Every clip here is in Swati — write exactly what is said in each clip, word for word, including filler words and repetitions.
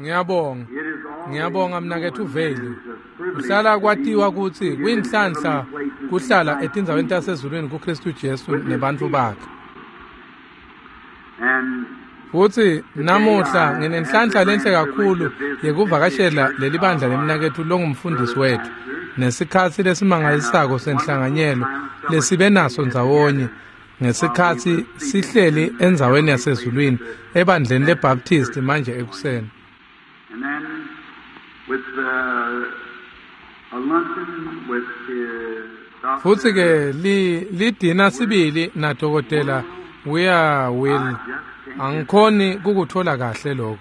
Ngiyabonga. Ngiyabonga mnaketfu Veli. Kuhlala kwatiwa kutsi kuyinhlanhla kuhlala etindzaweni tasezulwini kuKristu Jesu nebantfu bakhe. Futsi namuhla nginenhlanhla lenhle kakhulu yekuvakashela leli bandla lemnaketfu longumfundisi wetfu nesikhatsi lesimangalisako senhlanganyelo lesibe naso ndzawonye ngesikhatsi sihleli endzaweni yasezulwini ebandleni leBaptist manje ekuseni. And then with uh, a luncheon with uh, Futsi ke li lidina sibili na dokotela Weir Will angikhoni kukuthola kahle lokho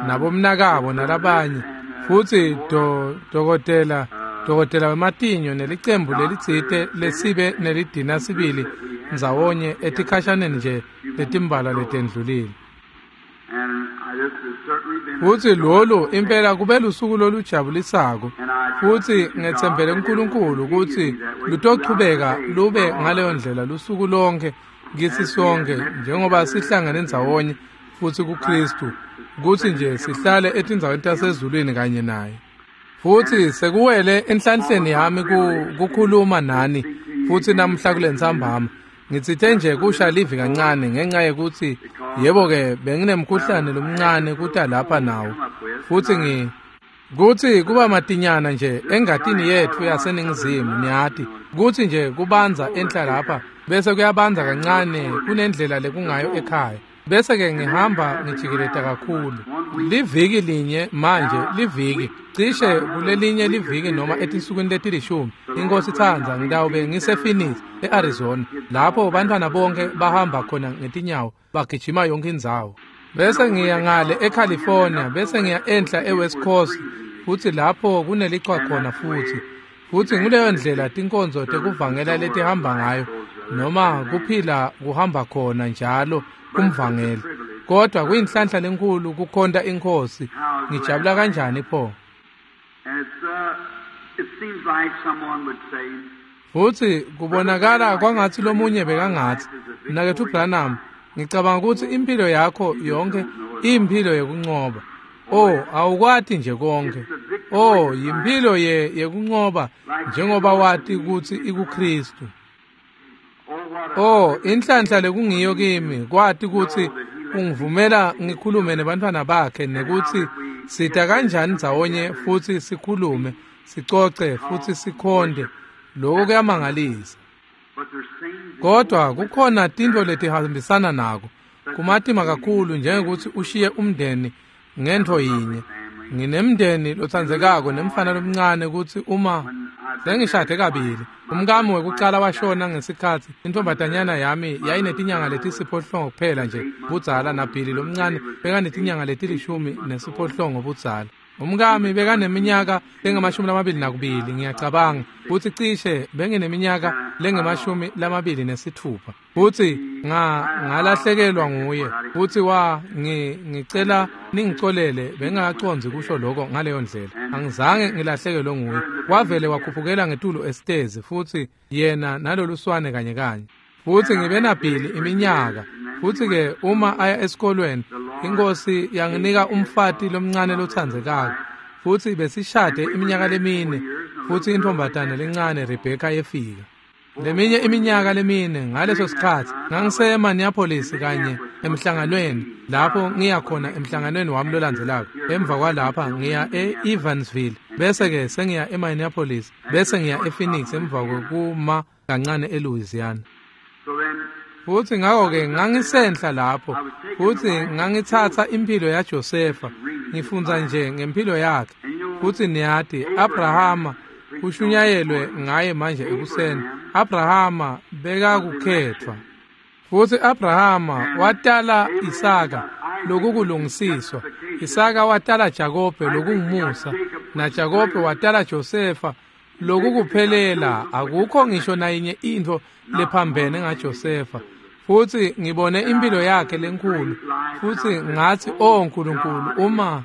nabomnakabo nalabanye futsi do dokotela dokotela wematinyo nelicembu lelitsite lesibe nelidina sibili ndzawonye etikhashaneni nje letimbalwa letendlulile. And I, this has certainly been a Futsi lolu impela kube lusuku lolujabulisako futsi ngetsembele kuNkulunkulu kutsi lutochubeka lube ngaleyo ndlela lusuku lonke kitsi sonke njengoba sihlangene ndzawonye futsi kuKristu kutsi nje sihlale etindzaweni tasezulwini kanye naye. Futsi sekuwele enhlanhleni yami ku- kukhuluma nani futsi namuhla kulentsambama ngitsite nje kusha livi kancane ngenxa yekutsi yebo-ke benginemkhuhlane lomncane kuta lapha nawo futsi ngi kutsi kuba matinyana nje engatini yetfu yaseningizimu niyati kutsi nje kubanza enhla lapha bese kuyabanza kancane kunendlela lekungayo ekhaya bese-ke ngihamba ngijikeleta kakhulu liviki linye manje liviki cishe kulelinye liviki noma etinsukwini letilishumi inkosi itsandza ngitawube ngisePhoenix e-Arizona lapho bantfwana bonke bahamba khona ngetinyawo bagijima yonke indzawo bese ngiya ngale eCalifornia bese ngiya enhla eWest Coast futsi lapho kunelichwa khona futsi futsi nguleyo ndlela tinkonzo tekuvangela letihamba ngayo noma kuphila kuhamba khona njalo kumvangeli kodwa kuyinhlanhla lenkulu kukhonta inkosi ngijabula kanjani pho. And it's, uh, it seems like someone would say, Futsi kubonakala kwangatsi lomunye bekangatsi mnaketfu Branham ngicabanga kutsi impilo yakho yonke iyimphilo yekuncoba. Oh, awukwati nje konke. Oh, yimphilo ye yekuncoba njengoba wati kutsi ikuKristu. oh, what a Oh, inhlanhla lekungiyo kimi kwati kutsi ungivumela ngikhulume nebantfwana bakhe nekutsi sita kanjani ndzawonye futsi sikhulume sicoce futsi sikhonde lokho kuyamangalisa. But there's things Kodwa kukhona tintfo letihambisana nako kumatima kakhulu njengekuthi ushiye umndeni ngentfo yinye. Nginemndeni lotsandzekako nemfana lomncane kutsi uma sengishade kabili umkami wekucala washona ngesikhatsi intfombatanyana yami yayinetinyanga letisiphohlongo kuphela nje budzala naBhili lomncane bekanetinyanga letilishumi nesiphohlongo budzala. Umkami bekaneminyaka lengamashumi lamabili nakubili ngiyacabanga kutsi cishe bengineminyaka lengemashumi lamabili nesitfupha futsi nga ngalahlekelwa nguye futsi wa ngi ngicela ningicolele bengingakacondzi kusho lokho ngaleyo ndlela angizange ngilahlekelwe nguye wavele wakhuphukela ngetulu esitezi futsi yena naloluswane kanye kanye futsi ngibe naBhili iminyaka futsi ke uma aya esikolweni inkosi yanginika umfati lomncane lotsandzekako futsi besishade iminyaka lemine futsi intfombatane lencane Rebecca yefika leminye iminyaka lemine ngaleso sikhatsi ngangise Minneapolis kanye emhlanganweni lapho ngiya khona emhlanganweni wami lolandzelako emva kwalapha ngiya e-Evansville bese ke sengiya eMinneapolis bese ngiya ePhoenix emva kwekuma kancane eLouisiana. So then Futsi ngako-ke ngangisenhla lapho futsi ngangitsatsa impilo yaJosefa ngifundza nje ngempilo yakhe futsi niyati Abrahama kushunyayelwe ngaye manje ekuseni Abrahama bekakukhetfwa futsi Abrahama watala Isaka lokukulungisiswa Isaka watala Jakobe lokungumusa na Jakobe watala Josefa lokukuphelela akukho ngisho nayinye intfo lephambene ngaJosefa futsi ngibone impilo yakhe lenkulu futsi ngathi oh Nkulunkulu uma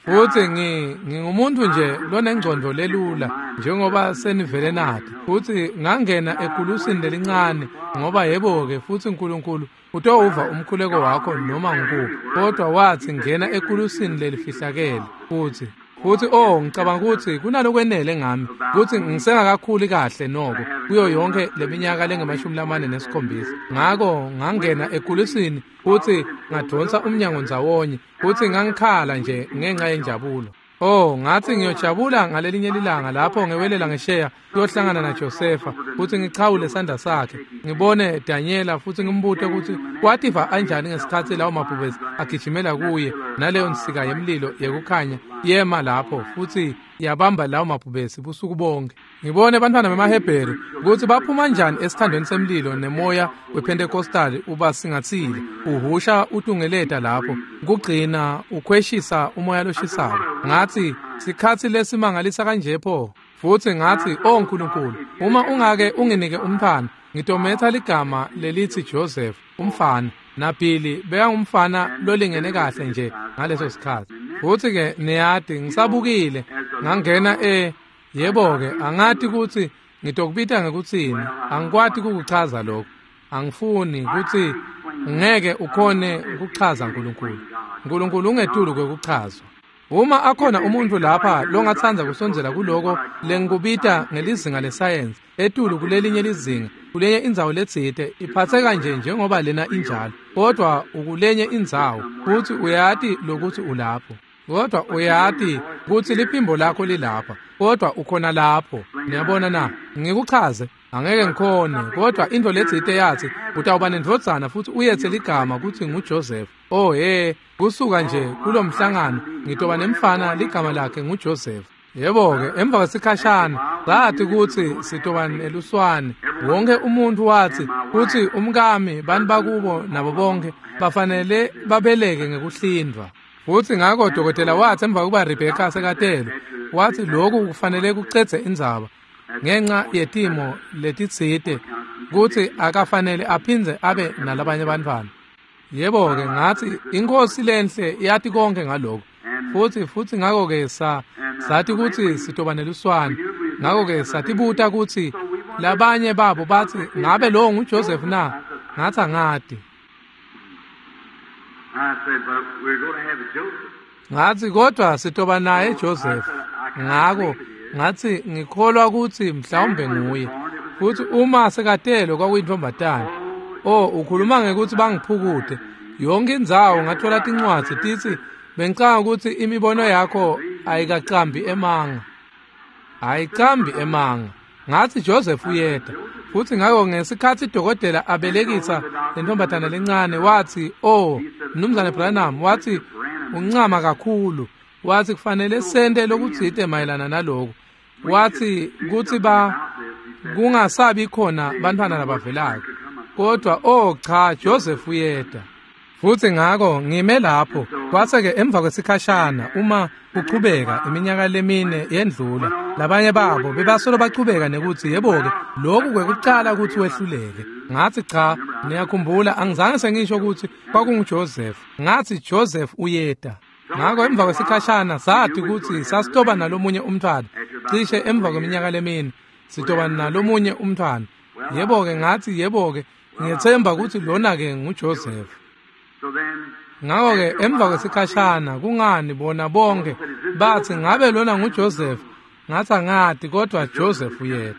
Futhi ngi ngingumuntu nje lonengcondo lelula njengoba senivele nathi. Futhi ngangena ekulusini lelincane ngoba yebo-ke futhi uNkulunkulu utowuva umkhuleko wakho noma ngikuphi. Kodwa wathi ngena ekulusini lelifihlakele futhi futhi oh ngicabanga ukuthi kunalokwenele ngami ukuthi ngisengakakhuli kahle noko kuyo yonke leminyaka lengamashumi lamane nesikhombisa. Ngako ngangena ekulusini futhi ngadonsa umnyango ndzawonye futhi ngangikhala nje ngenxa yenjabulo. Oh ngathi ngiyojabula ngalelinye ilanga lapho ngewelela ngesheya kuyohlangana naJosefa futhi ngichawule isandla sakhe ngibone Daniela futhi ngimbute ukuthi wativa anjani ngesikhathi lawo mabhubesi agijimela kuye naleyo nsika yemlilo yekukhanya yema lapho futhi yabamba lawo mabhubesi busuku bonke. Ngibone abantwana bemaHebheru ukuthi baphuma kanjani esithandweni semlilo nemoya wePentecostal uba singathile uhusha utungeleta lapho kugcina ukhweshisa umoya loshisayo. Ngathi sikhathi lesimangalisa kanje pho. Futhi ngathi oh uNkulunkulu uma ungake unginike umntwana ngitometha ligama lelithi Joseph umfana naBilly bekangumfana lolingene kahle nje ngaleso sikhathi. Futhi ke niyadi ngisabukile ngangena e yebo-ke angathi ukuthi ngitokubita ngekuthini angikwati ukukuchaza lokho angifuni ukuthi ngeke ukhone ukuchaza uNkulunkulu. uNkulunkulu ungetulu kwekuchazwa. Uma akhona umuntu lapha longathanda kusondzela kuloko lengikubita ngelizinga lesayensi etulu kulelinye lizinga kulenye indzawo letsite iphatheka nje njengoba lena injalo kodwa ukulenye indzawo futhi uyati lokuthi ulapho kodwa uyati ukuthi liphimbo lakho lilapha kodwa ukhona lapho. Niyabona na? Ngikuchaze angeke ngikhone kodwa into letsite yathi utawuba nendvodzana futhi uyethe ligama ukuthi nguJoseph. Oh he kusuka nje kulomhlangano ngitoba nemfana ligama lakhe nguJoseph. Yebo-ke emva kwesikhashana sathi ukuthi sitoba neluswane. Wonke umuntu wathi kuthi umkami bantu bakubo nabo bonke bafanele babeleke ngekuhlindwa. Futhi ngakho dokotela wathi emva kokuba Rebecca sekatelwe wathi lokhu kufanele kucedze indzaba ngenxa yetimo letitsite kuthi akafanele aphindze abe nalabanye abantwana. Yebo-ke ngathi inkosi lenhle yathi konke ngalokho. Futhi futhi ngakho-ke sa sathi ukuthi sitoba neluswane. Ngakho-ke satibuta ukuthi labanye babo bathi ngabe lowo nguJoseph na? Ngathi angadi. Ngathi kodwa sitoba naye Joseph. Ngakho ngathi ngikholwa ukuthi mhlawumbe nguye. Futhi uma sekatelwe kwakuyintombatana. Oh ukhuluma ngekuthi bangiphukude. Yonke indzawo ngathola tincwadzi tithi bengicanga ukuthi imibono yakho ayikaqambi emanga. Ayiqambi emanga. Ngathi Joseph uyeda. Futhi ngakho ngesikhathi idokotela abelekisa lentombatana lencane wathi oh Mnumzane Branham wathi uncama kakhulu. Wathi kufanele sente lokutsite mayelana naloko. Wathi kuthi ba kungasabi khona bantwana labavelako. Kodwa oh cha Joseph uyeda. Futhi ngakho ngime lapho kwase-ke emva kwesikhashana uma kuchubeka iminyaka lemine yendlula labanye babo bebasolo bachubeka nekuthi yebo-ke lokhu kwekucala ukuthi wehluleke. Ngathi cha niyakhumbula angizange sengisho ukuthi kwakunguJoseph. Ngathi Joseph uyeda. Ngakho emva kwesikhashana sathi ukuthi sasitoba nalomunye umntwana cishe emva kweminyaka lemine sitoba nalomunye umntwana. Yebo-ke ngathi yebo-ke ngiyethemba ukuthi lona-ke nguJoseph. Ngakho-ke emva kwesikhashana kungani bona bonke bathi ngabe lona nguJoseph? Ngathi angadi kodwa Joseph uyeda.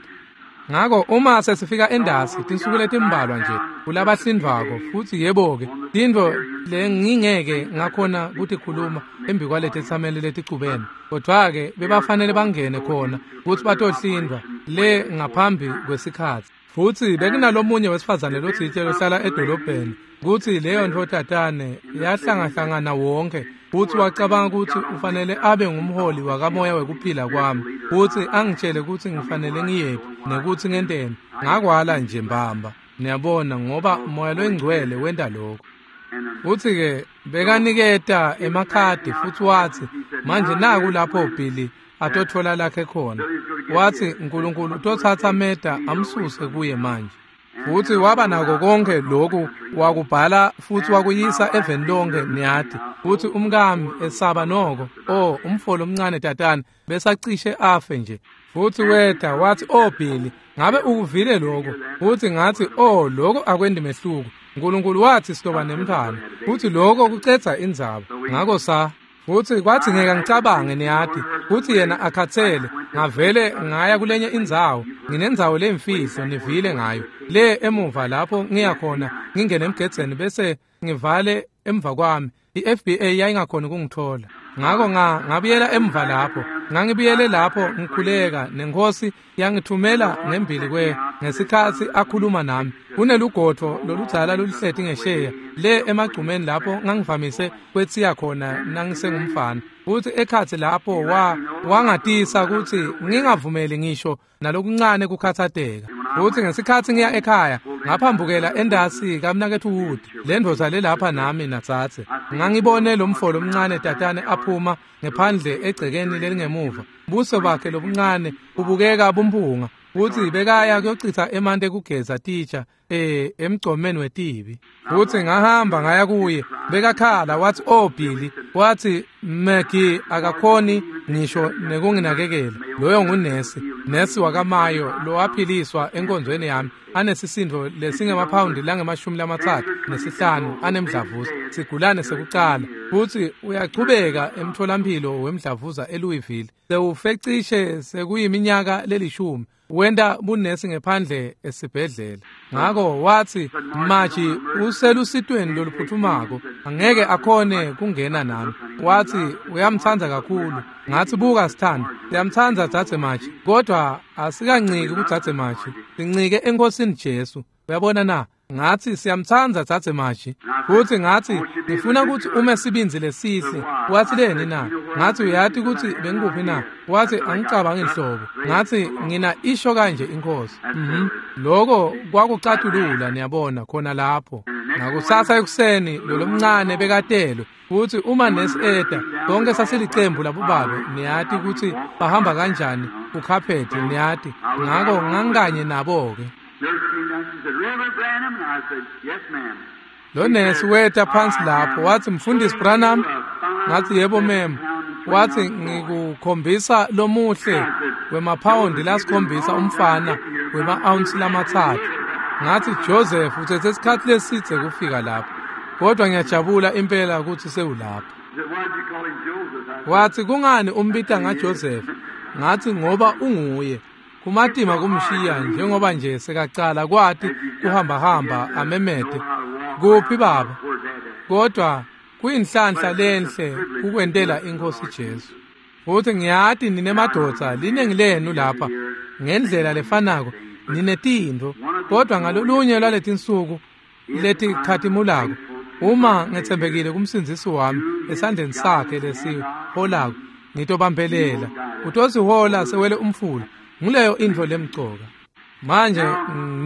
Ngakho uma sesifika endasi tinsuku letimbalwa nje kulabahlindvako futhi yebo-ke tintfo lengingeke ngakhona ukuthi khuluma embi kwaletetsameli leticubene kodwa-ke bebafanele bangene khona ukuthi batohlindwa le ngaphambi kwesikhathi. Futhi bekunalomunye wesifazane lotsite lohlala edolobheni kuthi leyo ntfotatane yahlangahlangana wonke futhi wacabanga ukuthi ufanele abe ngumholi wakamoya wekuphila kwami futhi angitshele ukuthi ngifanele ngiyephi nekuthi ngenteni. Ngakwala nje mbamba niyabona ngoba moya loyingcwele wenta lokho. Futhi-ke bekaniketa emakhadi futhi wathi manje naku lapho Billy atothola lakhe khona. Wathi uNkulunkulu utothatha Meda amsuse kuye manje. Futhi waba nako konke lokhu wakubhala futhi wakuyisa eveni lonke niyati. Futhi umkami esaba noko, oh umfolo omncane tatana besacishe afe nje. Futhi weta wathi, "Oh Billy, ngabe ukuvile lokho?" Futhi ngathi, "Oh lokho akwendi mehluko. uNkulunkulu wathi siloba nemntwana." Futhi lokho kucetha indzaba. Ngakho sa futhi kwathi ngeke ngicabange niyati futhi yena akhathele ngavele ngaya kulenye indzawo nginendzawo lemfihlo nivile ngayo le emuva lapho ngiya khona ngingene emgedzeni bese ngivale emva kwami. I-F B I yayingakhona ukungithola. Ngakho nga ngabuyela emva lapho ngangibuyele lapho ngikhuleka nenkosi yangithumela ngembili kwe ngesikhathi akhuluma nami. Kunelugodvo loludzala loluhleti ngesheya le emagcumeni lapho ngangivamise kwethiya khona nangisengumfana. Futhi ekhathi lapho wa wangatisa ukuthi ngingavumeli ngisho nalokuncane kukhathateka. Futhi ngesikhathi ngiya ekhaya ngaphambukela endasi kaMnakethu Wood, le ndoda le lapha nami natsatse. Ngangibone lo mfolo omncane tatane aphuma ngephandle egcekeni lelingemuva. Buso bakhe lobuncane ubukeka bumphunga. Futhi bekaya kuyochitha emanti ekugeza titsha eh emgcomeni wetibi. Futhi ngahamba ngaya kuye, bekakhala wathi, "Oh Billy," wathi, "Maggie akakhoni ngisho nekunginakekela." Loyo ngunesi, nesi wakamayo lo waphiliswa enkonzweni yami anesisindo lesingemaphawundi langemashumi lamathathu nesihlanu anemdlavuza, sigulane sekucala. Futhi uyachubeka emtholampilo wemdlavuza eLouisville. Sewufecishe sekuyiminyaka lelishumi wenda bunesi ngephandle esibhedlela. Ngakho wathi, "Maji uselusitweni loluphuthumako, angeke akhone kungena nami." Wathi uyamthanda kakhulu. Ngathi, "Buka sithando, siyamthanda dzadze Maji, kodwa asikanciki kudzadze Maji, sincike eNkosini Jesu. Uyabona na?" Ngathi, "Siyamthanda dzadze Maji." Futhi ngathi, "Ngifuna ukuthi ume sibinzi lesihle." Wathi, "Leni na?" Ngathi, "Uyati ukuthi bengikuphi na?" Wathi, "Angicabangi inhlobo." Ngathi, "Ngina isho kanje inkosi." Mhm. Lokho kwakucathulula niyabona khona lapho. Ngakusasa ekuseni lo lomncane bekatelwe. Futhi uma nesi eda bonke sasilicembu labobabe niyati ukuthi bahamba kanjani kukhaphethi niyati. Ngakho ngangikanye nabo ke. Lo nesi weta phansi lapho wathi, "Mfundisi Branham." Ngathi, "Yebo mem." Wathi, "Ngikukhombisa lomuhle wemaphawundi lasikhombisa umfana wema-ounce lamathathu." Ngathi, "Joseph uthethe isikhathi lesithe kufika lapho, kodwa ngiyajabula impela ukuthi sewulapha." Wathi, "Kungani umbita ngaJoseph?" Ngathi, "Ngoba unguye. Kumatima kumshiya njengoba nje sekacala kwathi kuhamba hamba amemede kuphi baba, kodwa kuyinhlanhla lenhle kukwentela inkosi Jesu. Futhi ngiyati ninemadoda liningi lenu lapha ngendlela lefanako ninetintfo, kodwa ngalolunye lwaletinsuku letikhatimulako uma ngetsembekile kumsindzisi wami esandleni sakhe lesiholako ngitobambelela utosihola sewele umfula. Nguleyo intfo lemcoka. Manje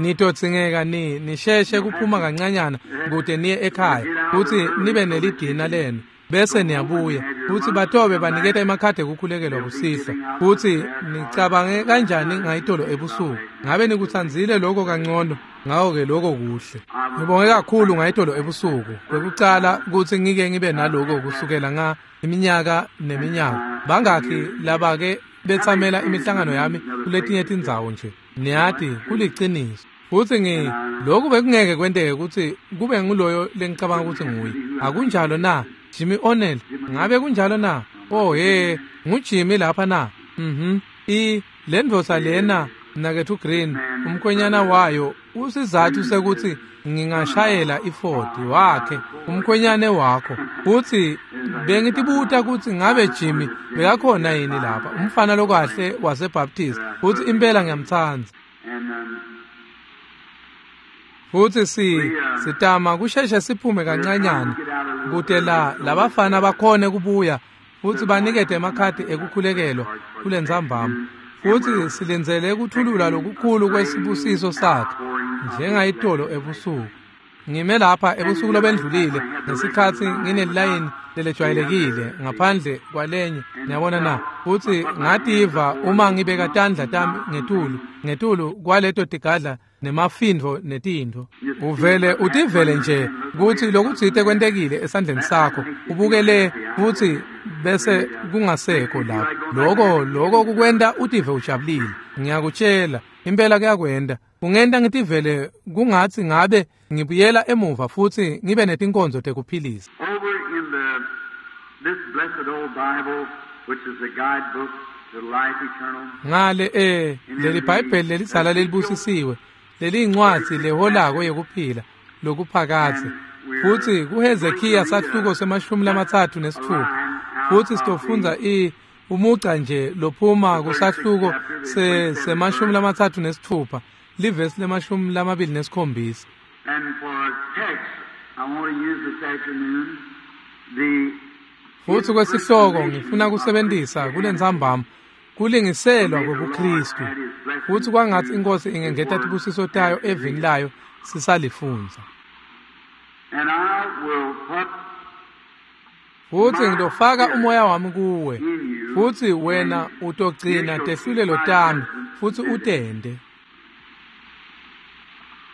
nitodzingeka ni nisheshe kuphuma kancanyana kude niye ekhaya futhi nibe nelidina lenu bese niyabuya. Futhi batobe baniketa emakhadi ekukhulekelwa kusihlwa. Futhi nicabange kanjani ngayitolo ebusuku? Ngabe nikutsandzile lokho kangcono? Ngakho-ke lokho kuhle. Ngibonge kakhulu ngayitolo ebusuku. Kwekucala ukuthi ngike ngibe naloko kusukela nga iminyaka neminyaka. Bangakhi laba-ke bethamela imihlangano yami kuletinye tindzawo nje. Niyati kuliciniso. Futhi ngi lokhu bekungeke kwenteke ukuthi kube nguloyo lengicabanga ukuthi nguye. Akunjalo na? Jimmy O'Neill, ngabe kunjalo na? Oh hey, nguJimmy lapha na? Mhm. I le ndoda lena Mnakethu Green, umkhwenyana wayo usizathu sekuthi ngingashayela iFord wakhe umkhwenyane wakho. Futhi bengitibuta ukuthi ngabe Jimmy bekakhona yini lapha, umfana lokahle waseBaptist. Futhi impela ngiyamthanda. Futhi si sitama kusheshe siphume kancanyana kude la labafana bakhone kubuya futhi banikete emakhadi ekukhulekelwa kulentsambama. Futhi silindzele ukuthulula lokukhulu kwesibusiso sakhe njengayitolo ebusuku. Ngime lapha ebusuku lobendlulile ngesikhathi nginelayini lelejwayelekile ngaphandle kwalenye niyabona na. Futhi ngativa uma ngibeka tandla tami ngetulu ngetulu kwaleto tigadla nemafindvo netintfo. Uvele utivele nje kutsi lokutsite kwentekile esandleni sakho, ubukele futsi bese kungasekho lapho. Loko loko kukwenta utive ujabulile. Ngiyakutshela, impela kuyakwenta. Kungenta ngitivele kungatsi ngabe ngibuyela emuva futsi ngibe netinkonzo tekuphilisa. Over in the this blessed old Bible, which is the guidebook to life eternal. Ngale eh leli Bhayibheli lelidzala lelibusisiwe leliyincwadzi leholako yekuphila lokuphakadze, futsi kuHezekiya sahluko semashumi lamatsatfu nesitfupha, futsi sitofundza i umugca nje lophuma kusahluko se semashumi lamatsatfu nesitfupha livesi lemashumi lamabili nesikhombisa. And for a text, I want to use this afternoon the Futsi kwesihloko ngifuna kusebentisa kulentsambama kulingiselwa kwebuKristu, futsi kwangatsi iNkhosi ingengeta tibusiso tayo evini layo sisalifundza. And I will put Futsi ngitofaka umoya wami kuwe, futsi wena utogcina tehlulelo tami futsi utente.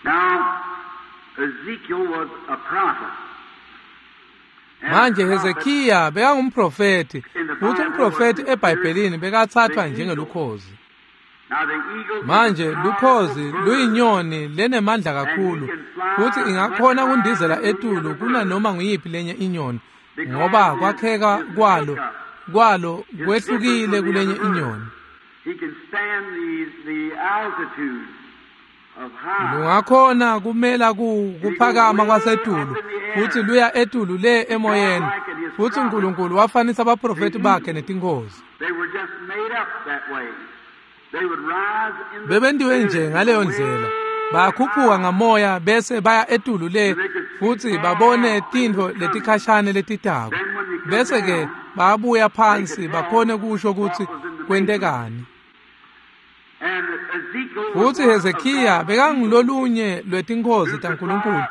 Now, Ezekiel was a prophet. And Manje a prophet Hezekiya bekangumprofethi, futsi umprofethi eBhayibhelini bekathathwa njengelukhozi. Now the eagle is Manje a lukhozi powerful bird. luyinyoni lenemandla kakhulu, futsi ingakhona kundizela etulu kunanoma nguyiphi lenye inyoni, ngoba kwakheka kwalo kwalo kwehlukile kulenye inyoni. He can stand the, the altitude of high. Lungakhona kumela ku kuphakama kwasetulu, futsi luya etulu le emoyeni. Futsi uNkulunkulu wafanisa abaprofethi bakhe netinkhozi. They were just made up that way. They would rise in the Bebentiwe nje spirit ngaleyo way ndlela, bakhuphuka ngamoya bese baya etulu le futsi babone tintfo letikhashane letitako, bese ke babuya phansi bakhone kusho kutsi kwentekani. And Ezekiel was Futsi one of Hezekiya God's bekangulolunye lwetinkhozi taNkulunkulu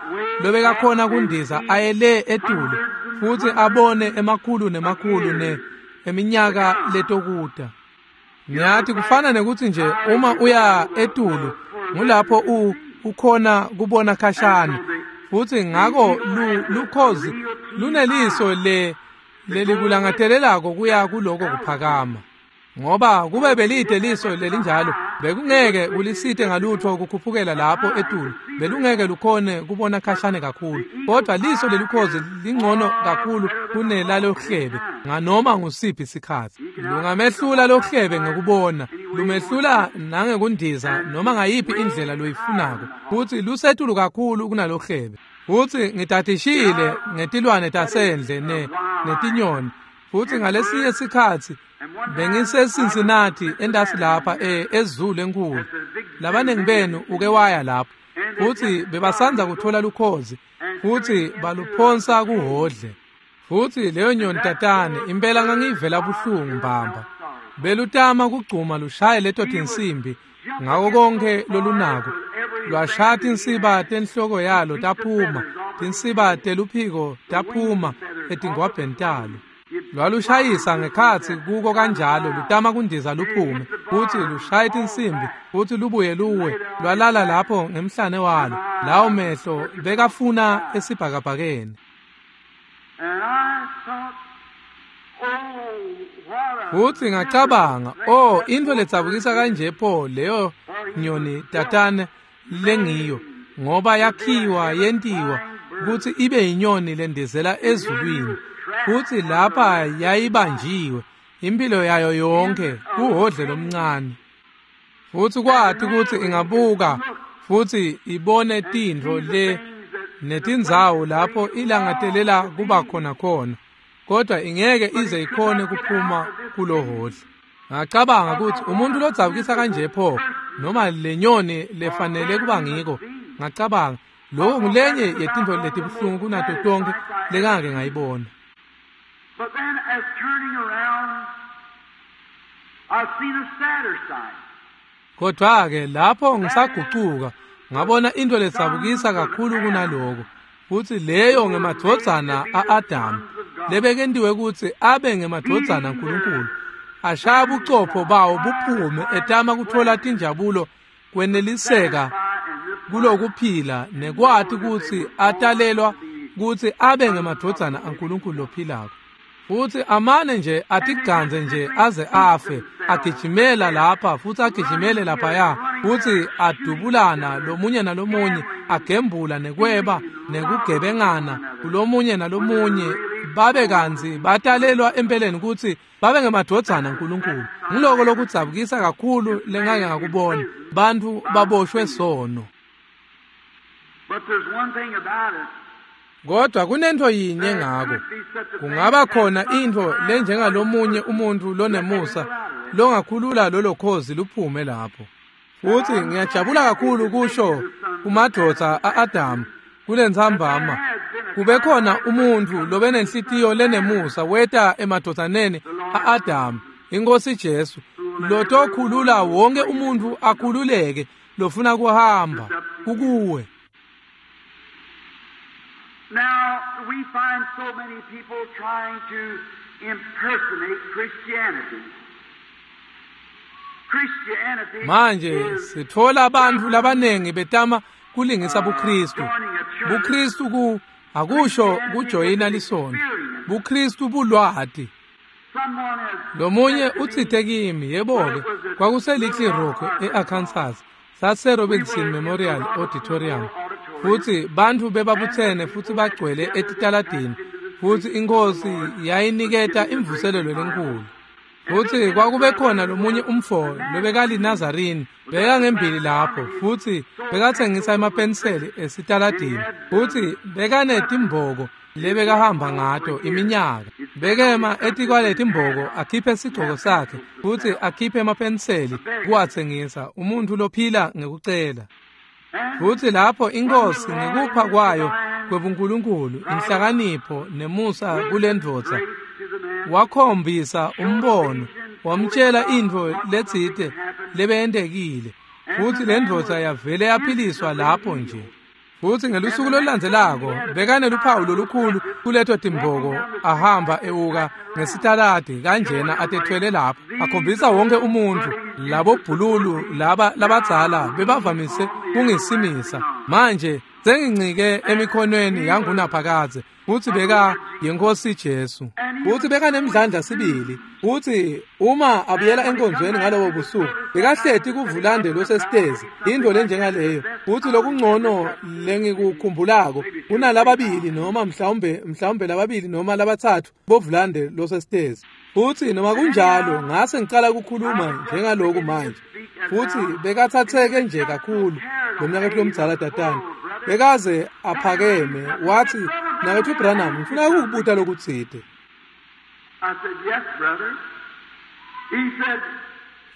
lobekakhona kundiza aye le etulu futsi abone emakhulu nemakhulu ne eminyaka letokuta. Ngiyathi kufana nekutsi nje uma uya etulu ngulapho u ukhona kubona khashane, futsi ngako lu, lukhozi luneliso le lelikulangatelelako kuya kuloko kuphakama. Ngoba kube belide liso lelinjalo bekungeke kulisite ngalutho kukhuphukela lapho etulu, belungeke lukhone kubona khashane kakhulu. Kodwa liso lelukhozi lingcono kakhulu kunelalohlebe nganoma ngusiphi isikhatsi. Lungamehlula lohlebe ngekubona, lumehlula nangekundiza noma ngayiphi indlela loyifunako, futsi lusetulu kakhulu kunalohlebe. Futsi ngitatishile ngetilwane tasendle ne netinyoni, futsi ngalesinye sikhatsi bengiseCincinnati entasi lapha e eZulu enkulu. Labanengi benu uke waya lapho, futsi bebasanza kuthola lukhozi futsi baluphonsa kuhodle. Futsi leyo nyoni tatane impela ngangiyivela buhlungu mbamba. Belutama kugcuma lushaye leto tinsimbi ngako konke lolunako. Lwashaya tinsiba tenhloko yalo taphuma, tinsiba teluphiko taphuma etingwabheni talo. Lwalushayisa ngekhatsi kuko kanjalo lutama kundiza luphume, futsi lushaye tinsimbi futsi lubuye luwe. Lwalala lapho ngemhlane walo, lawo mehlo bekafuna esibhakabhakeni. And I thought, oh, what a Futsi ngacabanga, oh, intfo ledzabukisa kanje pho leyo nyoni tatane lengiyo, ngoba yakhiwa yentiwa kutsi ibe yinyoni lendizela ezulwini, futsi lapha yayibanjiwe impilo yayo yonke kuhodle lomncane. Futsi kwati kutsi ingabuka futsi ibone tintfo le netindzawo lapho ilangatelela kuba khona khona, kodwa ingeke ize ikhone kuphuma kulohodle. Ngacabanga kutsi umuntu lodzabukisa kanje pho noma lenyoni lefanele kuba ngiko. Ngacabanga lokho ngulenye yetintfo letibuhlungu kunato tonkhe lengake ngayibona. But then as turning around, I've seen a sadder sight. Kodwa ke lapho ngisagucuka ngabona into ledzabukisa kakhulu kunaloko, futsi leyo ngemadvodzana a-Adamu lebekentiwe kutsi abe ngemadvodzana aNkulunkulu, ashaya bucopho bawo buphume etama kutfola tinjabulo kweneliseka kulokuphila nekwati kutsi atalelwa kutsi abe ngemadvodzana aNkulunkulu lophilako. Futsi amane nje atiganze nje aze afe, agijimela lapha futsi agijimele laphaya, futsi adubulana lomunye nalomunye, agembula nekweba nekugebengana kulomunye nalomunye, babe kantsi batalelwa empeleni kutsi babe ngemadvodzana aNkulunkulu. Ngiloko lokudzabukisa kakhulu lengake ngakubona, bantfu baboshwe sono. But there's one thing about it. Kodwa kunento yinye ngako, kungaba khona intfo lenjengalomunye umuntfu lonemusa longakhulula lolo khozi luphume lapho. Futsi ngiyajabula kakhulu kusho kumadvodza a-Adamu kulentsambama, kube khona umuntfu lobenenhlitiyo lenemusa weta emadvodzaneni a-Adamu, iNkhosi Jesu, lotokhulula wonke umuntfu akhululeke lofuna kuhamba kukuwe. Now, we find so many people trying to impersonate Christianity. Christianity Manje is sithola bantfu labanengi betama kulingisa buKristu. BuKristu ku akusho kujoyina lisontfo. BuKristu bulwati. Someone has Lomunye utsite kimi, yebo-ke, kwakuse Little Rock e-Arkansas, sase Robinson Memorial Auditorium. Futsi bantfu bebabutsene futsi bagcwele etitaladini, futsi iNkhosi yayiniketa imvuselelo lenkulu. Futsi kwakube khona lomunye umfo lobekali Nazarini, bekangembili lapho, futsi bekatsengisa emapeniseli esitaladini, futsi bekanetimboko lebekahamba ngato iminyaka. Bekema etikwaletimboko akhiphe sigcoko sakhe futsi akhiphe emapeniseli kuwatsengisa, umuntfu lophila ngekucela. Futsi lapho iNkhosi ngekupha kwayo kwebuNkulunkulu, inhlakanipho nemusa kulendvodza, wakhombisa umbono, wamtshela intfo letsite lebeyentekile, futsi lendvodza yavele yaphiliswa lapho nje. Futsi ngelusuku lolulandzelako bekaneluphawu lolukhulu kuleto timboko, ahamba ewuka ngesitaladi kanjena atethwele lapho, akhombisa wonke umuntfu. Labo bhululu laba labadzala bebavamise kungisimisa, manje sengincike emikhonweni yangunaphakadze, futsi beka yiNkhosi Jesu. Futsi bekanemdlandla sibili, futsi uma abuyela enkonzweni ngalobo busuku, bekahleti kuvulande losesitezi, intfo lenjengaleyo. Futsi lokungcono lengikukhumbulako kunalababili noma mhlawumbe mhlawumbe lababili noma labatsatfu bovulande losesitezi. Futsi noma kunjalo ngase ngicala ukukhuluma njengaloku manje, futsi bekathatheke nje kakhulu lo mnaketfu lomdzala Tatane. Bekaze aphakeme wathi, "Mnaketfu Branham, ngifuna ukukubuta lokutsite." I said, "Yes, brother." He said,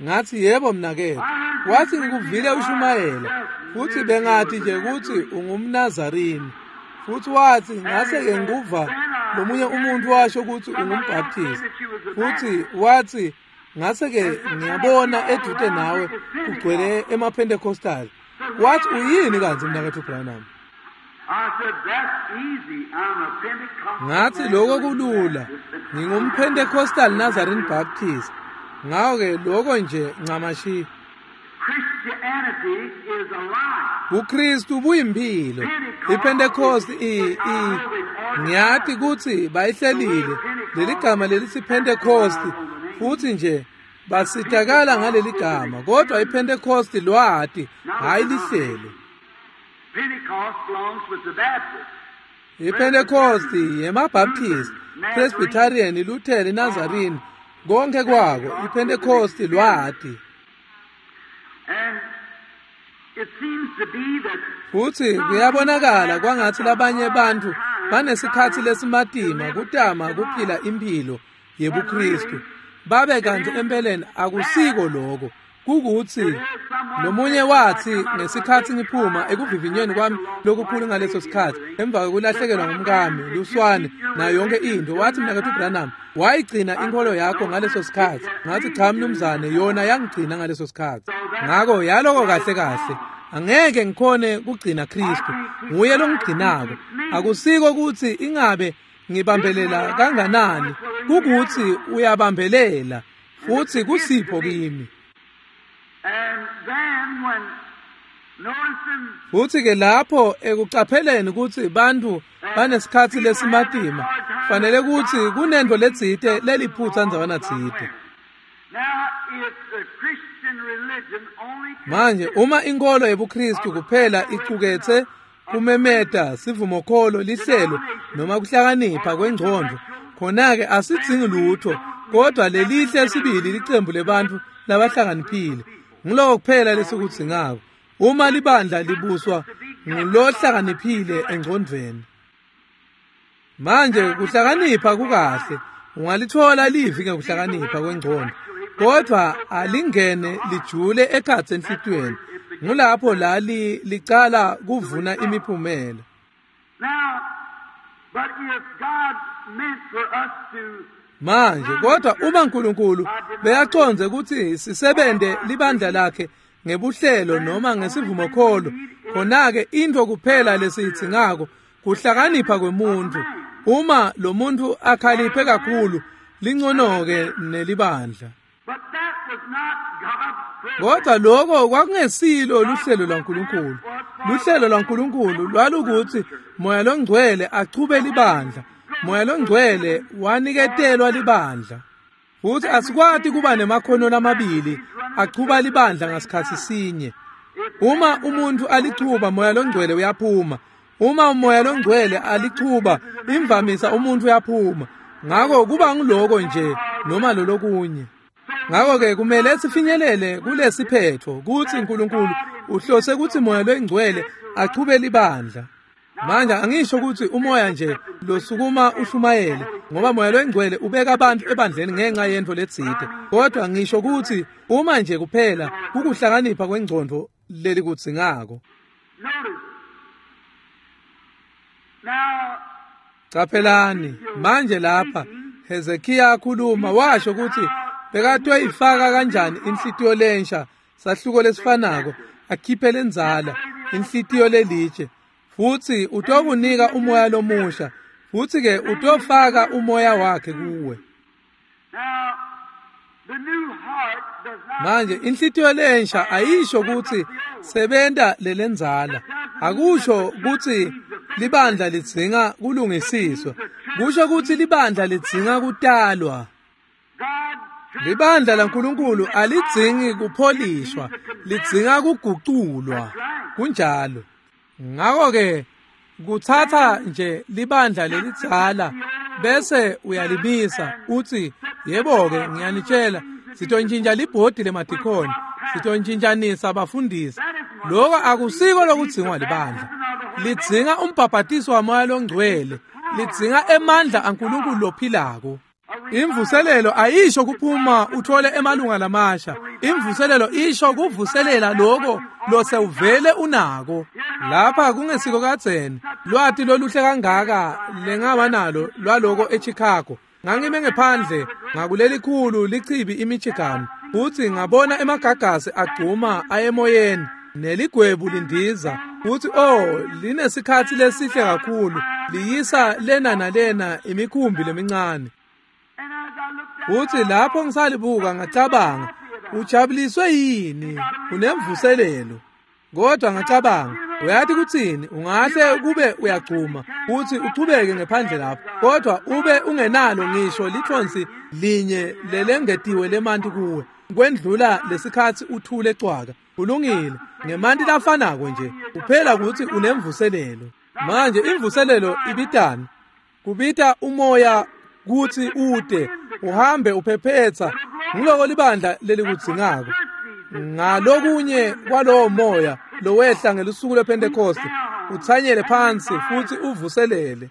Ngathi, "Yebo mnaketfu." Wathi, "Ngikuvile ushumayela, futhi bengathi nje kutsi ungumNazarini." Futhi wathi, ngase-ke ngikuva lomunye umuntu washo kutsi ungumbhaptisti. Futhi wathi, ngase-ke ngiyabona edute nawe kugcwele emaPentecostal. Wathi, "Uyini kantsi mnaketfu Branham?" I said, "That's easy. I'm a Pentecostal." Ngathi, "Lokho kulula. NgingumPentecostal Nazarene Baptist. Ngako-ke lokho nje ncamashi." Christianity is alive. BuKristu buyimphilo. IPentecost i i ngiyati kutsi bayihlelile leli gama lelithi Pentecost, futhi nje basitakala ngaleli gama, kodwa iPentecost lwati, hayi lihlelo. Pentecost belongs with the Baptists. IPentecost yemaBaptist, Presbyterian, Lutheran, Nazarene, konke kwako. IPentecost lwati. And it seems to be that Futhi kuyabonakala kwangathi labanye bantfu banesikhatsi lesimatima kutama kuphila imphilo yebuKristu, babe kantsi empeleni akusiko lokho. Kukutsi lomunye wathi ngesikhatsi ngiphuma ekuvivinyweni kwami lokukhulu ngaleso sikhatsi, emva kwekulahlekelwa ngumkami, luswane, nayo yonke intfo, wathi, "Mnaketfu Branham, wayigcina inkholo yakho ngaleso sikhatsi?" Ngathi, "Cha mnumzane, yona yangigcina ngaleso sikhatsi." Ngako yaloko kahle kahle angeke ngikhone kugcina Kristu, nguye longigcinako. Akusiko kutsi ingabe ngibambelela kanganani, kukutsi uyabambelela, futhi kusipho kimi. And then when Futhi ke lapho ekucapheleni ukuthi bantu banesikhatsi lesimatima fanele ukuthi kunento letsite leliphutsa ndzawana tsite. Manje uma inkolo yebuKristu kuphela icuketse kumemeta sivumokholo lihlelo noma kuhlakanipha kwengcondvo, khona-ke asidzingi lutho kodwa lelihle sibili licembu lebantfu labahlakaniphile. Ngiloko kuphela lesikudzingako. Uma libandla libuswa ngulohlakaniphile engcondvweni. Manje kuhlakanipha kukahle, ungalithola livi ngekuhlakanipha kwengcondvo, kodwa alingene lijule ekhatsi enhlitiyweni. Ngulapho la licala kuvuna imiphumela. Manje kodwa uma uNkulunkulu beyacondze ukuthi sisebente libandla lakhe ngebuhlelo noma ngesivumokholo, khona-ke into kuphela lesiyidzingako kuhlakanipha kwemuntu. Uma lo muntu akhaliphe kakhulu, lingcono-ke nelibandla. Kodwa lokho kwakungesilo luhlelo lwaNkulunkulu. Luhlelo lwaNkulunkulu lwalukuthi Moya loNgcwele achube libandla. Moya loNgcwele waniketelwa libandla. Futhi asikwati kuba nemakhono lamabili achuba libandla ngasikhatsi sinye. Uma umuntu alichuba, Moya loNgcwele uyaphuma. Uma uMoya loNgcwele alichuba, imvamisa umuntu uyaphuma. Ngako kuba ngiloko nje noma lolokunye. Ngako-ke kumele sifinyelele kulesiphetho kutsi uNkulunkulu uhlose kutsi Moya loNgcwele achube libandla. Manje angisho kutsi umoya nje losukuma ushumayele, ngoba Moya loNgcwele ubeka abantu ebandleni ngenxa yento letsite, kodwa ngisho kutsi uma nje kuphela kukuhlakanipha kwengcondvo lelikudzingako. Caphelani manje lapha Hezekiya akhuluma washo kutsi bekatoyifaka kanjani inhlitiyo lensha, sahluko lesifanako, akhiphe lenzala inhlitiyo lelitshe, futhi utokunika umoya lomusha, futhi ke utofaka umoya wakhe kuwe. Manje inhlitiyo lensha ayisho ukuthi sebenta lelenzala, akusho ukuthi libandla lidzinga kulungisiswa, kusho ukuthi libandla lidzinga kutalwa. Libandla laNkulunkulu alidzingi kupholishwa, lidzinga kuguculwa. Kunjalo. Ngako-ke kutsatsa nje libandla lelidzala bese uyalimisa uthi yebo-ke ngiyanitshela sitontshintsha libhodi lemadikhoni, sitontshintshanisa abafundisi. Lokho akusiko lokudzingwa libandla. Lidzinga umbhabhatiso waMoya loNgcwele, lidzinga emandla aNkulunkulu lophilako. Imvuselelo ayisho kuphuma uthole emalunga lamasha. Imvuselelo isho kuvuselela lokho losewuvele unako. Lapha kungesiko kadzeni lwati loluhle kangaka lengaba nalo lwaloko eChicago. Ngangime ngephandle ngakulelikhulu lichibi iMichigan, futhi ngabona emagagasi agcuma ayemoyeni neligwebu lindiza, futhi oh linesikhatsi lesihle kakhulu liyisa lena nalena imikhumbi lemincane. Futhi lapho ngisalibuka ngacabanga, ujabuliswe yini? Unemvuselelo. Kodwa ngacabanga, uyathi kuthini? Ungahle kube uyagcuma futhi uchubeke ngephandle lapho, kodwa ube ungenalo ngisho lithonsi linye lelengetiwe lemanti kuwe kwendlula lesikhatsi uthule cwaka. Kulungile, ngemanti lafanako nje, kuphela ukuthi unemvuselelo. Manje imvuselelo ibitani? Kubita umoya kuthi ude uhambe uphephetsa. Ngiloko libandla lelikudzingako. Ngalokunye kwalowo moya lowehla ngelusuku lwePentecost utsanyele phansi futhi uvuselele.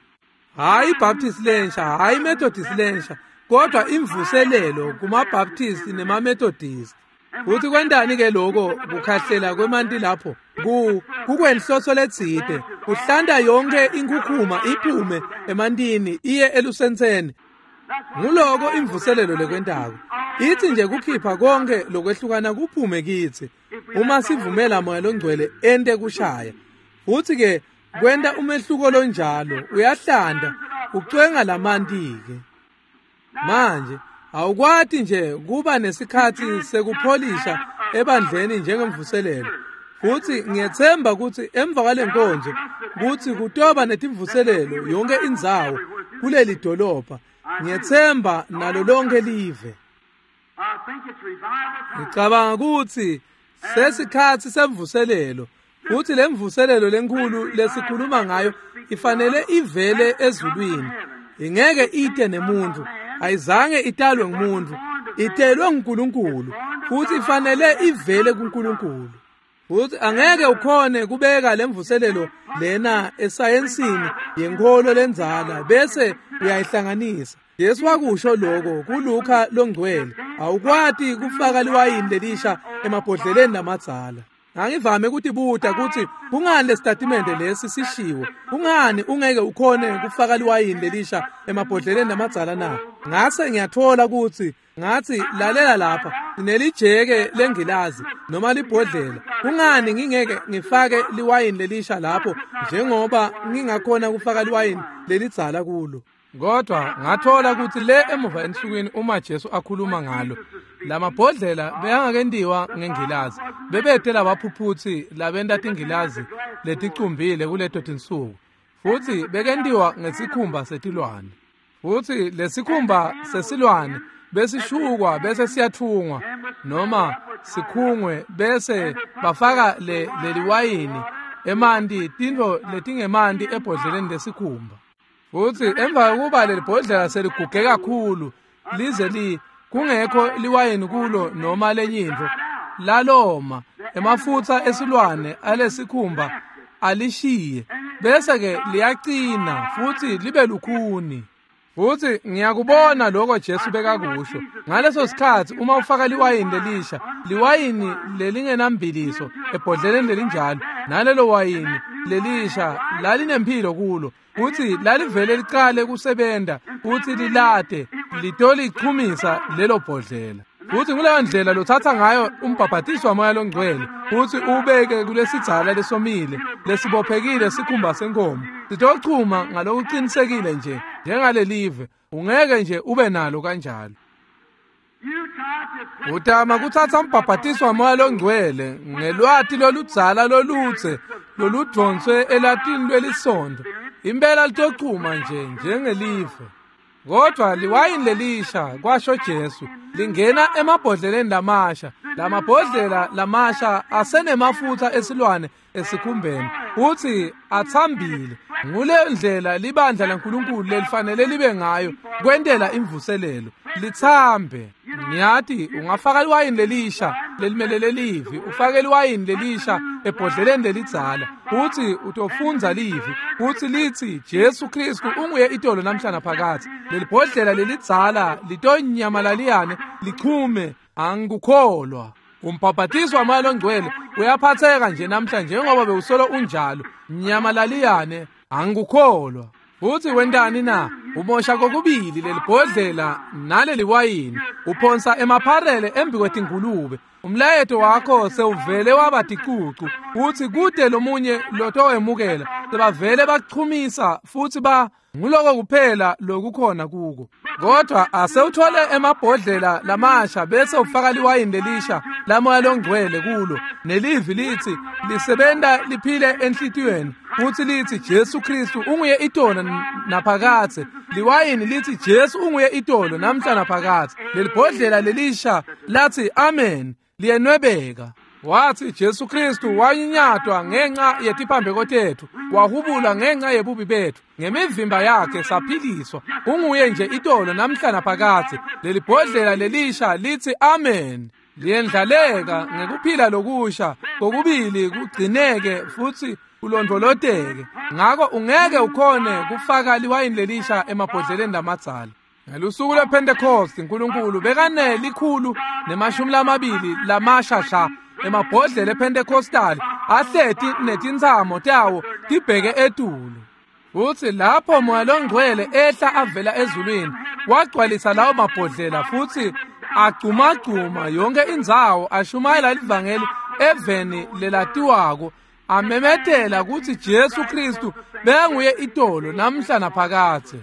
Hayi iBaptist lensha, hayi iMethodist lensha, kodwa imvuselelo kumaBaptist nemaMethodist. Futhi kwentani ke lokho kukhahlela kwemanti lapho? Ku kukwenhloso letsite, kuhlanta yonke inkhukhuma iphume emantini iye elusentseni. Nguloko imvuselelo lekwentako. Ithi nje kukhipha konke lokwehlukana kuphume kithi uma sivumela Moya loNgcwele ente kushaya. Futhi ke kwenta umehluko lonjalo, uyahlanda ucwenga lamanti ke. Manje awukwati nje kuba nesikhatsi sekupholisha ebandleni njengemvuselelo. Futhi ngiyethemba ukuthi emva kwalenkonzo kuthi kutoba netimvuselelo yonke indzawo kuleli dolobha. Ngiyethemba nalo lonke live. Ngicabanga ukuthi sesikhathi semvuselelo, futhi lemvuselelo lenkulu lesikhuluma ngayo ifanele ivele ezulwini. Ingeke ite nemuntu, ayizange italwe ngumuntu, itelwe nguNkulunkulu, futhi ifanele ivele kuNkulunkulu. Futhi angeke ukhone kubeka lemvuselelo lena esayensini yenkolo lenzala bese uyayihlanganisa. Jesu wakusho lokho kuLuka longcwele, awukwati kufaka liwayini lelisha emabhodleleni lamadzala. Angivame ukutibuta ukuthi kungani lesitatimende lesi sishiwo, kungani ungeke ukhone kufaka liwayini lelisha emabhodleleni lamadzala na? Ngase ngiyathola ukuthi ngathi lalela lapha, sinelijeke lengilazi noma libhodlela, kungani ngingeke ngifake liwayini lelisha lapho njengoba ngingakhona kufaka liwayini lelidzala kulo? Kodwa ngathola ukuthi le emuva ensukwini uma Jesu akhuluma ngalo, lamabhodlela beyangakentiwa ngengilazi, bebethe labaphuphuthi labenta tingilazi leticumbile kuleto tinsuku, futhi bekentiwa ngesikhumba setilwane. Futhi lesikhumba sesilwane besishukwa bese siyathungwa noma sikhungwe bese bafaka le leliwayini emanti, tintfo letingemanti ebhodleleni lesikhumba. Futhi emva kokuba leli bhodlela seliguge kakhulu lize li kungekho liwayini kulo noma lenye intfo, laloma emafutha esilwane alesikhumba alishiye, bese ke liyaqina futhi libe lukhuni. Futhi ngiyakubona lokho Jesu bekakusho ngaleso sikhathi, uma ufaka liwayini lelisha, liwayini lelingenambiliso ebhodleleni lelinjalo, nalelo wayini lelisha lalinempilo kulo, futhi lalivele liqale kusebenta futhi lilade litolichumisa lelo bhodlela. Futhi kuleyo ndlela lothatha ngayo umbhabhatiso wamoya longcwele futhi ubeke kulesidzala lesomile lesibophekile sikhumba senkomo, sitochuma ngalokuqinisekile nje njengalelive, ungeke nje ube nalo kanjalo. Utama kuthatha umbhabhatiso wamoya longcwele ngelwati loludzala lolutse loludvonswe elatini lwelisondo, impela litochuma nje njengelive. Kodwa liwayini lelisha, kwasho Jesu, lingena emabhodleleni lamasha. Lamabhodlela lamasha asenemafutha esilwane esikhumbeni, uthi athambile. Ngule ndlela libandla laNkulunkulu lelifanele libe ngayo kwentela imvuselelo, lithambe. Ngiyathi ungafaka liwayini lelisha lelimelele livi, ufake liwayini lelisha ebhodleleni lelidzala, uthi utofundza livi, uthi lithi Jesu Kristu unguye itolo namhlanje phakathi. Lelibhodlela lelidzala litonyamalaliane lichume, angikukholwa. Umbhabhatiso wamoya longcwele uyaphatheka nje namhlanje njengoba bewusolo unjalo, nyamalaliyane, angikukholwa. Futhi wentani na? Umosha kokubili lelibhodlela naleli wayini, uphonsa emapharele embi kwetingulube. Umlayeto wakho sewuvele waba ticucu, uthi kude lomunye lotowemukela, sebavele bachumisa futhi ba nguloko kuphela lokukhona kuko. Kodwa asewuthole emabhodlela lamasha bese ufaka liwayini lelisha lamoya longcwele kulo, nelivi lithi lisebenta liphile enhlitiyweni, futhi lithi Jesu Kristu unguye itolo naphakathe. Liwayini lithi Jesu unguye itolo namhla naphakathe. Lelibhodlela lelisha lathi amen, liyenwebeka. Wathi Jesu Kristu wanyinyatwa ngenxa yetiphambeko tethu, wahubulwa ngenxa yebubi bethu, ngemivimba yakhe saphiliswa. Unguye nje itolo namhla naphakathe. Lelibhodlela lelisha lithi amen, liyendlaleka ngekuphila lokusha kokubili kugcineke futhi kulondvoloteke. Ngako ungeke ukhone kufaka liwayini lelisha emabhodleleni lamadzala. Ngelusuku lwePentecost uNkulunkulu bekane likhulu nemashumi lamabili lamashasha emabhodlela ePentecostal ahleti netintsamo tawo tibheke etulu. Futhi lapho moya longcwele ehla avela ezulwini wagcwalisa lawo mabhodlela futhi agcumagcuma yonke indzawo, ashumayela livangeli eveni lelatiwako, amemetela ukuthi Jesu Kristu bekanguye itolo namhla naphakathe.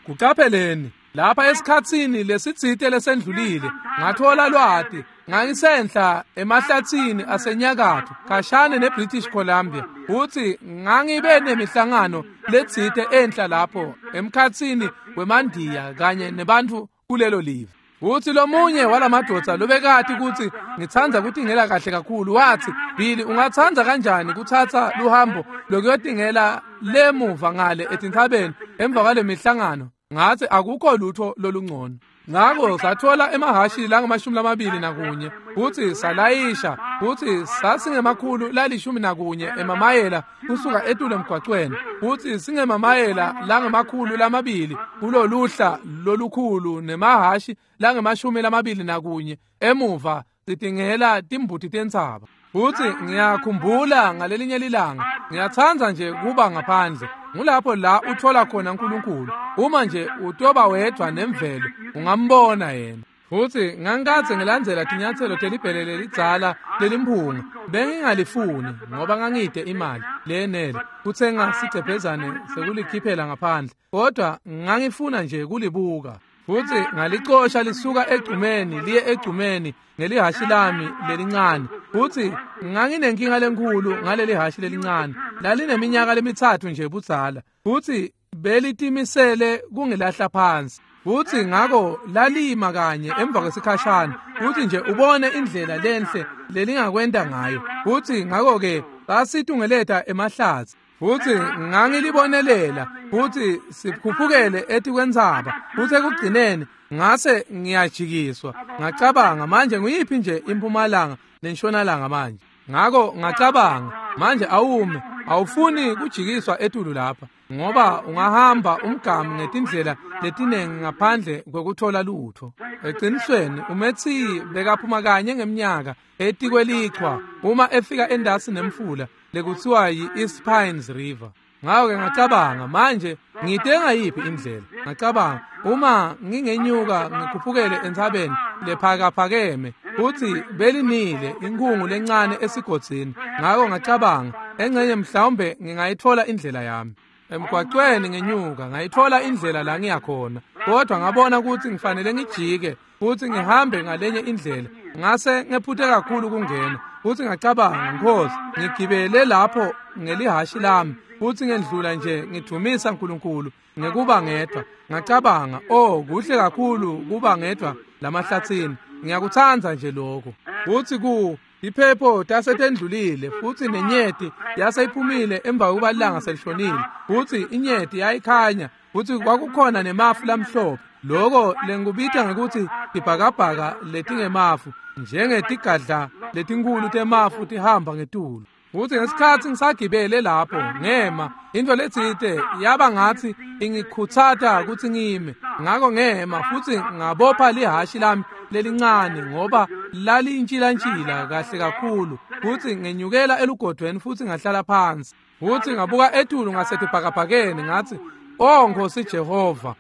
Kuqapheleni, Lapha esikhatsini lesitsite lesendlulile ngathola lwati ngangisenhla emahlatsini asenyakatfo khashane neBritish Columbia futsi ngangibe nemihlangano letsite enhla lapho emkhatsini wemandiya kanye nebantfu kulelo live. Futsi lomunye walamadvodza lobekati kutsi ngitsandza kutingela kahle kakhulu watsi, Billy, ungatsandza kanjani kutsatsa luhambo lokuyotingela lemuva ngale etintsabeni emva kwale mihlangano? Ngatsi akukho lutho lolungcono. Ngako sathola emahhashi langamashumi lamabili nakunye futsi salayisha futsi sasingemakhulu lalishumi nakunye emamayela kusuka etulu emgwacweni futsi singemamayela langemakhulu lamabili kuloluhla lolukhulu nemahhashi langemashumi lamabili nakunye emuva sitingela timbuti tentsaba. Futsi ngiyakhumbula ngalelinye lilanga ngiyatsandza nje kuba ngaphandle. Ngulapho la uthola khona uNkulunkulu. Uma nje utoba wedvwa nemvelo ungambona yena. Futsi ngangikadze ngilandzela tinyatselo telibhele lelidzala lelimphunga. Bengingalifuni ngoba ngangide imali leyenele kutsenga sigcebhezane sekulikhiphela ngaphandle, kodwa ngangifuna nje kulibuka. Futsi ngalicosha lisuka egcumeni liye egcumeni ngelihhashi lami lelincane. Futsi nganginenkinga lenkhulu ngaleli hhashi lelincane, lalineminyaka lemitsatfu nje budzala, futsi belitimisele kungilahla phansi. Futsi ngako lalima kanye emva kwesikhashana futsi nje ubone indlela lenhle lelingakwenta ngayo. Futsi ngako-ke sasitungeleta emahlatsi futsi ngangilibonelela futsi sikhuphukele etikwentsaba. Futsi ekugcineni ngase ngiyajikiswa ngacabanga, manje nguyiphi nje impumalanga nentshonalanga manje? Ngako ngacabanga, manje awume, awufuni kujikiswa etulu lapha ngoba ungahamba umgamu ngetindlela letinengi ngaphandle kwekuthola lutho. Eqinisweni uMetsi bekaphuma kanye ngeminyaka etikwelichwa uma efika endasi nemfula lekutsiwa yi-East Pines River. Ngako-ke ngacabanga, manje ngite ngayiphi indlela? Ngacabanga, uma ngingenyuka ngikhuphukele entsabeni lephakaphakeme futsi belinile inkhungu lencane esigodzini. Ngako ngacabanga, engcenye mhlawumbe ngingayithola indlela yami. Emgwacweni ngenyuka ngayithola indlela la ngiyakhona, kodwa ngabona ukuthi ngifanele ngijike futhi ngihambe ngalenye indlela. Ngase ngephuthe kakhulu kungena futhi ngacabanga, Nkosi, ngigibele lapho ngelihhashi lami futhi ngendlula nje ngidumisa uNkulunkulu ngekuba ngedwa. Ngacabanga, oh, kuhle kakhulu kuba ngedwa lamahlatsini, ngiyakutsandza nje lokho. Futhi ku iphepho tasetendlulile futhi nenyeti yaseyiphumile emva kokuba ilanga selishonile, futhi inyeti yayikhanya futhi kwakukhona nemafu lamhlophe, loko lengikubita ngekuthi tibhakabhaka letingemafu, njengetigadla letinkhulu temafu tihamba ngetulu. Futhi ngesikhatsi ngisagibele lapho ngema, into letsite yaba ngathi ingikhutsata kutsi ngime. Ngako ngema futhi ngabopha lihhashi lami lelincane ngoba lalintshilantshila kahle kakhulu, futhi ngenyukela elugodweni futhi ngahlala phansi. Futhi ngabuka etulu ngasetibhakabhakeni ngathi, oh Nkosi Jehova,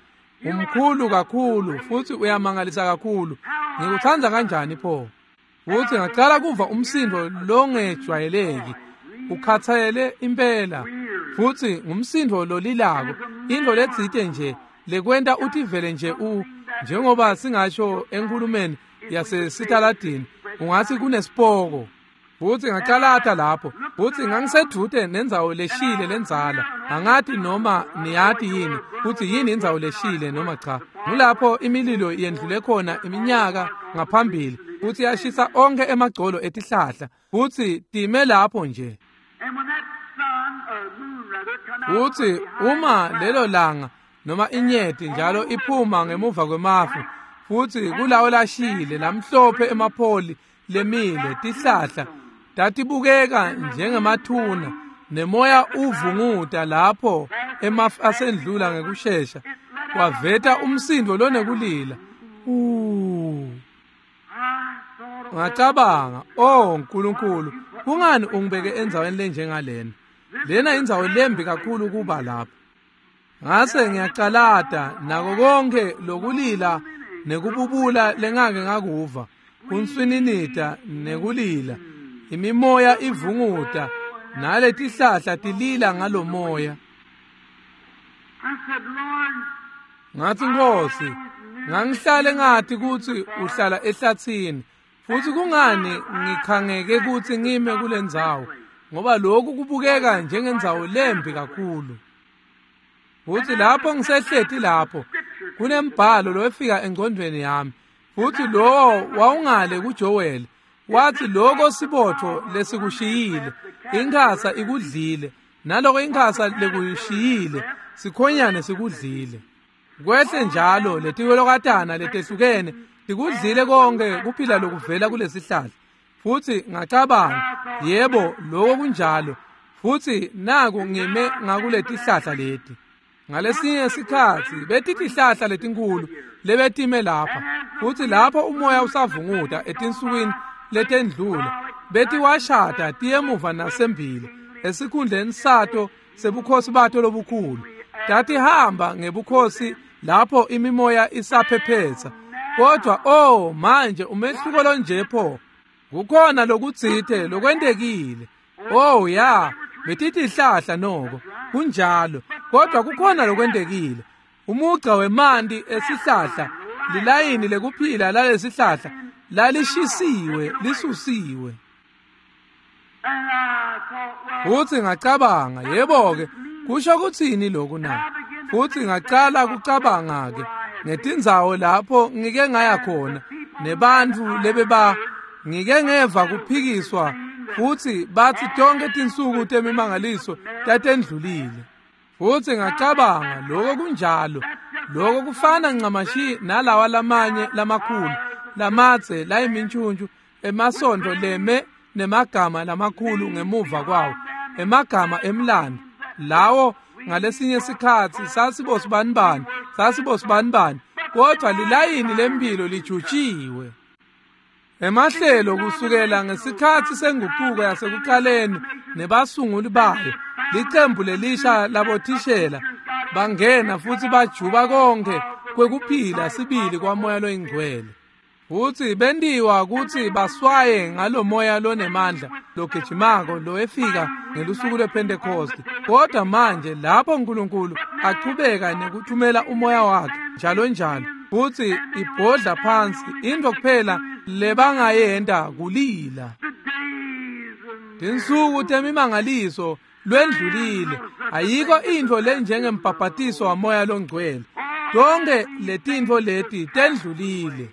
umkhulu kakhulu futhi uyamangalisa kakhulu, ngikutsandza kanjani pho. Futhi ngacala kuva umsindo longejwayeleki ukhathele impela, futhi ngumsindo lolilako, into letsite nje lekwenta utivele nje u njengoba singasho enkulumeni yasesitaladini ungathi kunesipoko. Futhi ngacalata lapho futhi ngangisedvute nendzawo leshile lendzala. Angati noma niyati yini futhi yini indzawo leshile noma cha. Ngulapho imililo yendlule khona iminyaka ngaphambili futhi yashisa onke emagcolo etihlahla futhi time lapho nje. Futhi uma lelo langa noma inyeti njalo iphuma ngemuva kwemafu futhi kulawo lashile lamhlophe emapholi lemile tihlahla tatibukeka njengemathuna, nemoya uvunguta lapho emafu asendlula ngekushesha kwaveta umsindo lonekulila. Uh ngacabanga, oh Nkulunkulu, kungani ungibeke endzaweni lenjengalena? Lena indzawo lembi kakhulu kuba lapha. Ngase ngiyacalata nako konke lokulila nekububula lengake ngakuva, kunswininita nekulila, imimoya ivunguta naletihlahla tilila ngalomoya. Ngathi, Nkosi, ngangihlale ngathi kutsi uhlala ehlathini, futhi kungani ngikhangeke kutsi ngime kulendzawo, ngoba lokhu kubukeka njengendzawo lembi kakhulu. Futhi lapho ngisehleti lapho kunembhalo lowefika engcondweni yami, futhi lowo wawungale kuJoel, wathi lokho sibotho lesikushiyile inkhasa ikudlile, naloko inkhasa lekushiyile sikhonyane sikudlile. Kwehle njalo letiwelokatana letehlukene tikudlile konke kuphila lokuvela kulesihlahla. Futhi ngacabanga, yebo, lokho kunjalo. Futhi naku ngime ngakuletihlahla leti. Ngalesinye sikhatsi betitihlahla letinkulu lebetime lapha, futhi lapho umoya usavunguta etinsukwini letendlula betiwashada tiyemuva nasembili esikhundleni sato sebukhosi bato lobukhulu. Tatihamba ngebukhosi lapho imimoya isaphephetsa. Kodwa oh manje umehluko lonje pho, kukhona lokutsite lokwentekile. Oh ya, betitihlahla noko kunjalo, kodwa kukhona lokwentekile. Umugca wemanti esihlahla, lilayini lekuphila lalesihlahla lalishisiwe, lisusiwe. Futhi ngacabanga, yebo-ke, kusho kuthini lokhu na? Futhi ngacala kucabanga-ke ngetindzawo lapho ngike ngaya khona nebantfu lebeba ngike ngeva kuphikiswa, futhi bathi tonke tinsuku temimangaliso tatendlulile. Futhi ngacabanga, lokho kunjalo, lokho kufana ncamashi nalawa lamanye lamakhulu lamadze layimintshuntshu emasondo leme nemagama lamakhulu ngemuva kwawo, emagama emlando lawo ngalesinye sikhatsi sasibosibanibani sasibosibanibani, kodwa lilayini lempilo lijutshiwe. Emahlelo kusukela ngesikhatsi senguquko yasekuqaleni nebasunguli bayo, licembu lelisha labothishela bangena futhi bajuba konke kwekuphila sibili kwamoya loyingcwele. Futhi bendiwa kutsi baswaye ngalomoya lonemandla logijimako lowefika ngelusuku lwePentecost. Kodwa manje lapho uNkulunkulu achubeka nekuthumela umoya wakhe njalo njalo, futhi ibhodla phansi, into kuphela lebangayenta kulila. Tinsuku temimangaliso lwendlulile, ayikho intfo lenjengembhabhatiso wamoya longcwele. Tonke letintfo leti tendlulile.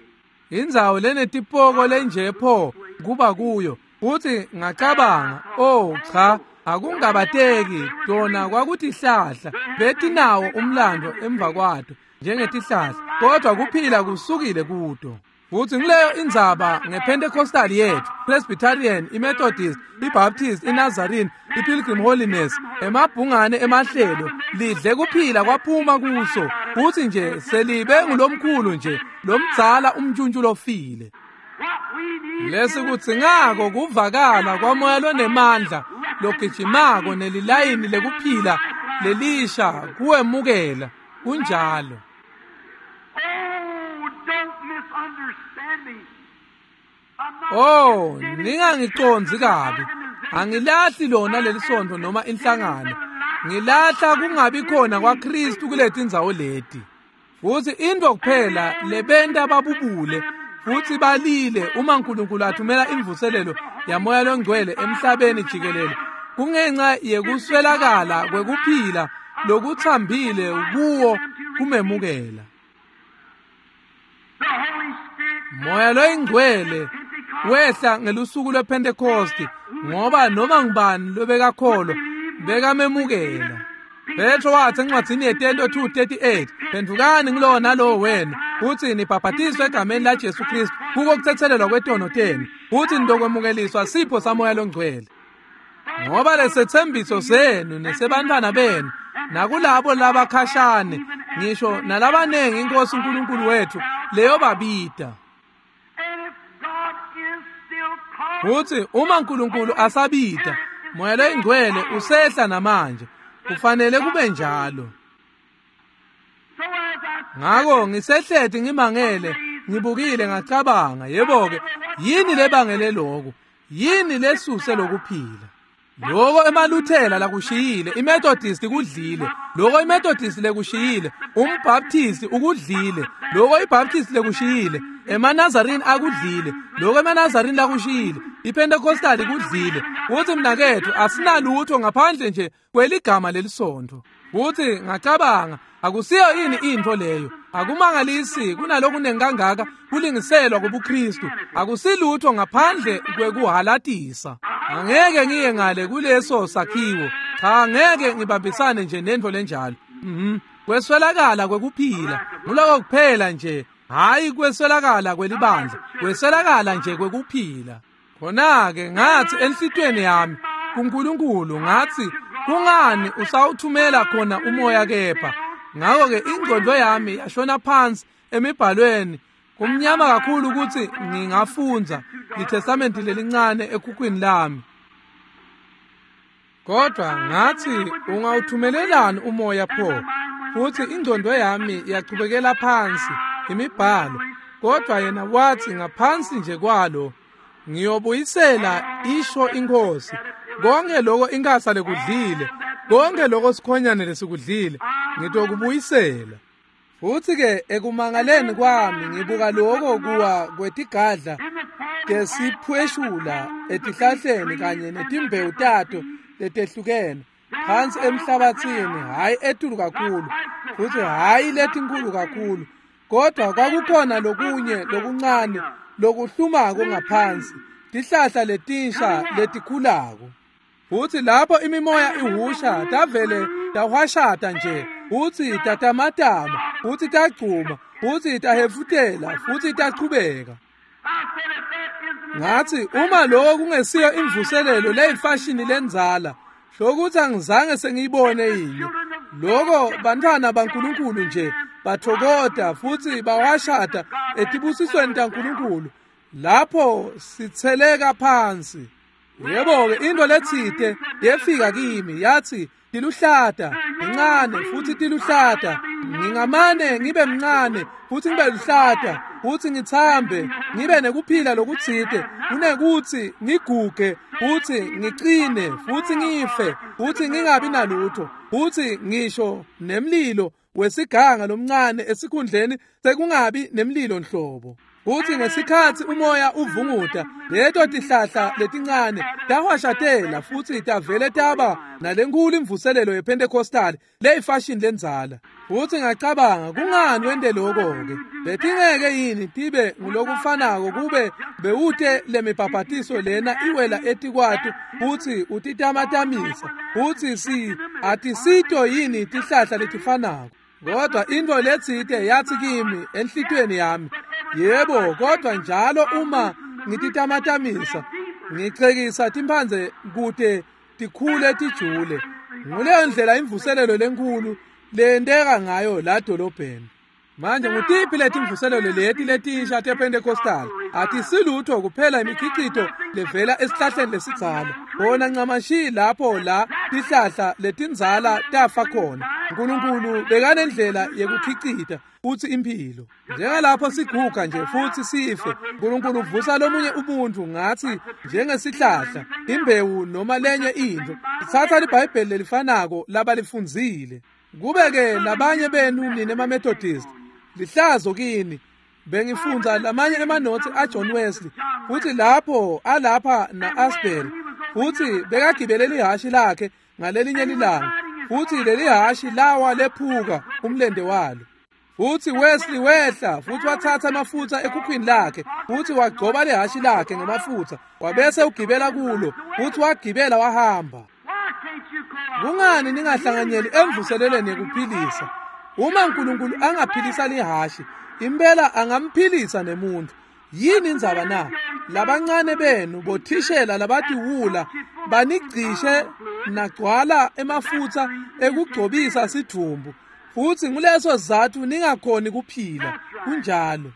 Indzawo lenetipoko lenje pho kuba kuyo. Futhi ngacabanga, oh cha, akungabateki tona kwakutihlahla betinawo umlando emva kwato njengetihlahla, kodwa kuphila kusukile kuto. Futhi ngileyo indzaba ngePentecostal yethu, Presbyterian, iMethodist, iBaptist, iNazarene, iPilgrim Holiness, emabhungane emahlelo lidle kuphila kwaphuma kuso, futhi nje selibe ngulomkhulu nje lomdzala umntshuntshu lofile. Lesikudzingako kuvakala kwamoya lonemandla logijimako nelilayini lekuphila lelisha kuwemukela. Kunjalo. Oh, ningangicondzi kabi. Angilahli lona lelisontfo noma inhlangano. Ngilahla kungabi khona kwaKristu kuletindzawo leti. Futhi into kuphela lebenta babubule futhi balile uma uNkulunkulu athumela imvuselelo yamoya longcwele emhlabeni jikelele, kungenxa yekuswelakala kwekuphila lokuthambile kuwo kumemukela. Moya loyingcwele wehla ngelusuku lwePentecost, ngoba noma ngubani lobekakholwa bekamemukela. Petro wathi encwadzini yeTento two thirty-eight, phendukani ngulowo nalowo wenu futhi nibhabhatiswe egameni laJesu Kristu kuko kuthethelelwa kwetono tenu, futhi nitokwemukeliswa sipho samoya longcwele. Ngoba lesethembiso senu nesebantwana benu nakulabo labakhashane, ngisho nalabanengi iNkosi uNkulunkulu wethu leyobabida. Futhi uma uNkulunkulu asabida, moya loyingcwele usehla namanje. Kufanele kube njalo. Ngako ngisehleti ngimangele, ngibukile ngacabanga, yebo-ke, yini lebangele lokhu? Yini lesuse lokuphila? Loko emaLuthela lakushiyile, iMethodist kudlile. Loko iMethodist lekushiyile, umBaptist ukudlile. Loko iBaptist lekushiyile, emaNazarini akudlile. Loko emaNazarini lakushiyile, iPentecostal kudlile. Uthi mnaketfu asinalutho ngaphandle nje kweligama lelisontfo. Uthi ngacabanga akusiyo yini intfo leyo? Akumangalisi kunalokunengi kangaka kulingiselwa kubuKristu. Akusilutho ngaphandle kwekuhalatisa. Angeke ngiye ngale kuleso sakhiwo. Cha, angeke ngibambisane nje nentfo lenjalo. Mhm. Kweswelakala kwekuphila. Nguloko kuphela nje. Hayi kweswelakala kwelibandla. Kweswelakala nje kwekuphila. Khona-ke ngathi enhlitiyweni yami kuNkulunkulu ngathi kungani usawuthumela khona umoya kepha? Ngakho-ke ingqondo yami yashona phansi emibhalweni. Kumnyama kakhulu ukuthi ngingafundza iTestamenti lelincane ekhukhwini lami. Kodwa ngathi ungawuthumelelani umoya pho? Futhi ingqondo yami yachubekela phansi imibhalo. Kodwa yena wathi ngaphansi nje kwalo ngiyobuyisela isho inkosi konke lokho inkasa lekudlile, konke lokho sikhonyane lesikudlile ngitokubuyisela. Futhi ke ekumangaleni kwami ngibuka lokho kuwa kwetigadla tesiphweshula etihlahleni kanye netimbewu tato letehlukene phansi emhlabathini, hayi etulu kakhulu futhi hayi letinkulu kakhulu, kodwa kwakukhona lokunye lokuncane lokuhlumako ngaphansi, tihlahla letinsha letikhulako. Futhi lapho imimoya ihusha tavele tahwashata nje, futhi tatamatama, futhi tagcuma, futhi tahefutela, futhi tachubeka. Ngathi uma lokho kungesiyo imvuselelo leyifashini lenzala, hlokuthi angizange sengiyibone yini. Lokho bantwana baNkulunkulu nje bathokoda futhi bawashada etibusisweni taNkulunkulu lapho sitheleka phansi. Yebo-ke into letsite yefika kimi yathi tiluhlata ngincane futhi tiluhlata, ngingamane ngibe mncane futhi ngibe luhlata futhi ngithambe ngibe nekuphila lokutsite kunekuthi ngiguge futhi ngicine futhi ngife futhi ngingabi nalutho futhi ngisho nemlilo wesiganga lomncane esikhundleni sekungabi nemlilo nhlobo. Futhi ngesikhathi umoya uvunguta leto tihlahla letincane tahwashatela futhi tavele taba nalenkulu imvuselelo yePentecostal leyifashini lenzala. Futhi ngacabanga kungani wente lokho-ke? Betingeke yini tibe ngulokufanako kube bewute lemibhabhatiso lena iwela etikwatu futhi utitamatamisa futhi si atisito yini tihlahla letifanako? Kodwa into letsite yathi kimi enhlitiyweni yami, yebo, kodwa njalo uma ngititamatamisa ngichekisa timphandze kute tikhule tijule. Nguleyo ndlela imvuselelo lenkulu leyenteka ngayo la dolobheni. Manje ngutiphi letimvuselelo leti letinsha tePentecostal? Atisilutho kuphela imikhicito levela esihlahleni lesidzala. Bona ncamashi lapho la tihlahla letindzala tafa khona. uNkulunkulu bekanendlela yekukhicita futhi impilo. Njengalapho siguga nje futhi sife, uNkulunkulu uvusa lomunye umuntu ngathi njengesihlahla, imbewu noma lenye into. Ithatha liBhayibheli lelifanako labalifundzile. Kube-ke labanye benu nine emaMethodist, lihlazo kini. Bengifundza lamanye emanothi aJohn Wesley futhi lapho alapha na-Asbury, futhi bekagibele lihashi lakhe ngalelinye lilanga, futhi leli hashi lawa lephuka umlende walo. Futhi Wesley wehla futhi wathatha amafutha ekhukhwini lakhe futhi wagcoba lehashi lakhe ngemafutha, wabese ugibela kulo futhi wagibela wahamba. Kungani ningahlanganyeli emvuselelweni yekuphilisa? Uma uNkulunkulu angaphilisa lihashi, impela angamphilisa nemuntu. Yini indzaba na? Labancane benu bothishela labatiwula banigcishe nagcwala emafutha ekugcobisa sidvumbu, futhi nguleso sizatfu ningakhoni kuphila. Kunjalo.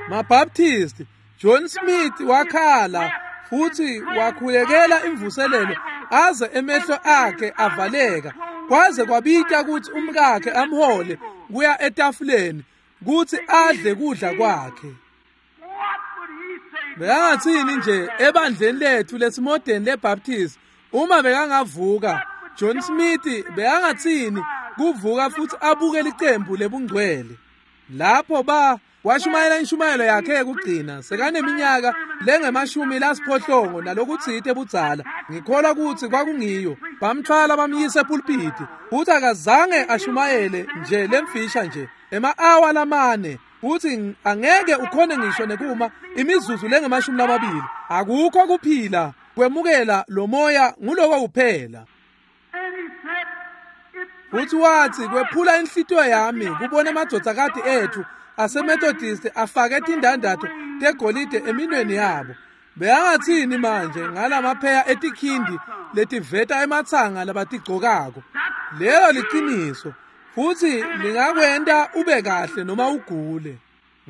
MaBaptist, John Smith wakhala futhi wakhulekela imvuselelo aze emehlo akhe avaleka, kwaze kwabita ukuthi umkakhe amhole kuya etafuleni kuthi adle kudla kwakhe. Bekangathini nje ebandleni lethu lesimodeni leBaptist uma bekangavuka John Smith bekangathini kuvuka futhi abuke licembu lebungcwele lapho ba washumayela inshumayelo yakhe yekugcina sekaneminyaka lengemashumi lasiphohlongo nalokutsite budzala ngikholwa ukuthi kwakungiyo bamthwala bamyise epulpiti futhi akazange ashumayele nje lemfisha nje ema-awa lamane futhi angeke ukhone ngisho nekuma imizuzu lengemashumi lamabili akukho kuphila kwemukela lo moya nguloko kuphela. Futhi wathi kwephula inhlitiyo yami kubona emadvodzakati ethu aseMethodist afake tindandatho tegolide eminweni yabo. Beyangathini manje ngalamapheya etikhindi letiveta ematsanga labatigcokako? Lelo liciniso futhi lingakwenta ube kahle noma ugule.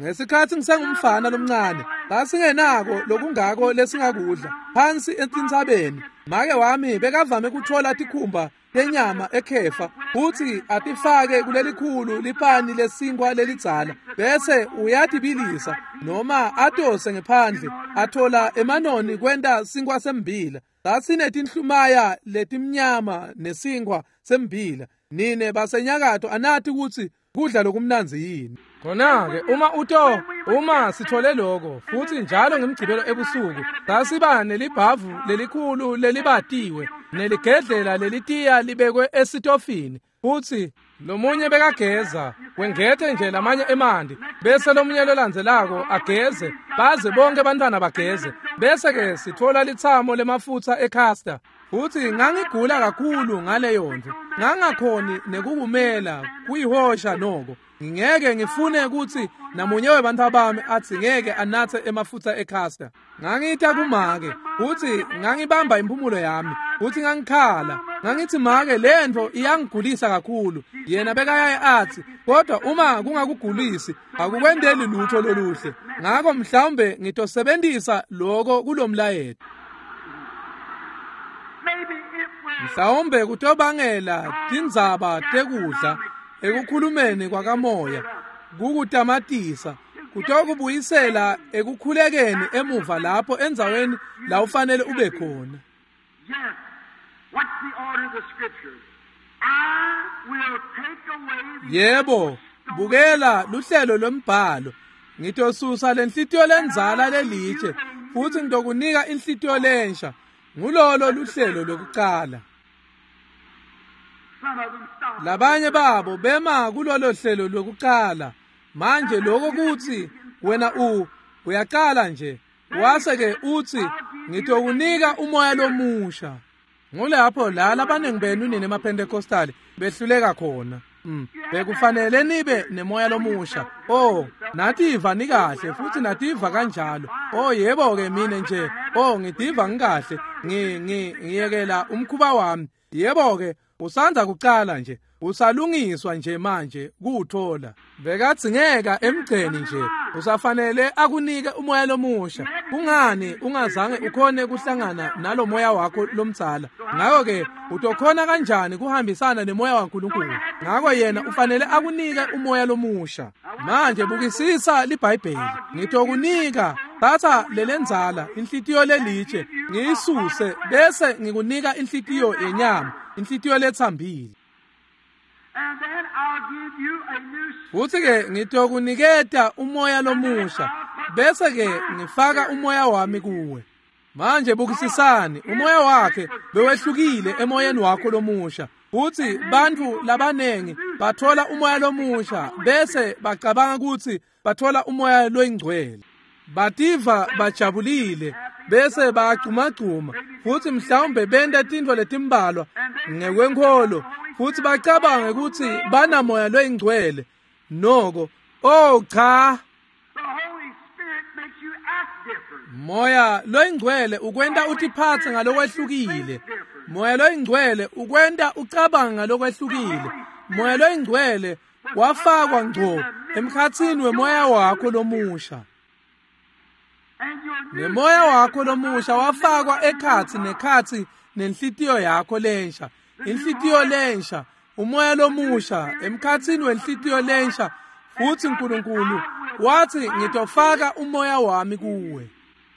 Ngesikhathi ngisengumfana lomncane sasingenako lokungako lesingakudla phansi etintsabeni. Make wami bekavame kuthola tikhumba tenyama ekhefa futhi atifake kulelikhulu lipani lesinkwa lelidzala bese uyatibilisa noma atose ngephandle athola emanoni kwenta sinkwa sembila. Sasinetinhlumaya letimnyama nesinkwa sembila. Nine basenyakatho anathi ukuthi kudla lokumnandzi yini. Khona-ke uma uto uma sithole lokho futhi njalo ngemgcibelo ebusuku sasiba nelibhavu lelikhulu lelibatiwe neligedlela lelitiya libekwe esitofini futhi lomunye bekageza wengethe nje lamanye emanti bese lomunye lolandzelako ageze baze bonke abantwana bageze bese ke sithola litsamo lemafutha ecastor. Futhi ngangigula kakhulu ngaleyo nto ngangakhoni nekukumela kuyihosha noko. Ngingeke ngifune ukuthi namunye webantfu bami athi ngeke anathe emafutha ecastor. Ngangita kumake futhi ngangibamba impumulo yami futhi ngangikhala ngangithi make lento iyangigulisa kakhulu. Yena bekayaye athi kodwa uma kungakugulisi akukwendeli lutho loluhle. Ngakho mhlawumbe ngitosebenzisa lokho kulomlayeto. Mhlawumbe kutobangela tindzaba tekudla ekukhulumeni kwakamoya kukutamatisa kutokubuyisela ekukhulekeni emuva lapho endzaweni la ufanele ube khona. Yebo, bukela luhlelo lwembhalo. Ngitosusa lenhlitiyo lendzala lelitshe futhi ngitokunika inhlitiyo lensha. Ngulolo luhlelo lokucala. Labanye babo bema kulolo hlelo lokucala. Manje lokho kuthi wena u uyaqala nje wase ke uthi ngitokunika umoya lomusha. Ngulapho la labaningi benu nini emaPentecostal behluleka khona. Mm. Bekufanele nibe nemoya lomusha. Oh, nativa nikahle futhi nativa kanjalo. Oh yebo ke mina nje. Oh ngidiva ngikahle. Ngi ngiyekela umkhuba wami. Yebo ke usanza kucala nje. Usalungiswa nje manje kuuthola. Bekadzingeka emgceni nje. Usafanele akunike umoya lomusha. Kungani ungazange ukhone kuhlangana nalomoya wakho lomdzala? Ngakho ke utokhona kanjani kuhambisana nemoya waNkulunkulu? Ngakho yena ufanele akunike umoya lomusha. Manje bukisisa liBhayibheli. Ngitokunika thatha lelenzala inhlitiyo lelitshe ngiyisuse bese ngikunika inhlitiyo yenyama, inhlitiyo lethambile. Futhi ke ngitokuniketa umoya lomusha bese ke ngifaka umoya wami kuwe. Manje bukisisani umoya wakhe bewehlukile emoyeni wakho lomusha. Futhi bantu labanengi bathola umoya lomusha bese bacabanga ukuthi bathola umoya loyingcwele. Bativa bajabulile bese bayagcumagcuma futhi mhlawumbe benta tintfo letimbalwa ngekwenkholo futhi bacabange ukuthi banamoya loyingcwele. Noko oh cha, moya loyingcwele ukwenta utiphatse ngalokwehlukile. Moya loyingcwele ukwenta ucabange ngalokwehlukile. Moya loyingcwele wafakwa ngco emkhatsini wemoya wakho lomusha. Nemoya wakho lomusha wafakwa ekhatsi nekhatsi nenhlitiyo yakho lensha. Inhlitiyo lensha, umoya lomusha emkhatsini wenhlitiyo lensha. Futhi uNkulunkulu wathi ngitofaka umoya wami kuwe.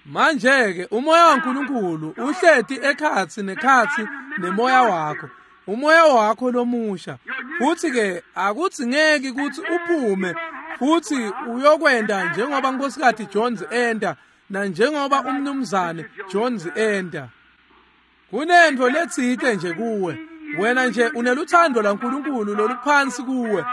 Manje-ke umoya waNkulunkulu uhleti ekhatsi nekhatsi nemoya wakho, umoya wakho lomusha. Futhi-ke akudzingeki kutsi uphume futhi uyokwenta njengoba Nkosikazi Jones enta nanjengoba umnumzane Jones enta. Kunento letsite nje kuwe, wena nje uneluthando laNkulunkulu loluphansi kuwe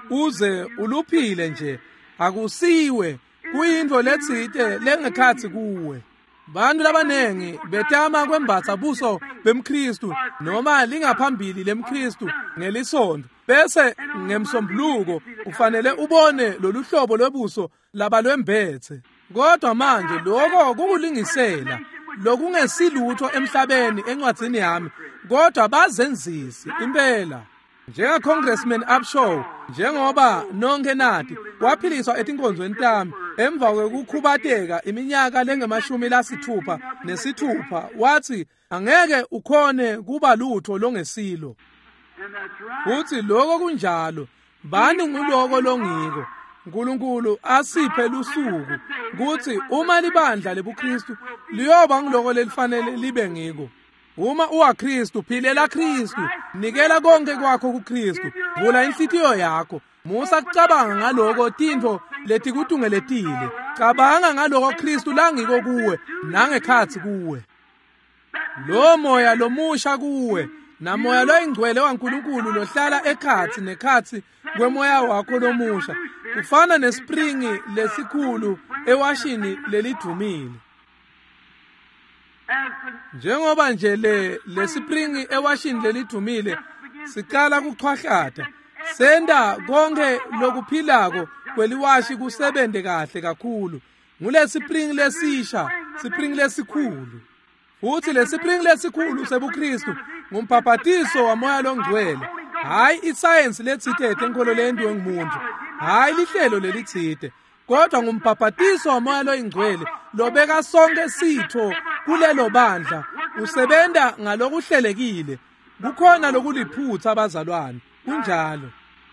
uze uluphile nje, akusiwe, kuyintfo letsite lengekhatsi kuwe. Bantu labanengi betama kwembatsa buso bemKristu noma lingaphambili lemKristu ngelisondo, bese ngemsombuluko ufanele ubone lolu hlobo lwebuso labalwembethe. Kodwa manje lokho kukulingisela lokungesilutho emhlabeni encwadzini yami, kodwa bazenzisi impela. Njenga Congressman Upshaw, njengoba nonke nati, waphiliswa etinkonzweni tami emva kwekukhubateka iminyaka lengemashumi lasithupha nesithupha, wathi angeke ukhone kuba lutho longesilo. Futhi lokho kunjalo, bani nguloko longiko. uNkulunkulu asiphe lusuku kuthi uma libandla lebuKristu liyoba ngiloko lelifanele libe ngiko. Uma uwaKristu, philela Kristu, nikela konke kwakho kuKristu, vula inhlitiyo yakho. Musa kucabanga ngaloko tintfo letikutungeletile, cabanga ngaloko Kristu langiko kuwe nangekhatsi kuwe. Lo moya lomusha kuwe namoya loyingcwele waNkulunkulu lohlala ekhatsi nekhatsi kwemoya wakho lomusha kufana nespringi lesikhulu ewashini lelidvumile. Njengoba nje le lesipringi ewashini lelidvumile siqala kuchwahlata, senta konke lokuphilako kweliwashi kusebente kahle kakhulu. Ngulesipringi lesisha, sipringi lesikhulu. Futhi lesipringi lesikhulu sebuKristu ngumbhabhatiso wamoya longcwele, hayi isayensi letsite enkolo leyentiwe ngumuntu, hayi lihlelo lelitsite, kodwa ngumbhabhatiso wamoya loyingcwele lobeka sonke sitho kulelo bandla, usebenta ngalokuhlelekile. Kukhona lokuliphutha abazalwane, kunjalo.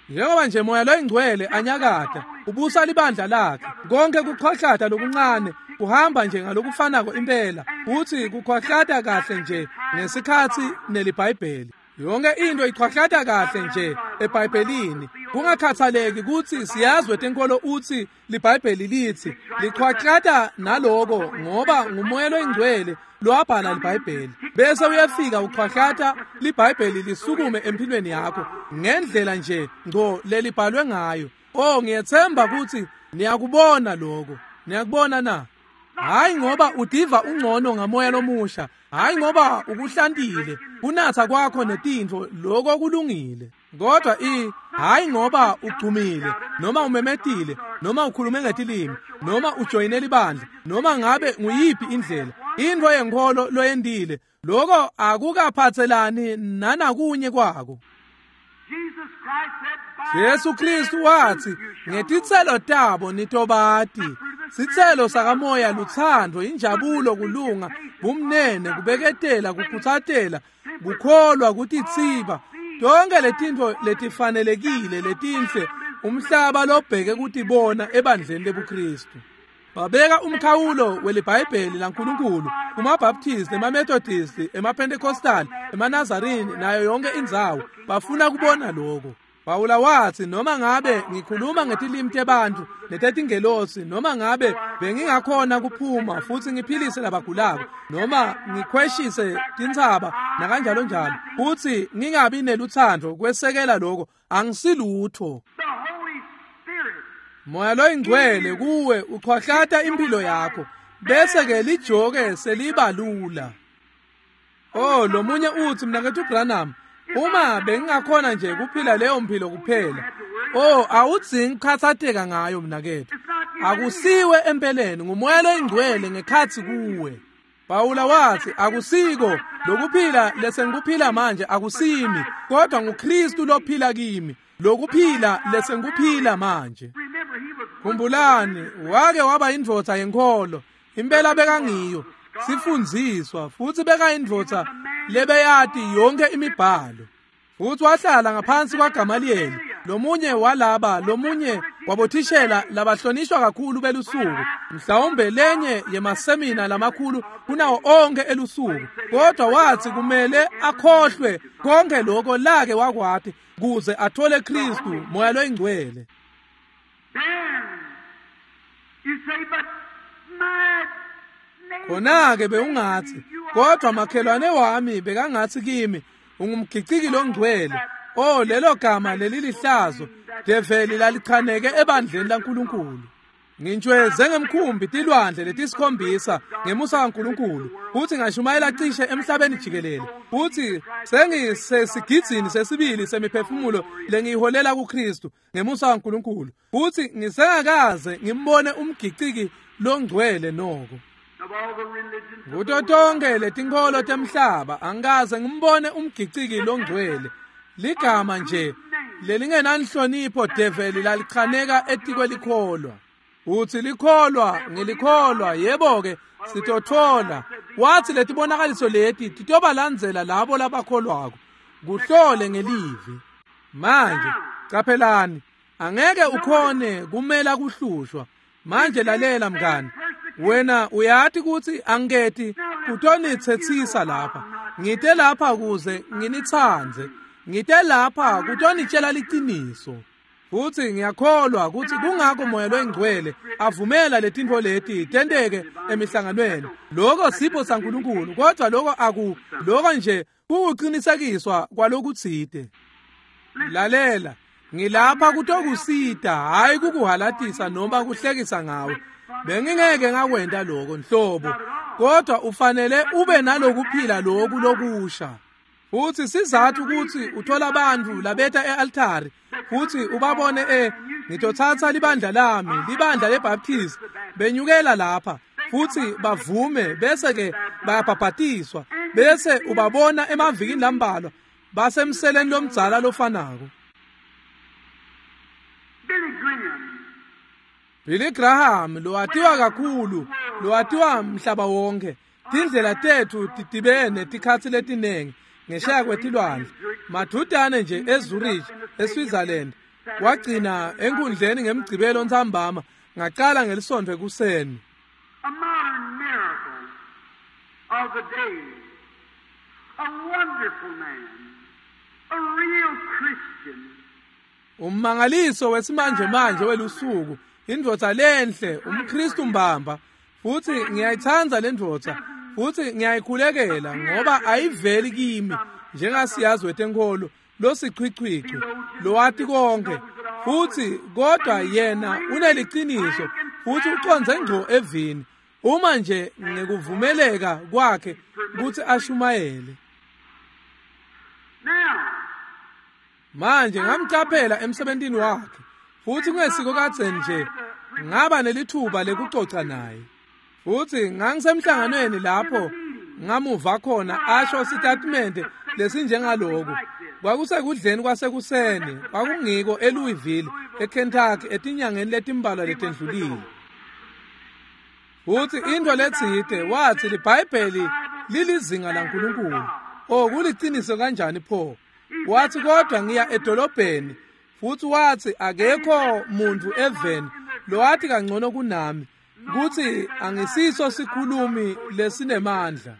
Njengoba nje moya loyingcwele anyakata ubusa libandla lakhe, konke kuchwahlata lokuncane kuhamba nje ngalokufanako impela, futhi kuchwahlata kahle nje ngesikhatsi neliBhayibheli. Yonke into ichwahlata kahle nje eBhayibhelini, kungakhathaleki kutsi siyazwe tenkolo utsi liBhayibheli litsi, lichwahlata naloko ngoba ngumoya loyingcwele lowabhala liBhayibheli. Bese uyafika uchwahlata liBhayibheli lisukume empilweni yakho ngendlela nje ngco lelibhalwe ngayo. Oh, ngiyethemba kutsi niyakubona lokho. Niyakubona na? Hayi ngoba udiva ungcono ngamoya lomusha, hayi ngoba ukuhlantile kunatha kwakho netintfo, lokho kulungile. Kodwa i hayi ngoba ugcumile noma umemetile noma ukhulume ngetilimi noma ujoyine libandla noma ngabe nguyiphi indlela intfo yenkholo loyendile, lokho akukaphatselani nanakunye kwako. Jesu Kristu wathi ngetitselo tabo nitobati. Sitselo sakamoya luthando, injabulo, kulunga, bumnene, kubeketela, kukhutsatela, kukholwa, kutitsiba. Tonke letintfo letifanelekile letinhle umhlaba lobheke kutibona ebandleni lebuKristu. Babeka umkhawulo weliBhayibheli laNkulunkulu kumaBaptist, emaMethodist, emaPentecostal, emaNazarini nayo yonke indzawo. Bafuna kubona lokho. Pawula wathi noma ngabe ngikhuluma ngetilimi tebantfu netetingelosi, noma ngabe bengingakhona kuphuma futhi ngiphilise labagulako, noma ngikhweshise tintsaba nakanjalo njalo, futhi ngingabi neluthando kwesekela lokho, angisilutho. Moya loyingcwele kuwe uchwahlata impilo yakho, bese ke lijoke seliba lula. Oh, lomunye uthi mnakethu Branham, uma bengingakhona nje kuphila leyo mpilo kuphela. Oh, awudzingi ukukhathatheka ngayo mnakethu. Akusiwe empeleni, ngumoya loyingcwele ngekhatsi kuwe. Pawula wathi akusiko lokuphila lesengikuphila manje akusimi, kodwa nguKristu lophila kimi. Lokuphila lesengikuphila manje. Khumbulani, wake waba indvodza yenkholo, impela bekangiyo, sifundziswa, futhi bekayindvodza lebeyati yonke imibhalo. Futhi wahlala ngaphansi kwaGamaliyeli, Lomunye walaba lomunye wabothishela labahlonishwa kakhulu belusuku, mhlawumbe lenye yemasemina lamakhulu kunawo onke elusuku, kodwa wathi kumele akhohlwe konke lokho lake wakwati kuze athole Kristu Moya loyingcwele. Khona-ke bewungathi, kodwa makhelwane wami bekangathi kimi ungumgiciki longcwele. Oh, lelo gama lelilihlazo develi lalichaneke ebandleni laNkulunkulu. Ngintshweze ngemkhumbi tilwandle letisikhombisa ngemusa kaNkulunkulu, futhi ngashumayela cishe emhlabeni jikelele, futhi sengisesigidzini sesibili semiphefumulo lengiyiholela kuKristu ngemusa kaNkulunkulu, futhi ngisengakaze ngimbone umgiciki longcwele noko. Kuto tonke letinkholo temhlaba angikaze ngimbone umgiciki longcwele. Ligama nje lelingenanhlonipho develi lalichaneka etikwelikholwa. Uthi likholwa ngilikholwa, yebo-ke sitothola. Wathi letibonakaliso leti titobalandzela labo labakholwako. Kuhlole ngelivi. Manje caphelani, angeke ukhone kumela kuhlushwa. Manje lalela mngani, wena uyati kutsi angiketi kutonitsetsisa lapha. Ngite lapha kuze nginitsandze. Ngite lapha kutonitshela liciniso. Futhi ngiyakholwa kutsi kungako Moya loyingcwele avumela letintfo leti tenteke emihlanganweni. Lokho sipho saNkulunkulu, kodwa lokho aku lokho nje kukuqinisekiswa kwalokutsite. Lalela, ngilapha kutokusita, hayi kukuhalatisa noma kuhlekisa ngawe. Bengingeke ngakwenta lokho nhlobo, kodwa ufanele ube nalokuphila loku lokusha. Futhi sizathu ukuthi uthola abantu labeta e-altari futhi ubabone e ngitothatha libandla lami, libandla leBaptist, benyukela lapha futhi bavume, bese ke bayabhabhatiswa, bese ubabona emavikini lambalwa basemseleni lomdzala lofanako. Billy Graham lowatiwa kakhulu, lowatiwa mhlaba wonke. Tindlela tethu tidibene tikhatsi letinengi ngesheya kwetilwandle. Madudane nje eZurich, eSwitzerland, wagcina enkundleni ngemgcibelo ntsambama, ngacala ngelisonto ekuseni. A modern miracle of the day, a wonderful man, a real Christian. Ummangaliso wesimanje manje welusuku, indvodza lenhle, umKristu mbamba. Futhi ngiyayithanda lendvodza, futhi ngiyayikhulekela ngoba ayiveli kimi njengasiyazi wetenkolo losichwichwichwi lowati konke, futhi kodwa yena uneliciniso futhi uconze ngco evini uma nje ngekuvumeleka kwakhe ukuthi ashumayele. Manje ngamcaphela emsebentini wakhe, futhi kungesiko kadzeni nje ngaba nelithuba lekucoca naye. Futhi ngangisemhlanganweni lapho ngamuva khona asho sitatimende lesinjengaloku. Kwakusekudleni kwasekuseni, kwakungiko eLouisville, eKentucky, etinyangeni letimbalwa letendlulile. Futhi into letsite wathi liBhayibheli lilizinga laNkulunkulu. Oh, kuliciniso kanjani pho? Wathi kodwa ngiya edolobheni, futhi wathi akekho muntu eveni lowathi kangcono kunami, kuthi angisiso sikhulumi lesinemandla.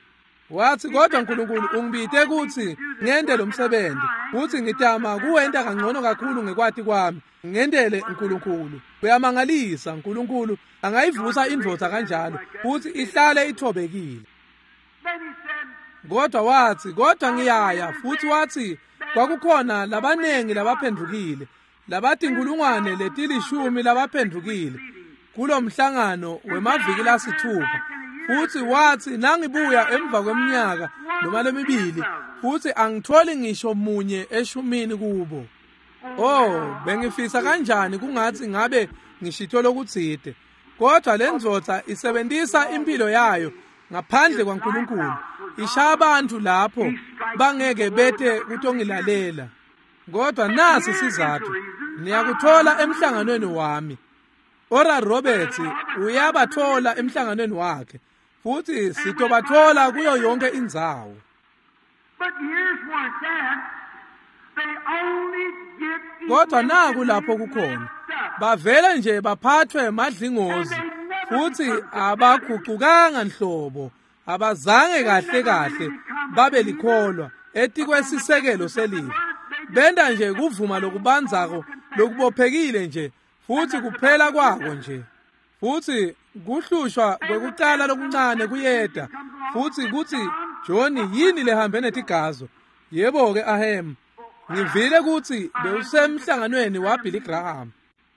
Wathi kodwa uNkulunkulu ungibite kuthi ngente lo msebenzi, futhi ngitama kuwenta kangcono kakhulu ngekwati kwami, ngendele uNkulunkulu. Uyamangalisa uNkulunkulu angayivusa indvodza kanjalo futhi ihlale ithobekile. Kodwa wathi kodwa ngiyaya, futhi wathi kwakukhona labanengi labaphendukile, labatinkulungwane letilishumi labaphendukile kulomhlangano wemaviki lasithupha. Futhi wathi nangibuya emva kweminyaka noma lemibili, futhi angitholi ngisho munye eshumini kubo. Oh, bengifisa kanjani kungathi ngabe ngishito lokutsite. Kodwa lendvodza isebenzisa impilo yayo ngaphandle kwaNkulunkulu, ishaya abantu lapho bangeke bete kutongilalela. Kodwa nasi sizathu, niyakuthola emhlanganweni wami. Oral Roberts uyabathola emhlanganweni wakhe, futhi sitobathola kuyo yonke indzawo. But here's where it's at. Kodwa naku lapho kukhona bavele nje baphathwe madlingozi futhi abagucukanga nhlobo, abazange kahle kahle babe likholwa etikwesisekelo selive. Benda nje kuvuma lokubanzako lokubophekile nje futhi kuphela kwako nje. Futhi kuhlushwa kwekucala lokuncane kuyeda futhi kuthi Johnny yini lehambe netigazo? Yebo ke ahem, ngivile ukuthi bewusemhlanganweni waBilly Graham.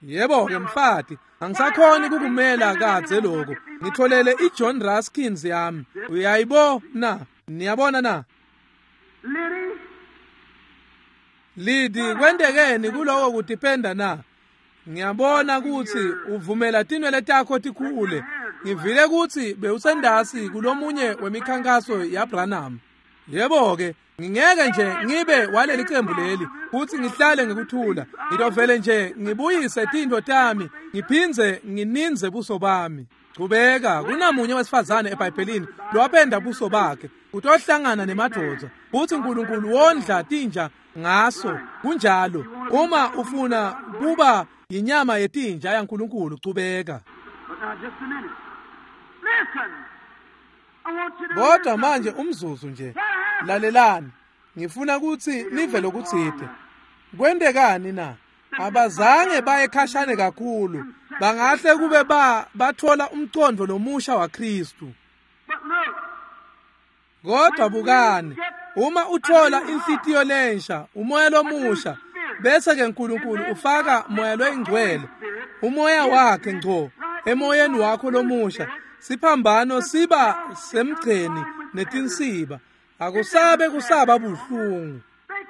Yebo ke mfati, angisakhoni kukumela kadze lokho. Ngitholele iJohn Raskins yami. Uyayibo na? Niyabona na? Lidi kwentekeni kuloko kutipenda na? Ngiyabona ukuthi uvumela tinwele takho tikhule. Ngivile ukuthi bewusendasi kulomunye wemikhankaso yaBranham. Yebo ke, ngingeke nje ngibe waleli qembu leli futhi ngihlale ngikuthula. Ngitovele nje ngibuyise tinto tami, ngiphinze ngininze buso bami. Chubeka, kunamunye wesifazane eBhayibhelini lowapenda buso bakhe utohlangana nemadoda futhi uNkulunkulu wondla tinja ngaso. Kunjalo, uma ufuna kuba inyama yetinja yaNkulunkulu, chubeka. Kodwa manje umzuzu nje, lalelani, ngifuna ukuthi nive lokutsite. Kwentekani na? Abazange baye khashane kakhulu, bangahle kube ba bathola umcondo lomusha waKristu. Kodwa bukani, uma uthola inhlitiyo lensha, umoya lomusha, bese ke uNkulunkulu ufaka moya loyingcwele, umoya wakhe ngco emoyeni wakho lomusha, siphambano siba semgceni netinsiba, akusabe kusaba buhlungu.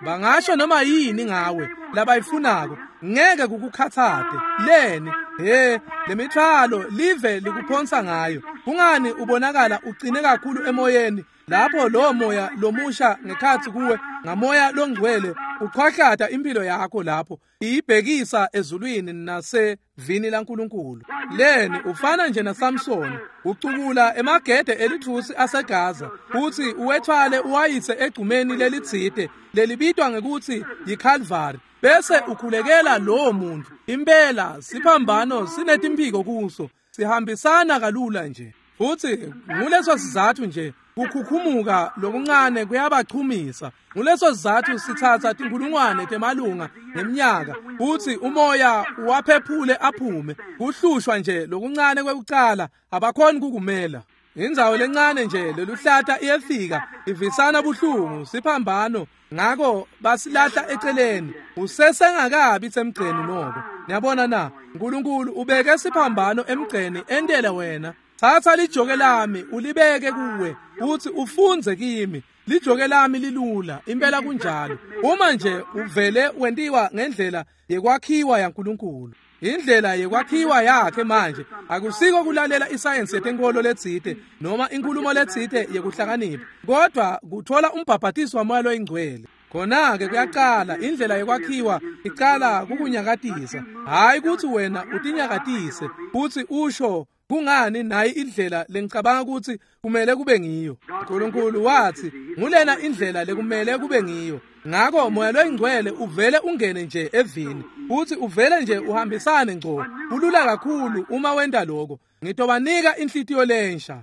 Bangasho noma yini ngawe labayifunako, ngeke kukukhathate. Leni he lemithwalo live likuphonsa ngayo. Kungani ubonakala uqine kakhulu emoyeni lapho lo moya lomusha ngekhathi kuwe ngamoya longcwele uqhwahlata impilo yakho lapho iyibhekisa ezulwini nasevini laNkulunkulu. Leni ufana nje naSamson, ucukula emagede elithusi aseGaza futhi uwethwale uwayise egcumeni lelitsite lelibitwa ngekuthi yiCalvary, bese ukhulekela lowo muntu. Impela siphambano sinetimphiko kuso, sihambisana kalula nje. Futhi nguleso sizathu nje kukhukhumuka lokuncane kuyabachumisa. Nguleso sizathu sithatha tinkulungwane temalunga ngeminyaka futhi umoya uwaphephule aphume. Kuhlushwa nje lokuncane kwekucala, abakhoni kukumela. Indzawo lencane nje leluhlata iyefika ivisana buhlungu siphambano, ngako basilahla eceleni. Usesengakabi semgceni noko. Niyabona na? uNkulunkulu ubeke siphambano emgceni entele wena. Thatha lijoke lami ulibeke kuwe uthi ufunze kimi. Lijoke lami lilula, impela kunjalo. Uma nje uvele wentiwa ngendlela yekwakhiwa yaNkulunkulu, indlela yekwakhiwa yakhe manje akusiko kulalela isayensi yetenkolo letsite noma inkulumo letsite yekuhlakanipha, kodwa kuthola umbhabhatiso wamoya loyingcwele. Khona-ke kuyaqala indlela yekwakhiwa, icala kukunyakatisa, hhayi ukuthi wena utinyakatise futhi usho kungani nayi indlela lengicabanga ukuthi kumele kube ngiyo. uNkulunkulu wathi ngulena indlela lekumele kube ngiyo. Ngakho moya loyingcwele uvele ungene nje evini futhi uvele nje uhambisane ngco. Kulula kakhulu uma wenta lokho. Ngitobanika inhlitiyo lensha.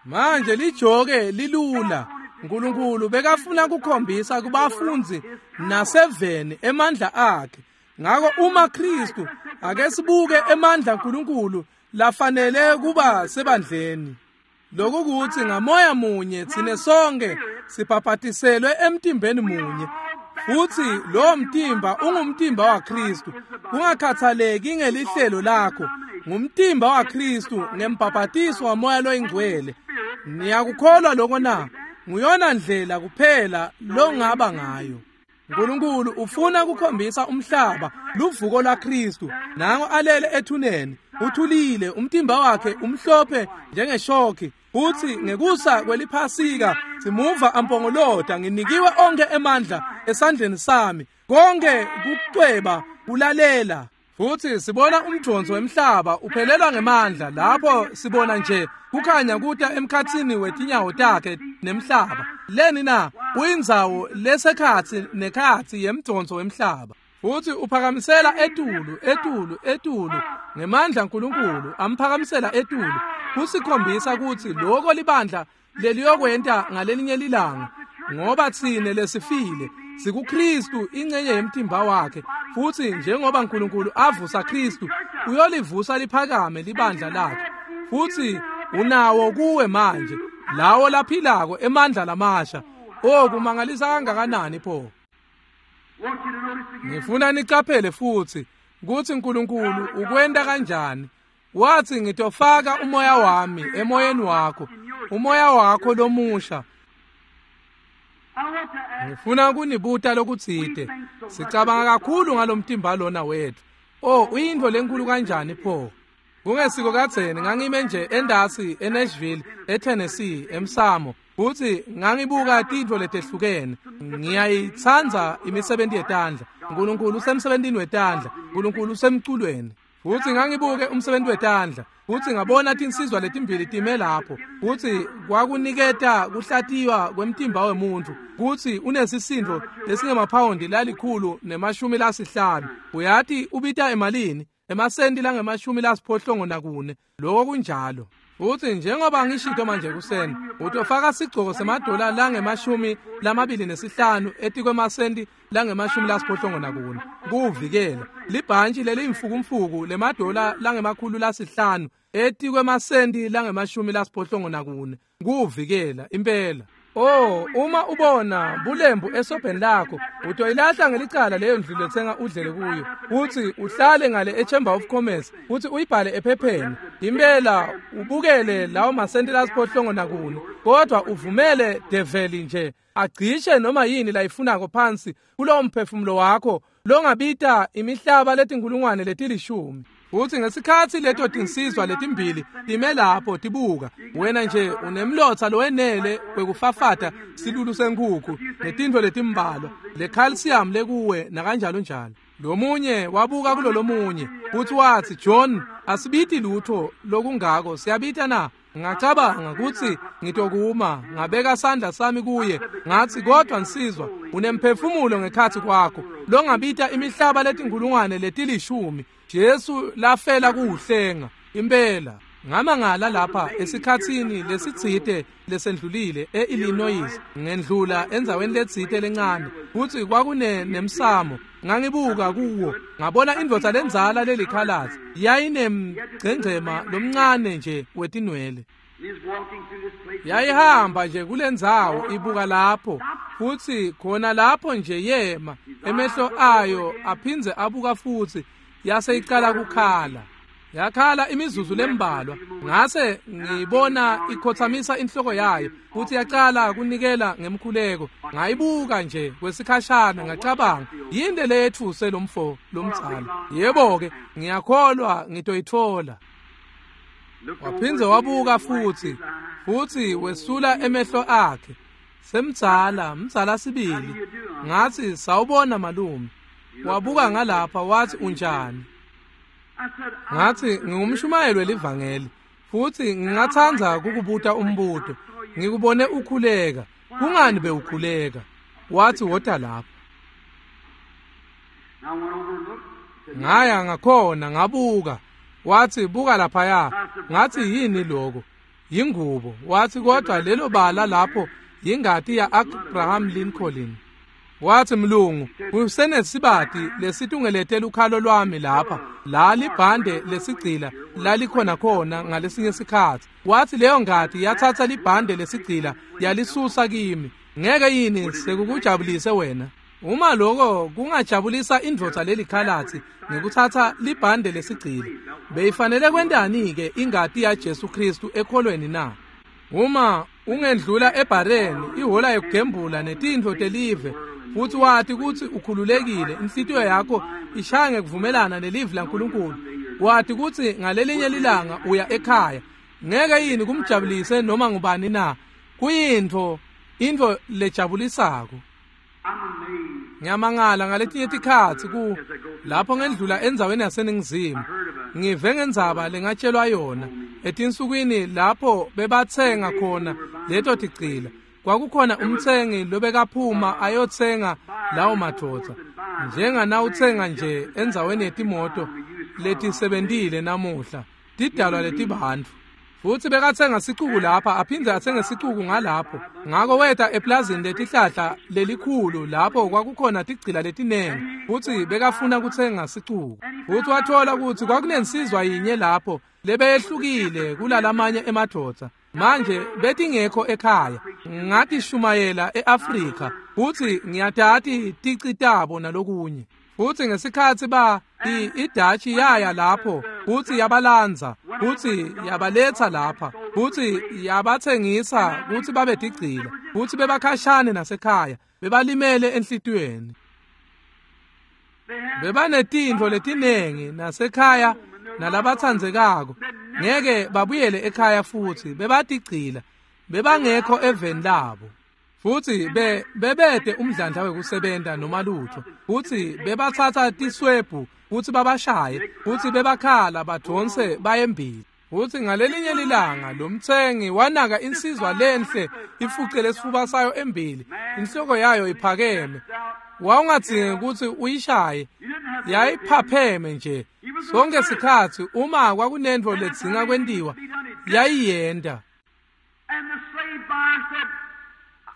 Manje lijoke lilula. uNkulunkulu bekafuna kukhombisa kubafundzi naseveni emandla akhe. Ngako uma Kristu, ake sibuke emandla kaNkulunkulu lafanele kuba sebandleni. Lokhu kuthi ngamoya munye thine sonke sibhabhatiselwe emtimbeni munye, futhi lo mtimba ungumtimba waKristu. Kungakhathaleki ngelihlelo lakho, ngumtimba waKristu ngembhabhatiso wamoya loyingcwele. Niyakukholwa lokho na? Nguyona ndlela kuphela longaba ngayo. uNkulunkulu ufuna kukhombisa umhlaba luvuko lwaKristu. Nango alele ethuneni, uthulile, umtimba wakhe umhlophe njengeshoki. Futhi ngekusa kweliphasika simuva ampongolota, nginikiwe onke emandla esandleni sami, konke kucweba kulalela. Futhi sibona umdonso wemhlaba uphelelwa ngemandla lapho sibona nje kukhanya kuta emkhatsini wetinyawo takhe nemhlaba. Leni na uyindzawo lesekhatsi nekhatsi yemdonso wemhlaba. Futhi uphakamisela etulu etulu etulu ngemandla uNkulunkulu amphakamisela etulu kusikhombisa ukuthi lokho libandla leliyokwenta ngalelinye lilanga, ngoba tsine lesifile sikuKristu ingcenye yemtimba wakhe, futhi njengoba uNkulunkulu avusa Kristu uyolivusa liphakame libandla lakhe. Futhi unawo kuwe manje lawo laphilako emandla lamasha. Oh, kumangalisa kangakanani pho! Ngifuna nicaphele futhi ukuthi uNkulunkulu ukwenta kanjani. Wathi ngitofaka umoya wami emoyeni wakho, umoya wakho lomusha. Ngifuna kunibuta lokutsite. Sicabanga kakhulu ngalomtimba lona wethu. Oh, uyintfo lenkulu kanjani pho! Kungesiko kadzeni ngangime nje endasi eNashville, eTennessee, emsamo, futhi ngangibuka tintfo letehlukene. Ngiyayitsandza imisebenti yetandla. uNkulunkulu usemsebentini wetandla, uNkulunkulu usemculweni. Futhi ngangibuke umsebenzi wetandla, futhi ngabona tinsizwa letimbili time lapho, futhi kwakuniketa kuhlatiywa kwemtimba wemuntu, kuthi unesisindo lesingemaphawundi lalikhulu nemashumi lasihlanu. Uyati ubita emalini? Emasenti langemashumi lasiphohlongo nakune. Lokho kunjalo. Futhi njengoba ngishito manje kuseni, utofaka sigcoko semadola langemashumi lamabili nesihlanu etikwemasenti langemashumi lasiphohlongo nakune kuvikela libhantshi leliyimfukumfuku lemadola langemakhulu lasihlanu etikwemasenti langemashumi lasiphohlongo nakune kuvikela impela. Oh, uma ubona bulembu esobheni lakho, utoyilahla ngelicala leyo ndlu lethenga udlele kuyo, uthi uhlale ngale eChamber of Commerce, uthi uyibhale ephepheni. Impela ubukele lawo masenti lasiphohlongo nakune, kodwa uvumele develi nje agcishe noma yini layifunako phansi kulowo mphefumulo wakho longabita imihlaba letinkulungwane letilishumi. Uthi ngesikhathi leto tinsizwa letimbili time lapho tibuka, wena nje unemlotha lowenele kwekufafata silulu senkukhu netintfo letimbalwa le calcium lekuwe nakanjalo njalo. Lomunye wabuka kulolomunye futhi wathi, John, asibiti lutho lokungako, siyabita na? Ngacabanga ukuthi ngitokuma, ngabeka sandla sami kuye, ngathi kodwa nsizwa unemphefumulo ngekhathi kwakho longabita imihlaba letinkulungwane letilishumi Jesu lafela kuhlenga impela. Ngamangala lapha esikhatsini lesitsite lesendlulile eIllinois, ngendlula endzaweni letsite lencane, futhi kwakune nemsamo. Ngangibuka kuwo ngabona indvodza lendzala lelikhalasi yayinemgcengcema lomncane nje wetinwele. Yayihamba nje kulendzawo ibuka lapho, futhi khona lapho nje yema, emehlo ayo aphindze abuka futhi, yase icala kukhala. Yakhala imizuzu lembalwa, ngase ngibona ikhothamisa inhloko yayo futhi yaqala kunikela ngemkhuleko. Ngayibuka nje kwesikhashana, ngacabanga, yini leyethuse lomfo lomdzala? Yebo ke, ngiyakholwa ngitoyithola. Waphindze wabuka futhi, futhi wesula emehlo akhe. Semdzala, mdzala sibili. Ngathi, sawubona malume. Wabuka ngalapha wathi, unjani? Ngathi, ngingumshumayeli welivangeli, futhi ngingathanda kukubuta umbuto. Ngikubone ukhuleka. Kungani bewukhuleka? Wathi, wota lapha. Ngaya ngakhona ngabuka. Wathi, buka laphaya. Ngathi, yini lokho? Yingubo. Wathi, kodwa lelo bala lapho yingati ya Abraham Lincoln. Wathi, mlungu, kusenesibati lesitungelete lukhalo lwami lapha, la libhande lesigcila lalikhona khona ngalesinye sikhathi. Wathi leyo ngati yathatha libhande lesigcila yalisusa kimi. Ngeke yini sekukujabulise wena? Uma lokho kungajabulisa indvodza lelikhalathi ngekuthatha libhande lesigcila, beyifanele kwentani ke ingati ya Jesu Kristu ekholweni na? Uma ungendlula ebhareni ihola yokugembula netintfo telive, futhi wathi ukuthi ukhululekile, inhlitiyo yakho ishaya ngekuvumelana nelivi laNkulunkulu, wathi ukuthi ngalelinye lilanga uya ekhaya, ngeke yini kumjabulise noma ngubani na? Kuyintfo intfo lejabulisako. Ngiyamangala ngaletinye tikhatsi ku lapho ngendlula endzaweni yaseNingizimu, ngive ngendzaba lengatshelwa yona etinsukwini lapho bebatsenga khona leto tigcila. Kwakukhona umtsengi lobekaphuma ayotsenga lawo madvodza, njenganawutsenga nje endzaweni yetimoto letisebentile namuhla, tidalwa letibantfu. Futsi bekatsenga sicuku lapha aphindze atsenge sicuku ngalapho. Ngako weta eplazini letihlahla lelikhulu lapho kwakukhona tigcila letinengi, futsi bekafuna kutsenga sicuku. Futsi wathola kutsi kwakunensizwa yinye lapho lebeyehlukile kulalamanye emadvodza. Manje betingekho ekhaya, ngatishumayela e-Afrika, futsi ngiyatati tici tabo nalokunye. Futsi ngesikhatsi ba iDatshi yaya lapho, futsi yabalandza, futsi yabaletsa lapha, futsi yabatsengisa kutsi babe tigcila, futsi bebakhashane nasekhaya, bebalimele enhlitiyweni. Bebanetintfo letinengi nasekhaya nalabatsandzekako, ngeke babuyele ekhaya futsi bebatigcila, bebangekho eveni labo. Futsi be bebede umdlandla wekusebenta noma lutho, futsi bebatsatsa tiswebhu futsi babashaye, futsi bebakhala badonse bayembili. Futsi ngalelinye lilanga lo mtsengi wanaka insizwa lenhle ifucele sifuba sayo embili, inhloko yayo iphakeme. Wawungadzingi kutsi uyishaye, yayiphapheme nje. Sonke sikhatsi uma kwakunentfo ledzinga kwentiwa, yayiyenta.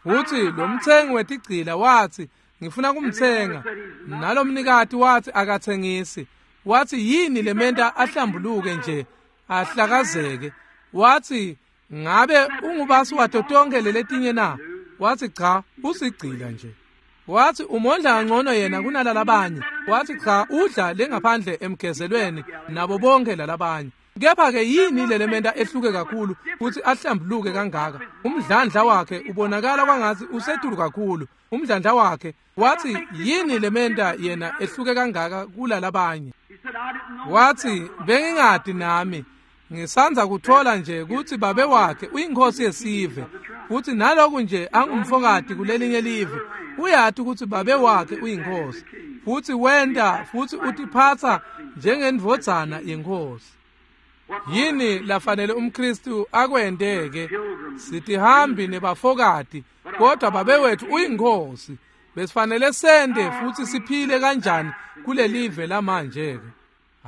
Futsi lo mtsengi wetigcila watsi, ngifuna kumtsenga. Nalomnikati watsi akatsengisi. Watsi yini lementa ahlambuluke nje ahlakazeke? Watsi ngabe ungubasi wato tonkhe leletinye na? Watsi cha, usigcila nje. Watsi umondla kangcono yena kunalalabanye. Watsi cha, udla lengaphandle emgezelweni nabo bonke lalabanye. Kepha-ke yini lelementa ehluke kakhulu futsi ahlambuluke kangaka? Umdlandla wakhe ubonakala kwangatsi usetulu kakhulu. Umdlandla wakhe, watsi yini lementa yena ehluke kangaka kulalabanye? Watsi bengingati nami, ngisandza kuthola nje kutsi babe wakhe uyinkosi yesive, futsi naloku nje angumfokati kulelinye live, uyati kutsi babe wakhe uyinkosi, futsi wenta futsi utiphatsa njengendvodzana yenkosi. Yini lafanele umKristu akwenteke? Sitihambi nebafokati, kodwa babe wethu uyinkosi. Besifanele sente futsi siphile kanjani kulelive lamanje ke?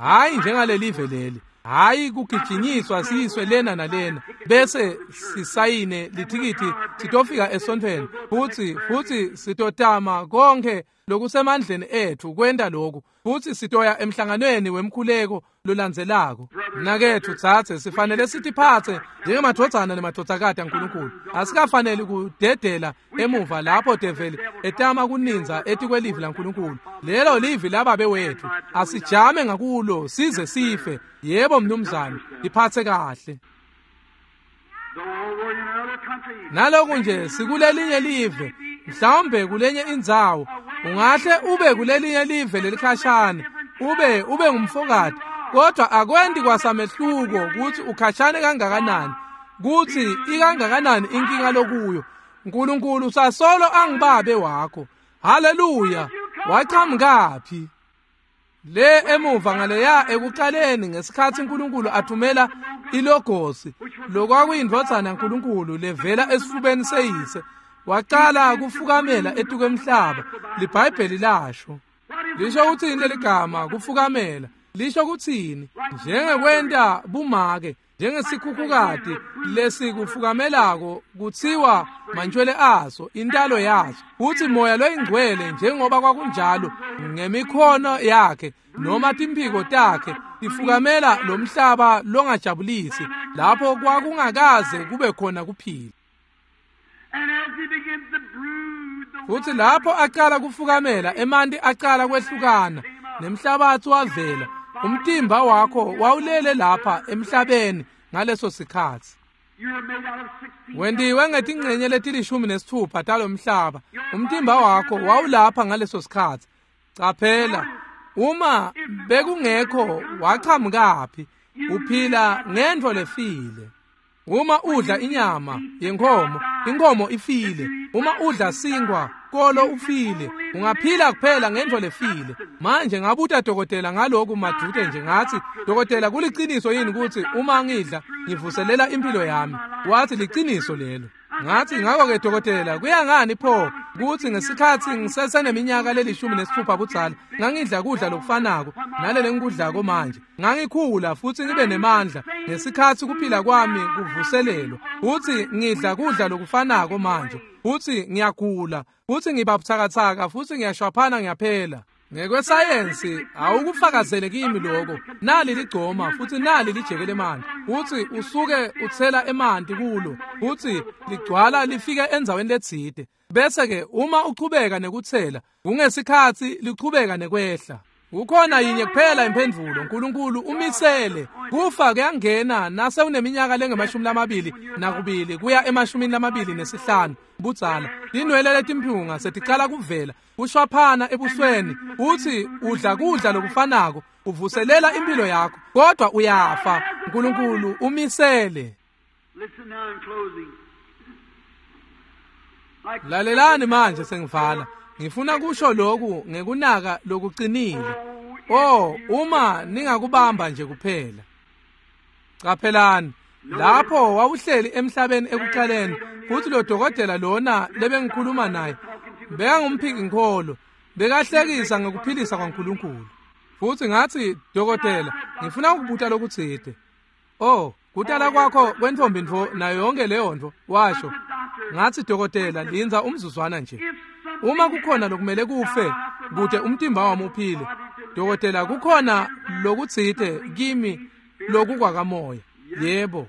Hayi njengalelive leli, hayi kugijinyiswa siyiswe lena nalena bese sisayine lithikithi sitofika esontfweni, futsi futsi sitotama konke lokusemandleni ethu kwenta lokhu, futsi sitoya emhlanganweni wemkhuleko lolandzelako. Mnaketfu tsatse, sifanele sitiphatse njengemadvodzana nemadvodzakati aNkulunkulu. Asikafaneli kudedela emuva lapho develi etama kuninza etikwelivi laNkulunkulu. Lelo livi lababe wethu, asijame ngakulo size sife. Yebo mnumzane, iphatse kahle. Naloku nje sikulelinye live, mhlawumbe kulenye indzawo, ungahle ube kulelinye live lelikhashane, ube ube ngumfokati, kodwa akwendi kwasamehluko kutsi ukhashane kangakanani, kutsi ikangakanani inkinga lokuyo. Nkulunkulu usasolo angibabe wakho. Haleluya! Wachamukaphi? Le emuva ngaleya ekuqaleni ngesikhatsi uNkulunkulu athumela ilogosi, lokwakuyindvodzana yaNkulunkulu levela esifubeni seyise, waqala kufukamela etukwemhlaba. LiBhayibheli lasho. Lisho kutsini leligama kufukamela? Lisho kutsini? Njengekwenta bumake, njengesikhukhukati lesikufukamelako kutsiwa mantshwele aso, intalo yaso. Futsi moya loyingcwele njengoba kwakunjalo ngemikhono yakhe noma timphiko takhe tifukamela lo mhlaba longajabulisi lapho kwakungakaze kube khona kuphila. Futsi lapho aqala kufukamela, emanti aqala kwehlukana nemhlabatsi wavela. Umtimba wakho wawulele lapha emhlabeni ngaleso sikhatsi. Wentiwe ngetingcenye letilishumi nesitfupha talomhlaba. Umtimba wakho wawulapha ngaleso sikhatsi. Caphela, uma bekungekho wachamukaphi? Uphila ngentfo lefile. Uma udla inyama yenkhomo, inkhomo ifile. Uma udla sinkwa Kolo ufile, ungaphila kuphela ngentfo lefile. Manje ngabuta dokotela ngaloku madvute nje, ngatsi, dokotela, kuliciniso yini kutsi uma ngidla ngivuselela impilo yami? Watsi liciniso lelo. Ngathi ngakho-ke dokotela, kuya ngani pho kutsi ngesikhatsi ngiseseneminyaka lelishumi nesitfupha budzala ngangidla kudla lokufanako nalele ngikudlako manje, ngangikhula futsi ngibe nemandla ngesikhatsi kuphila kwami kuvuselelwa, futsi ngidla kudla lokufanako manje, futsi ngiyagula, futsi ngiba butsakatsaka, futsi ngiyashwaphana ngiyaphela. Ngekwesayensi awukufakazele kimi lokho. Nali ligcoma futsi nali lijeke lemanti, futsi usuke utsela emanti kulo, futsi ligcwala lifike endzaweni letsite. Bese-ke uma uchubeka nekutsela, kungesikhatsi lichubeka nekwehla. Kukhona yinye kuphela imphendvulo, uNkulunkulu umisele. Kufa kuyangena nase uneminyaka lengemashumi lamabili nakubili kuya emashumini lamabili nesihlanu budzala. Tinwele letimphunga seticala kuvela, kushwaphana ebusweni, utsi udla kudla lokufanako, uvuselela impilo yakho, kodwa uyafa. uNkulunkulu umisele. Lalelani manje sengivala. Ngifuna kusho lokhu ngekunaka lokuqinile. Oh, uma ningakubamba nje kuphela. Qaphelani, lapho wawuhleli emhlabeni ekuqaleni, futhi lo dokotela lona lebengikhuluma naye bekangumphiki-nkholo, bekahlekisa ngekuphilisa kwaNkulunkulu. Futhi ngathi, dokotela, ngifuna ukubuta lokutsite. Oh, kutala kwakho kwentombi ntfo nayo yonke leyo ntfo, washo. Ngathi, dokotela, lindza umzuzwana nje. Uma kukhona lokumele kufe kute umtimba wami uphile, dokotela, kukhona lokutsite kimi lokukwakamoya. Yebo,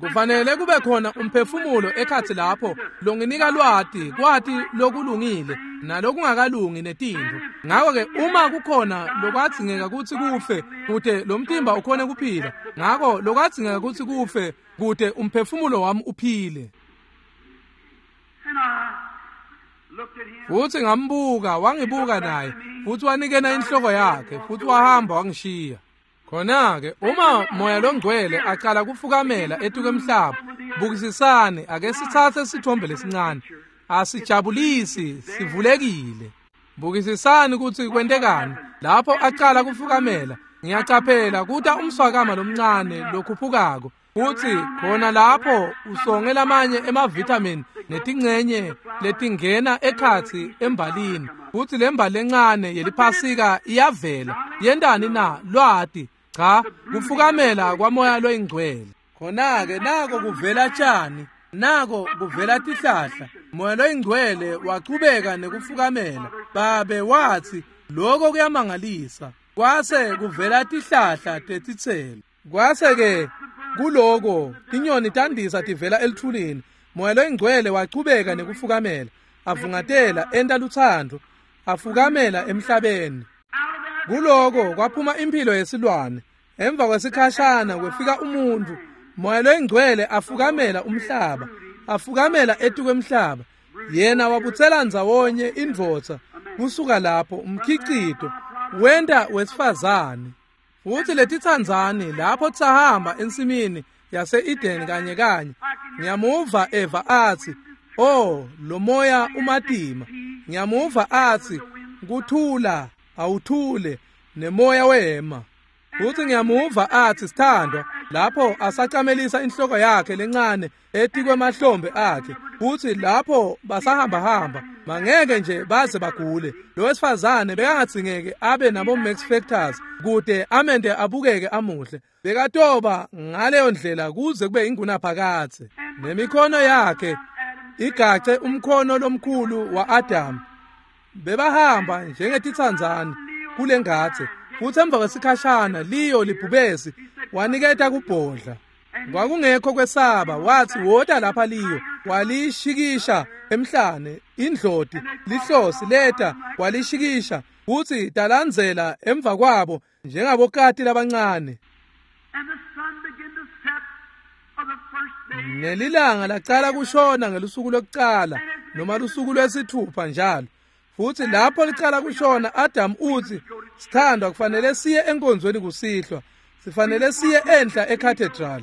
kufanele kube khona umphefumulo ekhatsi lapho longinika lwati, kwati lokulungile nalokungakalungi netintfo. Ngakho-ke uma kukhona lokwadzingeka kutsi kufe kute lo mtimba ukhone kuphila, ngako lokwadzingeka kutsi kufe kute umphefumulo wami uphile. Futsi ngambuka, wangibuka naye, futsi wanikena inhloko yakhe, futsi wahamba wangishiya. Khona-ke uma Moya loNgcwele acala kufukamela etuka emhlaba, bukisisani, ake sitsatse sithombe lesincane. Asijabulisi, sivulekile. Bukisisani kutsi kwentekani lapho acala kufukamela. Ngiyacaphela kuta umswakama lomncane lokhuphukako, futsi khona lapho usonge lamanye emavitamin netingcenye letingena ekhatsi embalini, futsi lembali lencane yeliphasika iyavela. Yentani na? Lwati cha, kufukamela kwaMoya loyiNgcwele. Khona-ke nako kuvela tshani, nako kuvela tihlahla. Moya loyiNgcwele wachubeka nekufukamela. Babe watsi lokho kuyamangalisa. Kwase kuvela tihlahla tetitselo. Kwase-ke kuloko tinyoni tandisa tivela elithulini. Moya loyiNgcwele wachubeka nekufukamela, avungatela enta lutsandvo, afukamela emhlabeni. Kuloko kwaphuma impilo yesilwane. Emva kwesikhashana kwefika umuntu. Moya loyiNgcwele afukamela umhlaba, afukamela etukwemhlaba. Yena wabutsela ndzawonye indvodza kusuka lapho umkhicito wenta wesifazane. Futhi letitsandzani lapho tsahamba ensimini yase-Eden kanye kanye, ngiyamuva Eva athi, oh, lo moya umatima. Ngiyamuva athi, kuthula, awuthule, nemoya wema. Futhi ngiyamuva athi, sithandwa, lapho asacamelisa inhloko yakhe lencane etikwemahlombe akhe. Futhi lapho basahamba hamba, bangeke nje baze bagule. Lo wesifazane bekangadzingeke abe nabo Max Factors kute amente abukeke amuhle. Bekatoba ngaleyo ndlela kuze kube ingunaphakadze. Nemikhono yakhe igace umkhono lomkhulu wa-Adam. Bebahamba njengetitsandzani kule ngadze. Futhi emva kwesikhashana liyo libhubesi waniketa kubhodla. Kwakungekho kwesaba, wathi wota lapha liyo, walishikisha emhlane indloti lihlosi leta walishikisha, futhi talandzela emva kwabo njengabokati labancane. Nelilanga lacala kushona ngelusuku lokucala noma lusuku lwesithupha njalo. Futhi lapho licala kushona, Adam uthi, sithandwa, kufanele siye enkonzweni kusihlwa, sifanele siye enhla ecathedral.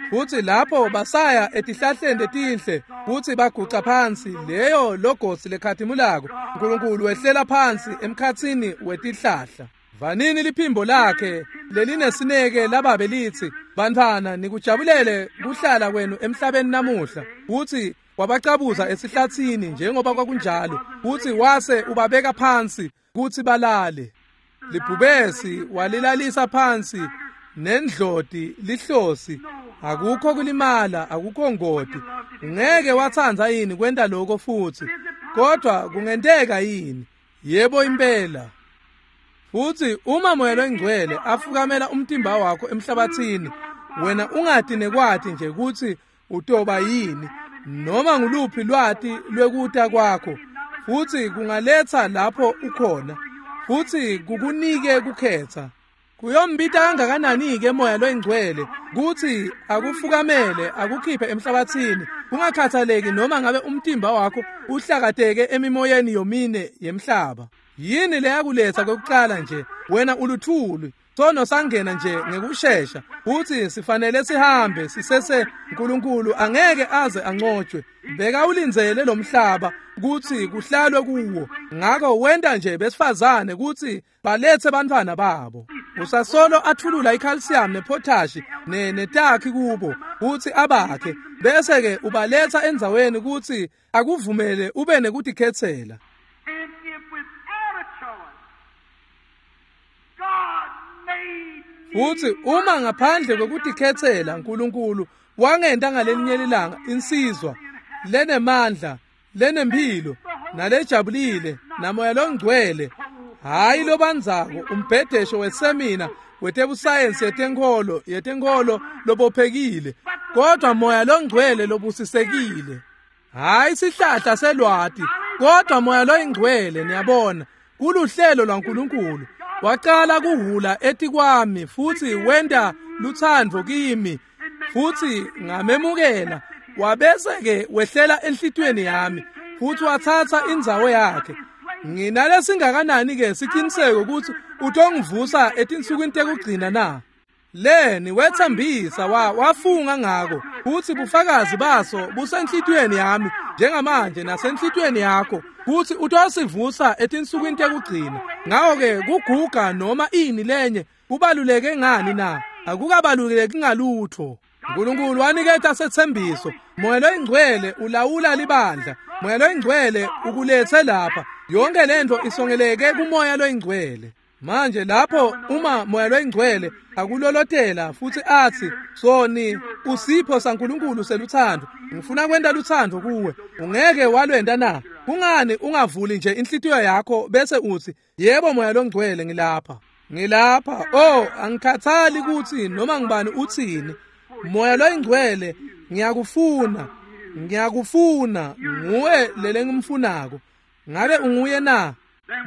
Futsi lapho basaya etihlahleni letinhle futsi baguca phansi leyo logosi lekhatimulako uNkulunkulu wehlela phansi emkhatsini wetihlahla. Vanini liphimbo lakhe lelinesineke lababe litsi, bantfwana nikujabulele kuhlala kwenu emhlabeni namuhla. Futsi wabacabuza esihlatsini njengoba kwakunjalo, futsi wase ubabeka phansi kutsi balale. Libhubesi walilalisa phansi nendloti lihlosi, akukho kulimala, akukho ngoti. Ungeke watsandza yini kwenta lokho futsi? Kodwa kungenteka yini? Yebo impela. Futsi uma Moya loNgcwele afukamela umtimba wakho emhlabathini, wena ungati nekwati nje kutsi utoba yini noma nguluphi lwati lwekuta kwakho, futsi kungaletsa lapho ukhona, futsi kukunike kukhetsa. Kuyombita kangakanani-ke Moya loNgcwele kutsi akufukamele akukhiphe emhlabathini, kungakhathaleki noma ngabe umtimba wakho uhlakateke emimoyeni yomine yemhlaba. Yini leyakuletsa kokuqala nje? Wena uluthuli. Sono sangena nje ngekushesha, futsi sifanele sihambe sisese. uNkulunkulu angeke aze ancotshwe. Beka ulindzele lomhlaba kutsi kuhlalwe kuwo, ngako wenta nje besifazane kutsi baletse bantfwana babo. Usasolo athulula icalcium nepotash netakhi kubo kutsi abakhe, bese-ke ubaletsa endzaweni kutsi akuvumele ube nekutikhetsela. Futsi uma ngaphandle kwekutikhetsela uNkulunkulu wangenta ngalelinye ilanga insizwa lenemandla, lenemphilo, nalejabulile, namoya longcwele, hayi lobandzako umbhedesho wesemina wetebusayensi yetenkholo yetenkholo lobophekile, kodwa moya longcwele lobusisekile. Hayi sihlahla selwati, kodwa moya loyingcwele. Niyabona, kuluhlelo lwaNkulunkulu. Waqala kuhula etikwami futsi wenta lutsandvo kimi, futsi ngamemukela. Wabese-ke wehlela enhlitiyweni yami futsi watsatsa indzawo yakhe. Nginalesingakanani-ke siciniseko kutsi utongivusa etinsukwini tekugcina na? Leni wetsembisa wa wafunga ngako, futsi bufakazi baso busenhlitiyweni yami njengamanje nasenhlitiyweni yakho, kutsi utosivusa etinsukwini tekugcina. Ngako-ke kuguga noma ini lenye kubaluleke ngani na? Akukabaluleki ngalutho. uNkulunkulu waniketa setsembiso. Moya loyingcwele ulawula libandla. Moya loyingcwele ukulethe lapha. Yonke lento isongeleke kumoya loyingcwele. Manje lapho uma Moya loyingcwele akulolotela futsi atsi, soni usipho saNkulunkulu seluthando, ngifuna kwenta luthando kuwe, ungeke walwenta na? Kungani ungavuli nje inhlitiyo yakho bese utsi, yebo Moya loNgcwele, ngilapha, ngilapha. Oh, angikhathali kutsi noma ngibani utsini. Moya loyingcwele, ngiyakufuna, ngiyakufuna, nguwe lelengimfunako. Ngabe unguye na?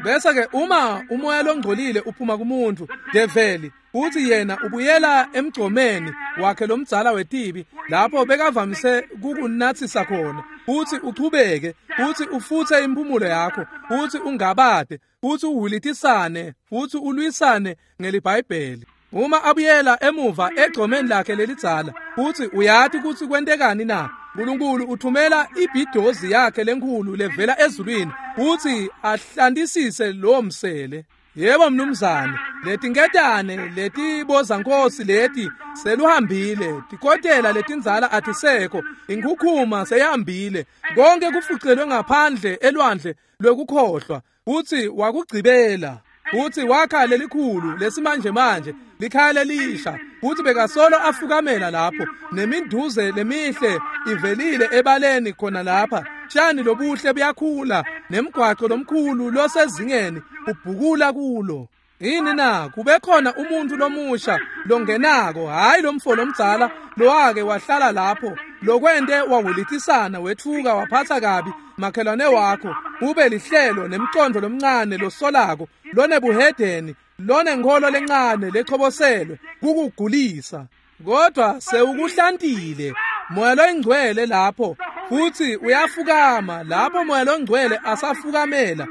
Bese-ke uma umoya longcolile uphuma kumuntu, develi, uthi yena ubuyela emgcomeni wakhe lomdzala wetibi lapho bekavamise kukunatsisa khona, uthi uchubeke, uthi ufutse impumulo yakho, uthi ungabade, uthi uhilitisane, uthi ulwisane ngeliBhayibheli. Uma abuyela emuva egcomeni lakhe lelidzala, uthi uyati kutsi kwentekani na? uNkulunkulu uthumela ibhidozi yakhe lenkhulu levela ezulwini uthi ahlantisise lo msele. Yebo mnumzane, letinketane letibozankosi leti seluhambile, tikotela letindzala atisekho, inkhukhuma seyihambile, konke kufucelwe ngaphandle elwandle lwekukhohlwa. Uthi wakugcibela, uthi wakha lelikhulu lesimanje manje likhaya lelisha, uthi bekasolo afukamela lapho neminduze lemihle ivelile ebaleni khona lapha, tshani lobuhle buyakhula nemgwaco lomkhulu losezingeni ubhukula kulo. Yini na? Kube khona umuntu lomusha longenako, hayi lomfo lomdzala lowake wahlala lapho lokwente wawulitisana wetfuka waphatha kabi makhelwane wakho, ube lihlelo nemcondo lomncane losolako lonebuhedeni lonenkholo lencane lechoboselwe kukugulisa. Kodwa sewukuhlantile Moya loyingcwele lapho, futhi uyafukama lapho Moya loNgcwele asafukamela,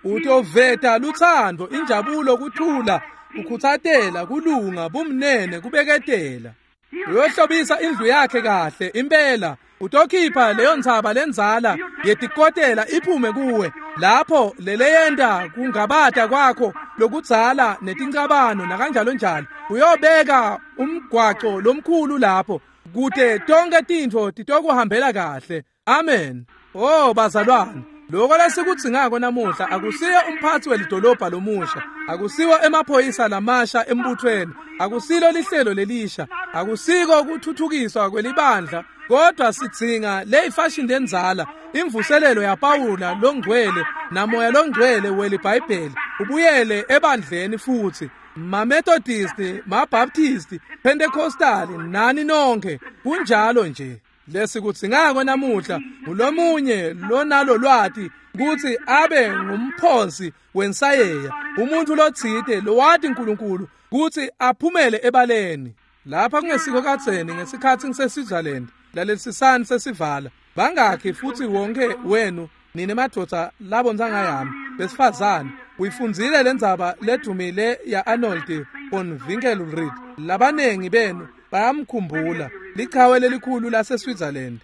utoveta luthando, injabulo, kuthula, ukhutsatela, kulunga, bumnene, kubeketela. Uyohlobisa indlu yakhe kahle impela. Utokhipha leyo ntsaba lendzala yetikotela iphume kuwe lapho leleyenta kungabata kwakho lokudzala netincabano nakanjalo njalo. Uyobeka umgwaco lomkhulu lapho kute tonke tintfo titokuhambela kahle. Amen. Oh bazalwane, lokho lesikudzingako namuhla akusiyo umphathi welidolobha lomusha, akusiwo emaphoyisa lamasha embuthweni, akusilo lihlelo lelisha, akusiko kuthuthukiswa kwelibandla, kodwa sidzinga leyifashion lendzala, imvuselelo yaPawula longcwele namoya longcwele weliBhayibheli ubuyele ebandleni futhi. MaMethodist, maBaptist, Pentecostal nani nonke kunjalo nje. Lesikudzingako namuhla ngulomunye lonalo lwati kutsi abe ngumphosi wensayeya, umuntu lotsite lowati uNkulunkulu kutsi aphumele ebaleni. Lapha kungesiko kadzeni ngesikhatsi ngiseSwitzerland, lalelisisani sesivala bangakhi futhi wonke wenu nine madvodza labontsanga yami besifazane uyifundzile lendzaba ledumile ya Arnold von Winkelried. Labanengi benu bayamkhumbula lichawe lelikhulu laseSwitzerland.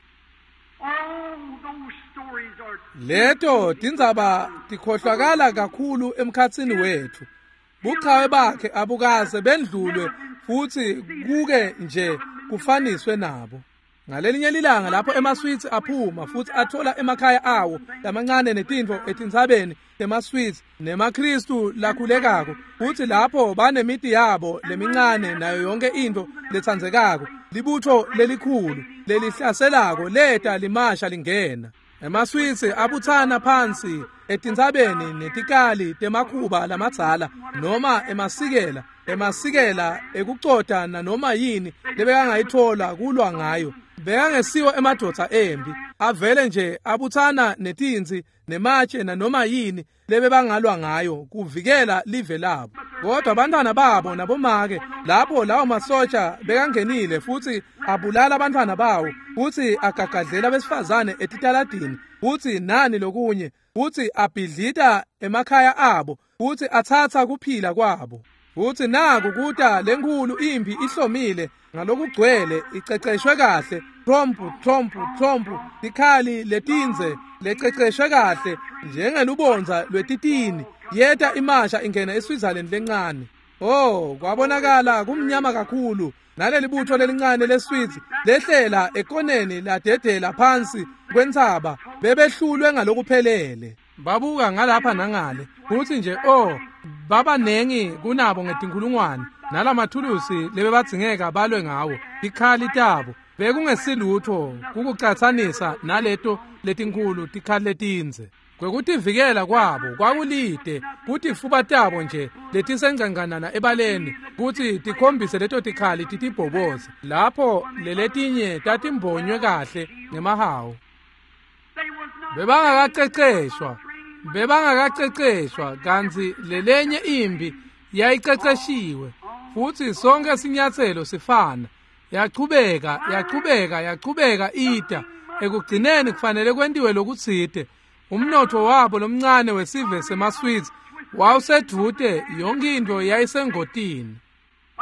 Leto tindzaba tikhohlwakala kakhulu emkhatsini wethu. Buchawe bakhe abukaze bendlulwe futhi kuke nje kufaniswe nabo. Ngalelinye lilanga lapho emaSwiss aphuma futhi athola emakhaya awo lamancane netintfo etintsabeni temaSwiss nemaKristu lakhulekako, futhi lapho banemiti yabo lemincane nayo yonke intfo letsandzekako, libutho lelikhulu lelihlaselako leta limasha lingena. EmaSwiss abutsana phansi etintsabeni netikali temakhuba lamadzala noma emasikela emasikela ekucota nanoma yini lebekangayithola kulwa ngayo. Bekangesiwo emadvodza embi, avele nje abutsana netinzi nematshe nanoma yini lebebangalwa ngayo kuvikela live labo. Kodwa abantwana babo nabomake lapho lawo masotsha bekangenile futhi abulala abantwana bawo futhi agagadlela besifazane etitaladini futhi nani lokunye futhi abhidlita emakhaya abo futhi atsatsa kuphila kwabo. Futhi naku kuta lenkhulu impi ihlomile ngalokugcwele iceceshwe kahle, trompu trompu trompu, tikhali letinze lececeshwe kahle njengelubondza lwetitini, yeta imasha ingena eSwitzerland lencane. Oh, kwabonakala kumnyama kakhulu naleli butho lelincane leSwiss lehlela ekoneni ladedela phansi kwentsaba, bebehlulwe ngalokuphelele. Babuka ngalapha nangale futhi nje oh babanengi kunabo ngetinkhulungwane nalamathulusi lebebadzingeka balwe ngawo, tikhali tabo bekungesilutho kukucatsanisa naleto letinkhulu tikhali letinze. Kwekutivikela kwabo kwakulide kutifuba tabo nje letisengcanganana ebaleni kutsi tikhombise leto tikhali titibhoboze lapho leletinye tatimbonywe kahle ngemahawu. Bebangakaceceshwa bebangakaceceshwa kantsi lelenye impi yayiceceshiwe futhi sonke sinyatselo sifana. Yachubeka yachubeka yachubeka ita ekugcineni kufanele kwentiwe lokutsite. Umnotho wabo lomncane wesive semaSwiss wawusedvute, yonke into yayisengotini.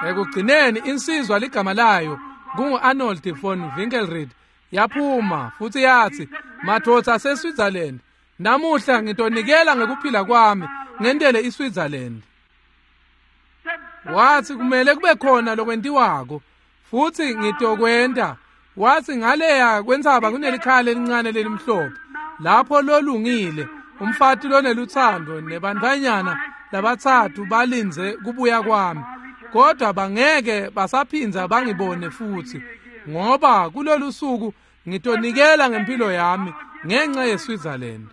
Ekugcineni insizwa ligama layo kungu-Arnold von Winkelried yaphuma futhi yathi, madvodza aseSwitzerland, namuhla ngitonikela ngekuphila kwami ngentele iSwitzerland. Wathi kumele kube khona lokwentiwako futhi ngitokwenta. Wathi ngaleya kwentsaba kunelikhala elincane lelimhlophe lapho lolungile umfati loneluthando nebantfanyana labatsatfu balindze kubuya kwami, kodwa bangeke basaphindza bangibone futhi, ngoba kulolu suku ngitonikela ngempilo yami ngenxa yeSwitzerland.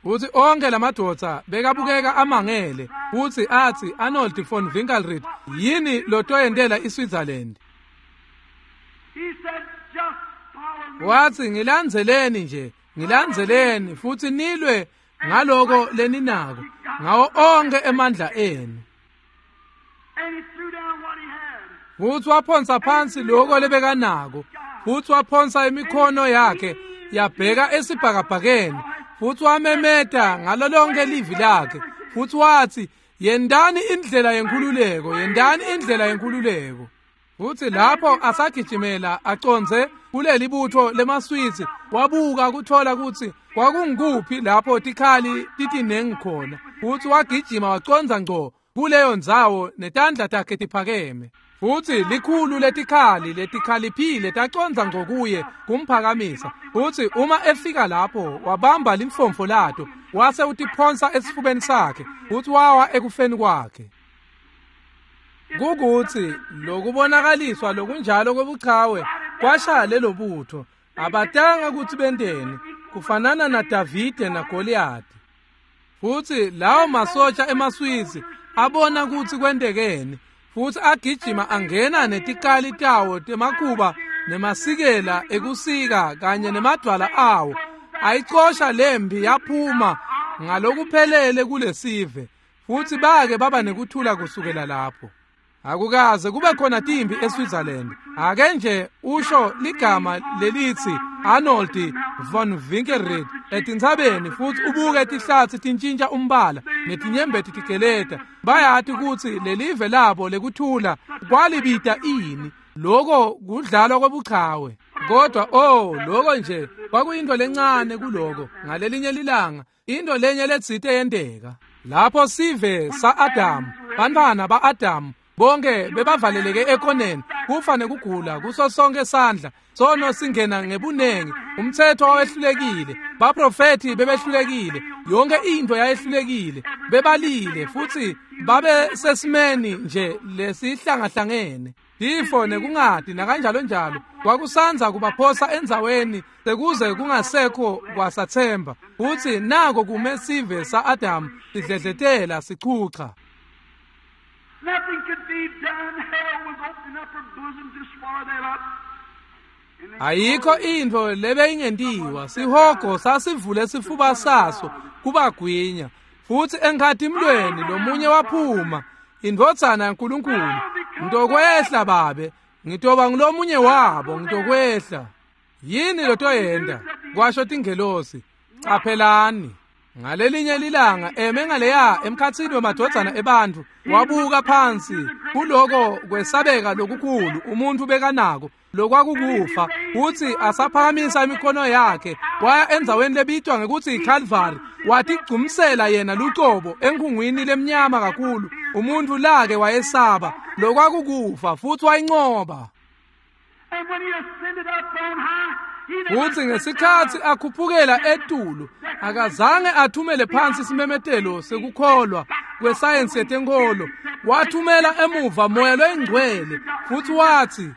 Futhi onke lamadvodza bekabukeka amangele futhi athi, Arnold von Winkelried, yini lotoyentela iSwitzerland? Wathi, ngilandzeleni nje, ngilandzeleni futhi nilwe ngaloko leninako ngawo onke emandla enu. Futhi waphonsa phansi lokho lebekanako, futhi waphonsa imikhono yakhe yabheka esibhakabhakeni, futhi wamemeta ngalo lonke livi lakhe futhi wathi, yendani indlela yenkhululeko, yendani indlela yenkhululeko. Futsi lapho asagijimela acondze kuleli butho lemaSwisi, wabuka kuthola kutsi kwakungukuphi lapho tikhali titinengi khona, futsi wagijima wacondza ngco kuleyo ndzawo netandla takhe tiphakeme. Futsi likhulu letikhali letikhaliphile tacondza ngco kuye kumphakamisa. Futsi uma efika lapho wabamba limfomfo lato wase utiphonsa esifubeni sakhe, futsi wawa ekufeni kwakhe. Kukutsi lokubonakaliswa lokunjalo kwebuchawe kwashaya lelo butho. Abatanga kutsi benteni, kufanana naDavide naGoliyathi. Futsi lawo masotsha emaSwisi abona kutsi kwentekeni, futsi agijima angena netikali tawo temakhuba nemasikela ekusika kanye nemadwala awo. Ayicosha lempi yaphuma ngalokuphelele kulesive, futsi bake baba nekuthula kusukela lapho. Akukaze kube khona timpi eSwitzerland. Ake nje usho ligama lelitsi Arnold von Winkelried etintsabeni, futsi ubuke tihlatsi tintshintsha umbala netinyembeti tigeleta. Bayati kutsi lelive labo lekuthula kwalibita ini. Loko kudlalwa kwebuchawe. Kodwa oh, loko nje kwakuyinto lencane kuloko. Ngalelinye lilanga into lenye letsite yenteka. Lapho sive sa-Adamu, bantfwana ba-Adamu bonke bebavaleleke ekoneni, kufa nekugula kuso sonke sandla. Sono singena ngebunengi, umthetho wawehlulekile, baprofethi bebehlulekile, yonke into yayehlulekile, bebalile futsi babe sesimeni nje lesihlangahlangene. Tifo nekungati nakanjalo njalo kwakusandza kubaphosa endzaweni sekuze kungasekho kwasathemba. Futsi nako kume sive sa-Adamu sidledletela sichucha. Nothing could be done. Hell was opening up her bosom to swallow them up. Ayikho intfo lebeyingentiwa. Sihogo sasivule sifuba saso kubagwinya. Futsi enkhatimlweni lomunye waphuma, indvodzana yaNkulunkulu. Ngitokwehla babe, ngitoba ngulomunye wabo, ngitokwehla. Yini lotoyenta? Kwasho tingelosi. Caphelani. Ngalelinye lilanga eme ngaleya emkhatsini wemadvodzana ebantfu, wabuka phansi kuloko kwesabeka lokukhulu umuntfu bekanako lokwakukufa, futsi asaphakamisa imikhono yakhe waya endzaweni lebitwa ngekutsi yiCalvary, watigcumsela yena lucobo enkhungwini lemnyama kakhulu umuntfu lake wayesaba lokwakukufa, futsi wayincoba. And when he ascended up on high, he never Futsi ngesikhatsi akhuphukela etulu, akazange athumele phansi simemetelo sekukholwa kwesayensi yetenkholo. Wathumela emuva moya loyingcwele, futsi watsi,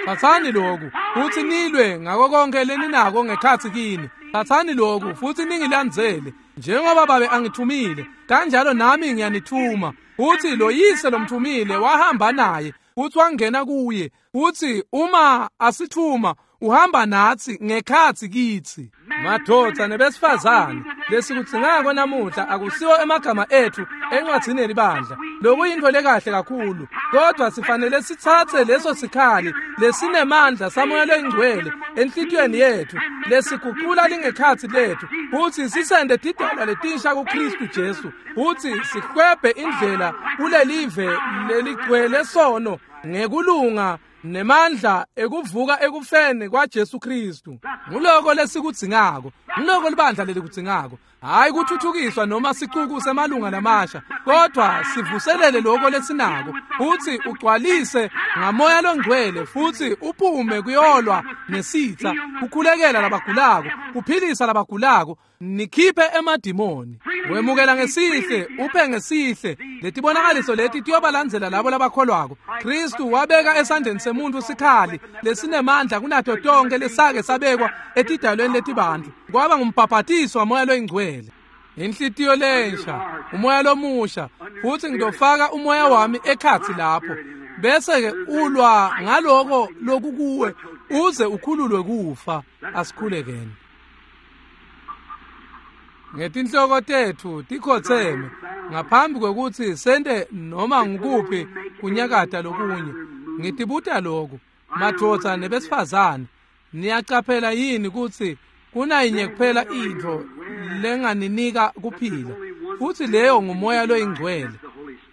"Tsatsani loku, futsi nilwe ngako konke leninako ngekhatsi kini. Tsatsani loku, futsi ningilandzele. Njengoba babe angithumile, kanjalo nami ngiyanithuma." Futsi lo yise lomthumile wahamba naye, futsi wangena kuye. Futsi uma asithuma, uhamba natsi ngekhatsi kitsi. Madvodza nebesifazane, lesikudzingako namuhla akusiwo emagama etfu encwadzini yelibandla, lokuyintfo lekahle kakhulu, kodwa sifanele sitsatse leso sikhali lesinemandla samoya loyingcwele enhlitiyweni yetfu lesigucula lingekhatsi letfu, futsi sisende tidalwa letinsha kuKhristu Jesu, futsi sihlwebhe indlela kulelive leligcwele sono ngekulunga nemandla ekuvuka ekufeni kwaJesu Kristu. Nguloko lesikudzingako, nguloko libandla lelikudzingako. Hayi kuthuthukiswa noma sicuku semalunga lamasha, kodwa sivuselele loko lesinako, futsi ugcwalise ngamoya longcwele, futsi uphume kuyolwa nesitsa, kukhulekela labagulako, kuphilisa labagulako, nikhiphe emadimoni. Wemukela ngesihle, uphe ngesihle. Letibonakaliso leti tiyobalandzela labo labakholwako. Kristu wabeka esandleni semuntfu sikhali lesinemandla kunato tonke lesake sabekwa etidalweni letibantfu. Kwaba ngumbhabhatiso wamoya loyingcwele, inhlitiyo lensha, umoya lomusha, futsi ngitofaka umoya wami ekhatsi lapho, bese-ke ulwa ngaloko lokukuwe uze ukhululwe kufa. Asikhulekeni. Ngetinhloko tetfu tikhotseme, ngaphambi kwekutsi sente noma ngukuphi kunyakata lokunye, ngitibuta loku, madvodza nebesifazane, niyacaphela yini kutsi kunayinye kuphela intfo lenganinika kuphila, futsi leyo ngumoya loyingcwele?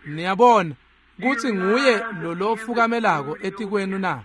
Niyabona, kutsi nguye lolofukamelako etikwenu na?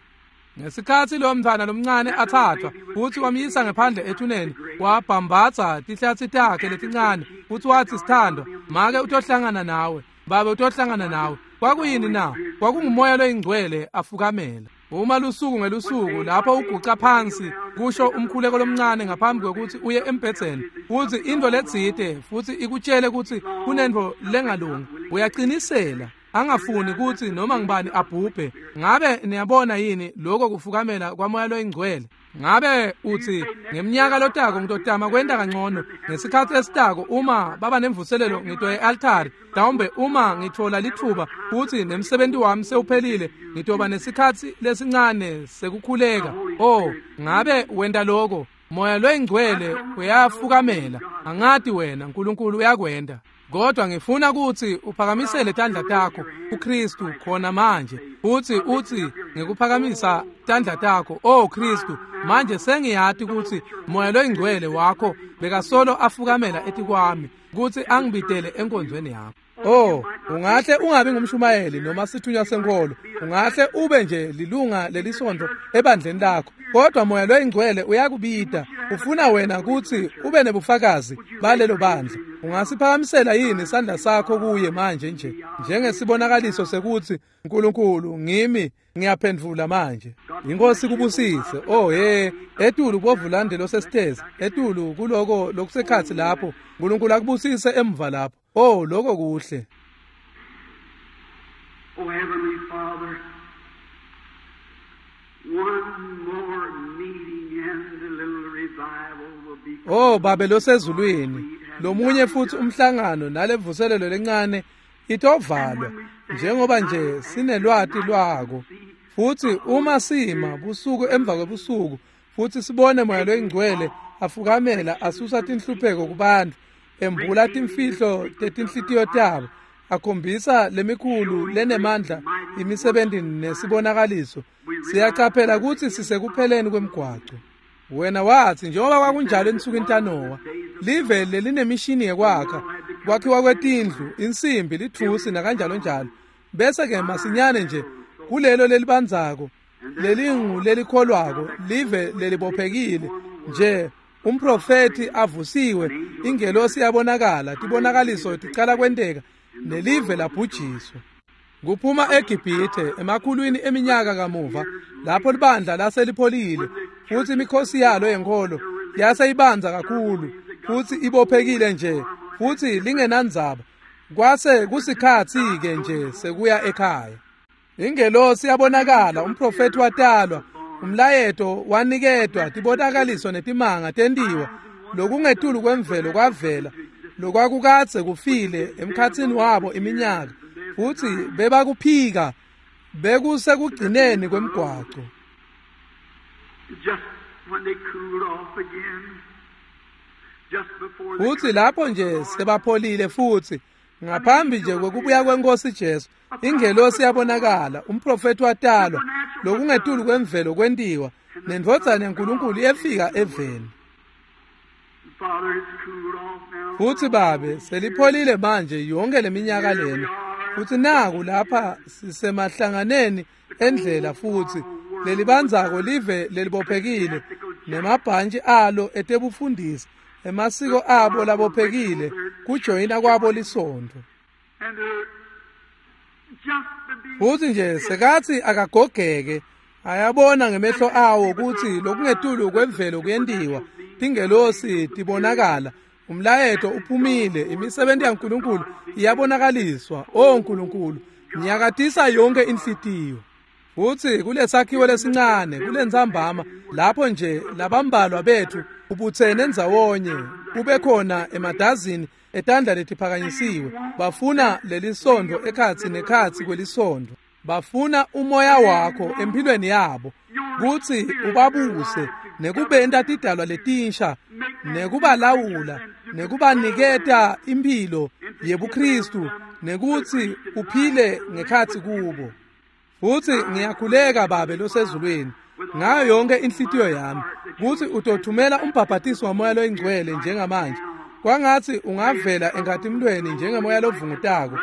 Ngesikhatsi lo mntfwana lomncane athathwa futsi wamyisa ngephandle ethuneni, wabhambatsa tihlatsi takhe letincane futsi watsi, "Sithandwa, make utohlangana nawe, babe utohlangana nawe." Kwakuyini na? Kwakungumoya loyingcwele afukamela. Uma lusuku ngelusuku lapho uguca phansi kusho umkhuleko lomncane ngaphambi kwekutsi uye embhedzeni, futsi intfo letsite futsi ikutshele kutsi kunentfo lengalungi, uyaqinisela angafuni kutsi noma ngibani abhubhe. Ngabe niyabona yini lokho kufukamela kwamoya loyingcwele? Ngabe utsi ngeminyaka lotako ngitotama kwenta kangcono, ngesikhatsi esitako uma baba nemvuselelo ngitoya e-altari, mhlawumbe uma ngitfola litfuba futsi nemsebenti wami sewuphelile ngitoba nesikhatsi lesincane sekukhuleka. Oh, ngabe wenta lokho? Moya loyingcwele uyafukamela. Angati wena, Nkulunkulu uyakwenta. Kodwa ngifuna kutsi uphakamisele tandla takho kuKristu khona manje, futsi utsi ngikuphakamisa tandla takho, oh Kristu, manje sengiyati kutsi moya loyingcwele wakho bekasolo afukamela etikwami kutsi angibitele enkonzweni yakho. Oh, ungahle ungabi ngumshumayeli noma sithunywa senkolo, ungahle ube nje lilunga lelisontfo ebandleni lakho, kodwa moya loyingcwele uyakubita, ufuna wena kutsi ube nebufakazi balelo bandla. Ungasiphakamisela yini sandla sakho kuye manje nje njengesibonakaliso sekutsi Nkulunkulu ngimi, ngiyaphendvula manje. Inkosi kubusise. Oh hey, etulu kubovulande losesitezi, etulu kuloko lokusekhatsi lapho, Nkulunkulu akubusise emva lapho. Oh, lokho kuhle. Oh Heavenly Father, one more meeting and the little revival will be. Oh Babe losezulwini, lomunye futhi umhlangano nalevuselelo lencane itovalwa njengoba nje sinelwati lwako. Futhi uma sima busuku emva kwebusuku futhi sibone moya loyingcwele afukamela asusa tinhlupheko kubantu, embula timfihlo tetinhlitiyo tabo, akhombisa lemikhulu lenemandla imisebenti nesibonakaliso, siyacaphela kutsi sisekupheleni kwemgwaco. Wena watsi njengoba kwakunjalo ensukwini taNowa, live lelinemishini yekwakha, kwakhiwa kwetindlu, insimbi, lithusi nakanjalo njalo, bese ke masinyane nje kulelo lelibandzako lelingu lelikholwako, live lelibophekile nje, umprofeti avusiwe, ingelosi yabonakala, tibonakaliso ticala kwenteka, nelive labhujiswa. Kuphuma eGibhithe emakhulwini eminyaka kamuva, lapho libandla laselipholile futsi imikhosi yalo yenkholo yaseyibanza kakhulu futsi ibophekile nje futsi lingenandzaba, kwase kusikhatsi-ke nje sekuya ekhaya. Ingelosi yabonakala, umprofeti watalwa, umlayeto waniketwa, tibonakaliso netimanga tentiwa, lokungetulu kwemvelo kwavela, lokwakukadze kufile emkhatsini wabo iminyaka, futsi bebakuphika, bekusekugcineni kwemgwaco. Just when they cooled off again, just before the Futsi lapho nje sebapholile futhi ngaphambi nje kwekubuya kwenkosi Jesu, ingelosi yabonakala, umprofeti watalwa, lokungetulu kwemvelo kwentiwa, nendvodzana yaNkulunkulu yefika eveni. Father, it's cooled off now. Futsi Babe, selipholile manje yonke leminyaka lena, futsi naku lapha sisemahlanganeni endlela futhi lelibandzako live lelibophekile nemabhantshi alo etebufundisi, emasiko abo labophekile, kujoyina kwabo lisontfo. And they're just to be Futsi nje sekathi akagogeke, ayabona ngemehlo awo kutsi lokungetulu kwemvelo kuyentiwa, tingelosi tibonakala, umlayeto uphumile, imisebenzi yaNkulunkulu iyabonakaliswa. Oh Nkulunkulu, nyakatisa yonke inhlitiyo. Futsi kulesakhiwo lesincane kulentsambama lapho nje labambalwa bethu ubutsene ndzawonye, kube khona emadazini etandla letiphakanyisiwe, bafuna lelisontfo ekhatsi nekhatsi kwelisontfo, bafuna umoya wakho empilweni yabo kutsi ubabuse nekubenta tidalwa letinsha, nekubalawula, nekubaniketa imphilo yebuKristu, nekutsi uphile ngekhatsi kubo. Futsi ngiyakhuleka Babe losezulwini ngayo yonke inhlitiyo yami kutsi utothumela umbhabhatiso wamoya loyingcwele njengamanje Kwangatsi ungavela enkhatimlweni njengemoya lovungutako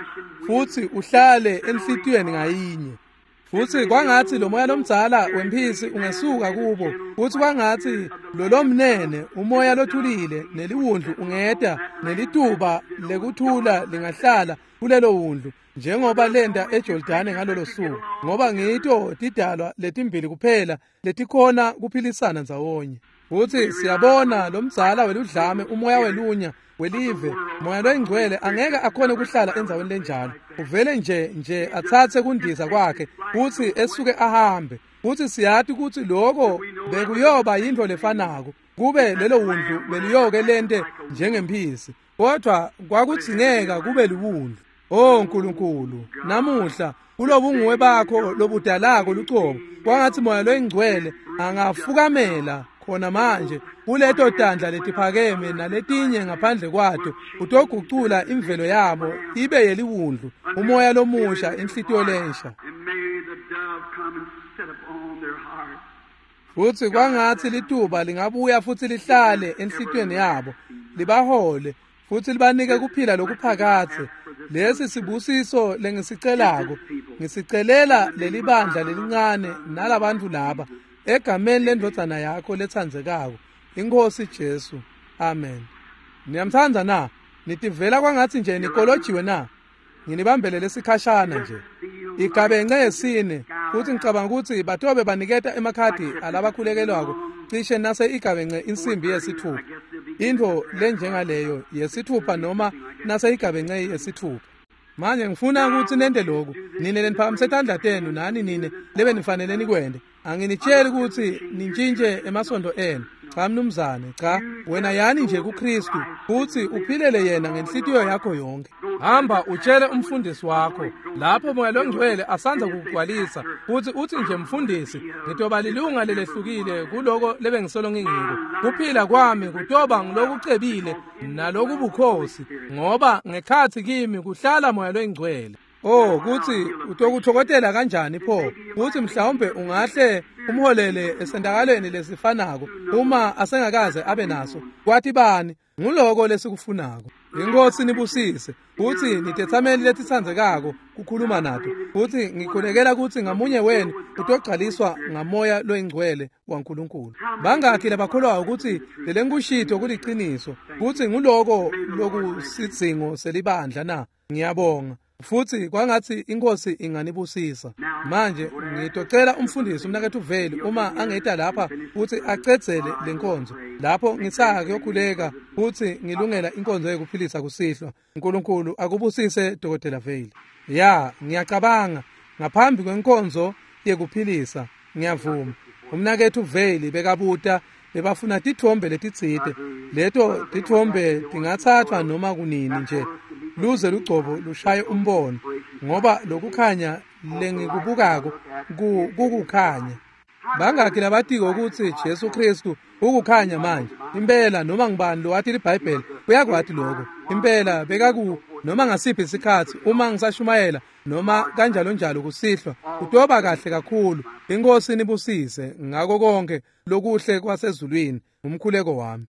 futsi uhlale enhlitiyweni ngayinye. Futsi kwangatsi lo moya lomdzala wemphisi ungesuka kubo, futsi kwangatsi lolomnene umoya lothulile neliwundlu ungeta nelituba lekuthula lingahlala kulelo wundlu njengoba lenta eJordani ngalolo suku, ngoba ngito tidalwa letimbili kuphela letikhona kuphilisana ndzawonye. Futsi siyabona lomdzala weludlame umoya welunya welive moya loyingcwele angeke akhone kuhlala endzaweni lenjalo. Uvele nje nje atsatse kundiza kwakhe futsi esuke ahambe. Futsi siyati kutsi loko bekuyoba yintfo lefanako kube lelo wundlu beliyoke lente njengemphisi, kodwa kwakudzingeka kube liwundlu. Oh Nkulunkulu, namuhla kulobunguwe bakho lobudalako lucobo, kwangatsi moya loyingcwele angafukamela khona manje kuleto tandla letiphakeme naletinye ngaphandle kwato, utogucula imvelo yabo ibe yeliwundlu, umoya lomusha, inhlitiyo lensha. Futsi kwangatsi lituba lingabuya futsi lihlale enhlitiyweni yabo, libahole futsi libanike kuphila lokuphakadze. Lesi sibusiso lengisicelako, ngisicelela lelibandla lelincane nalabantu laba, egameni lendvodzana yakho letsandzekako, iNkhosi Jesu. Amen. Niyamtsandza na? Nitivela kwangatsi nje nikolojiwe na? Nginibambele lesikhashana nje. Igabence yesine, futsi ngicabanga kutsi batobe baniketa emakhadi alabakhulekelwako cishe nase igabence insimbi yesithupha. Intfo lenjengaleyo yesithupha noma nase igabence yesithupha. Manje ngifuna kutsi nente lokhu. Nine leniphakamise tandla tenu nani nine lebe nifanele nikwente. Anginitsheli kutsi nintshintje emasondo enu. Cha mnumzane, cha, wena yani nje kuKristu futsi uphilele yena ngenhlitiyo yakho yonke. Hamba utshele umfundisi wakho lapho moya longcwele asandza kukugcwalisa, futsi utsi nje, mfundisi, ngitoba lilunga lelehlukile kuloko lebengisolo ngingiko. Kuphila kwami kutoba ngilokucebile nalokubukhosi, ngoba ngekhatsi kimi kuhlala moya longcwele. Oh, kutsi utokuthokotela kanjani pho? Kutsi mhlawumbe ungahle umholele esentakalweni lesifanako uma asengakaze abe naso. Kwathi bani? Nguloko lesikufunako. Inkosi nibusise. Kutsi nitetsameli letitsandzekako kukhuluma nato. Kutsi ngikhulekela kutsi ngamunye wenu utogcwaliswa ngamoya loyingcwele waNkulunkulu. Bangakhi labakholwayo kutsi lelenkushito kuliciniso, kutsi nguloko lokusidzingo selibandla na? Ngiyabonga. Futsi kwangatsi inkosi inganibusisa. Manje ngitocela umfundisi umnaketfu Veli uma angeta lapha futsi acedzele lenkonzo. Lapho ngisaka kuyokhuleka futsi ngilungela inkonzo yekuphilisa kusihlwa. uNkulunkulu akubusise Dokotela Veli. Ya, ngiyacabanga ngaphambi kwenkonzo yekuphilisa ngiyavuma. Umnaketfu Veli bekabuta bebafuna titfombe letitsite. Leto titfombe tingatsatfwa noma kunini nje luze lugcobo lushaye umbono, ngoba lokukhanya lengikubukako kukukhanya. Bangakhi labatiko ukuthi Jesu Kristu ukukhanya manje? Impela noma ngibani lowati liBhayibheli uyakwati lokho. Impela bekaku noma ngasiphi isikhatsi uma ngisashumayela noma kanjalo njalo kusihlwa kutoba kahle kakhulu. Inkosi nibusise ngako konke lokuhle kwasezulwini. Umkhuleko wami.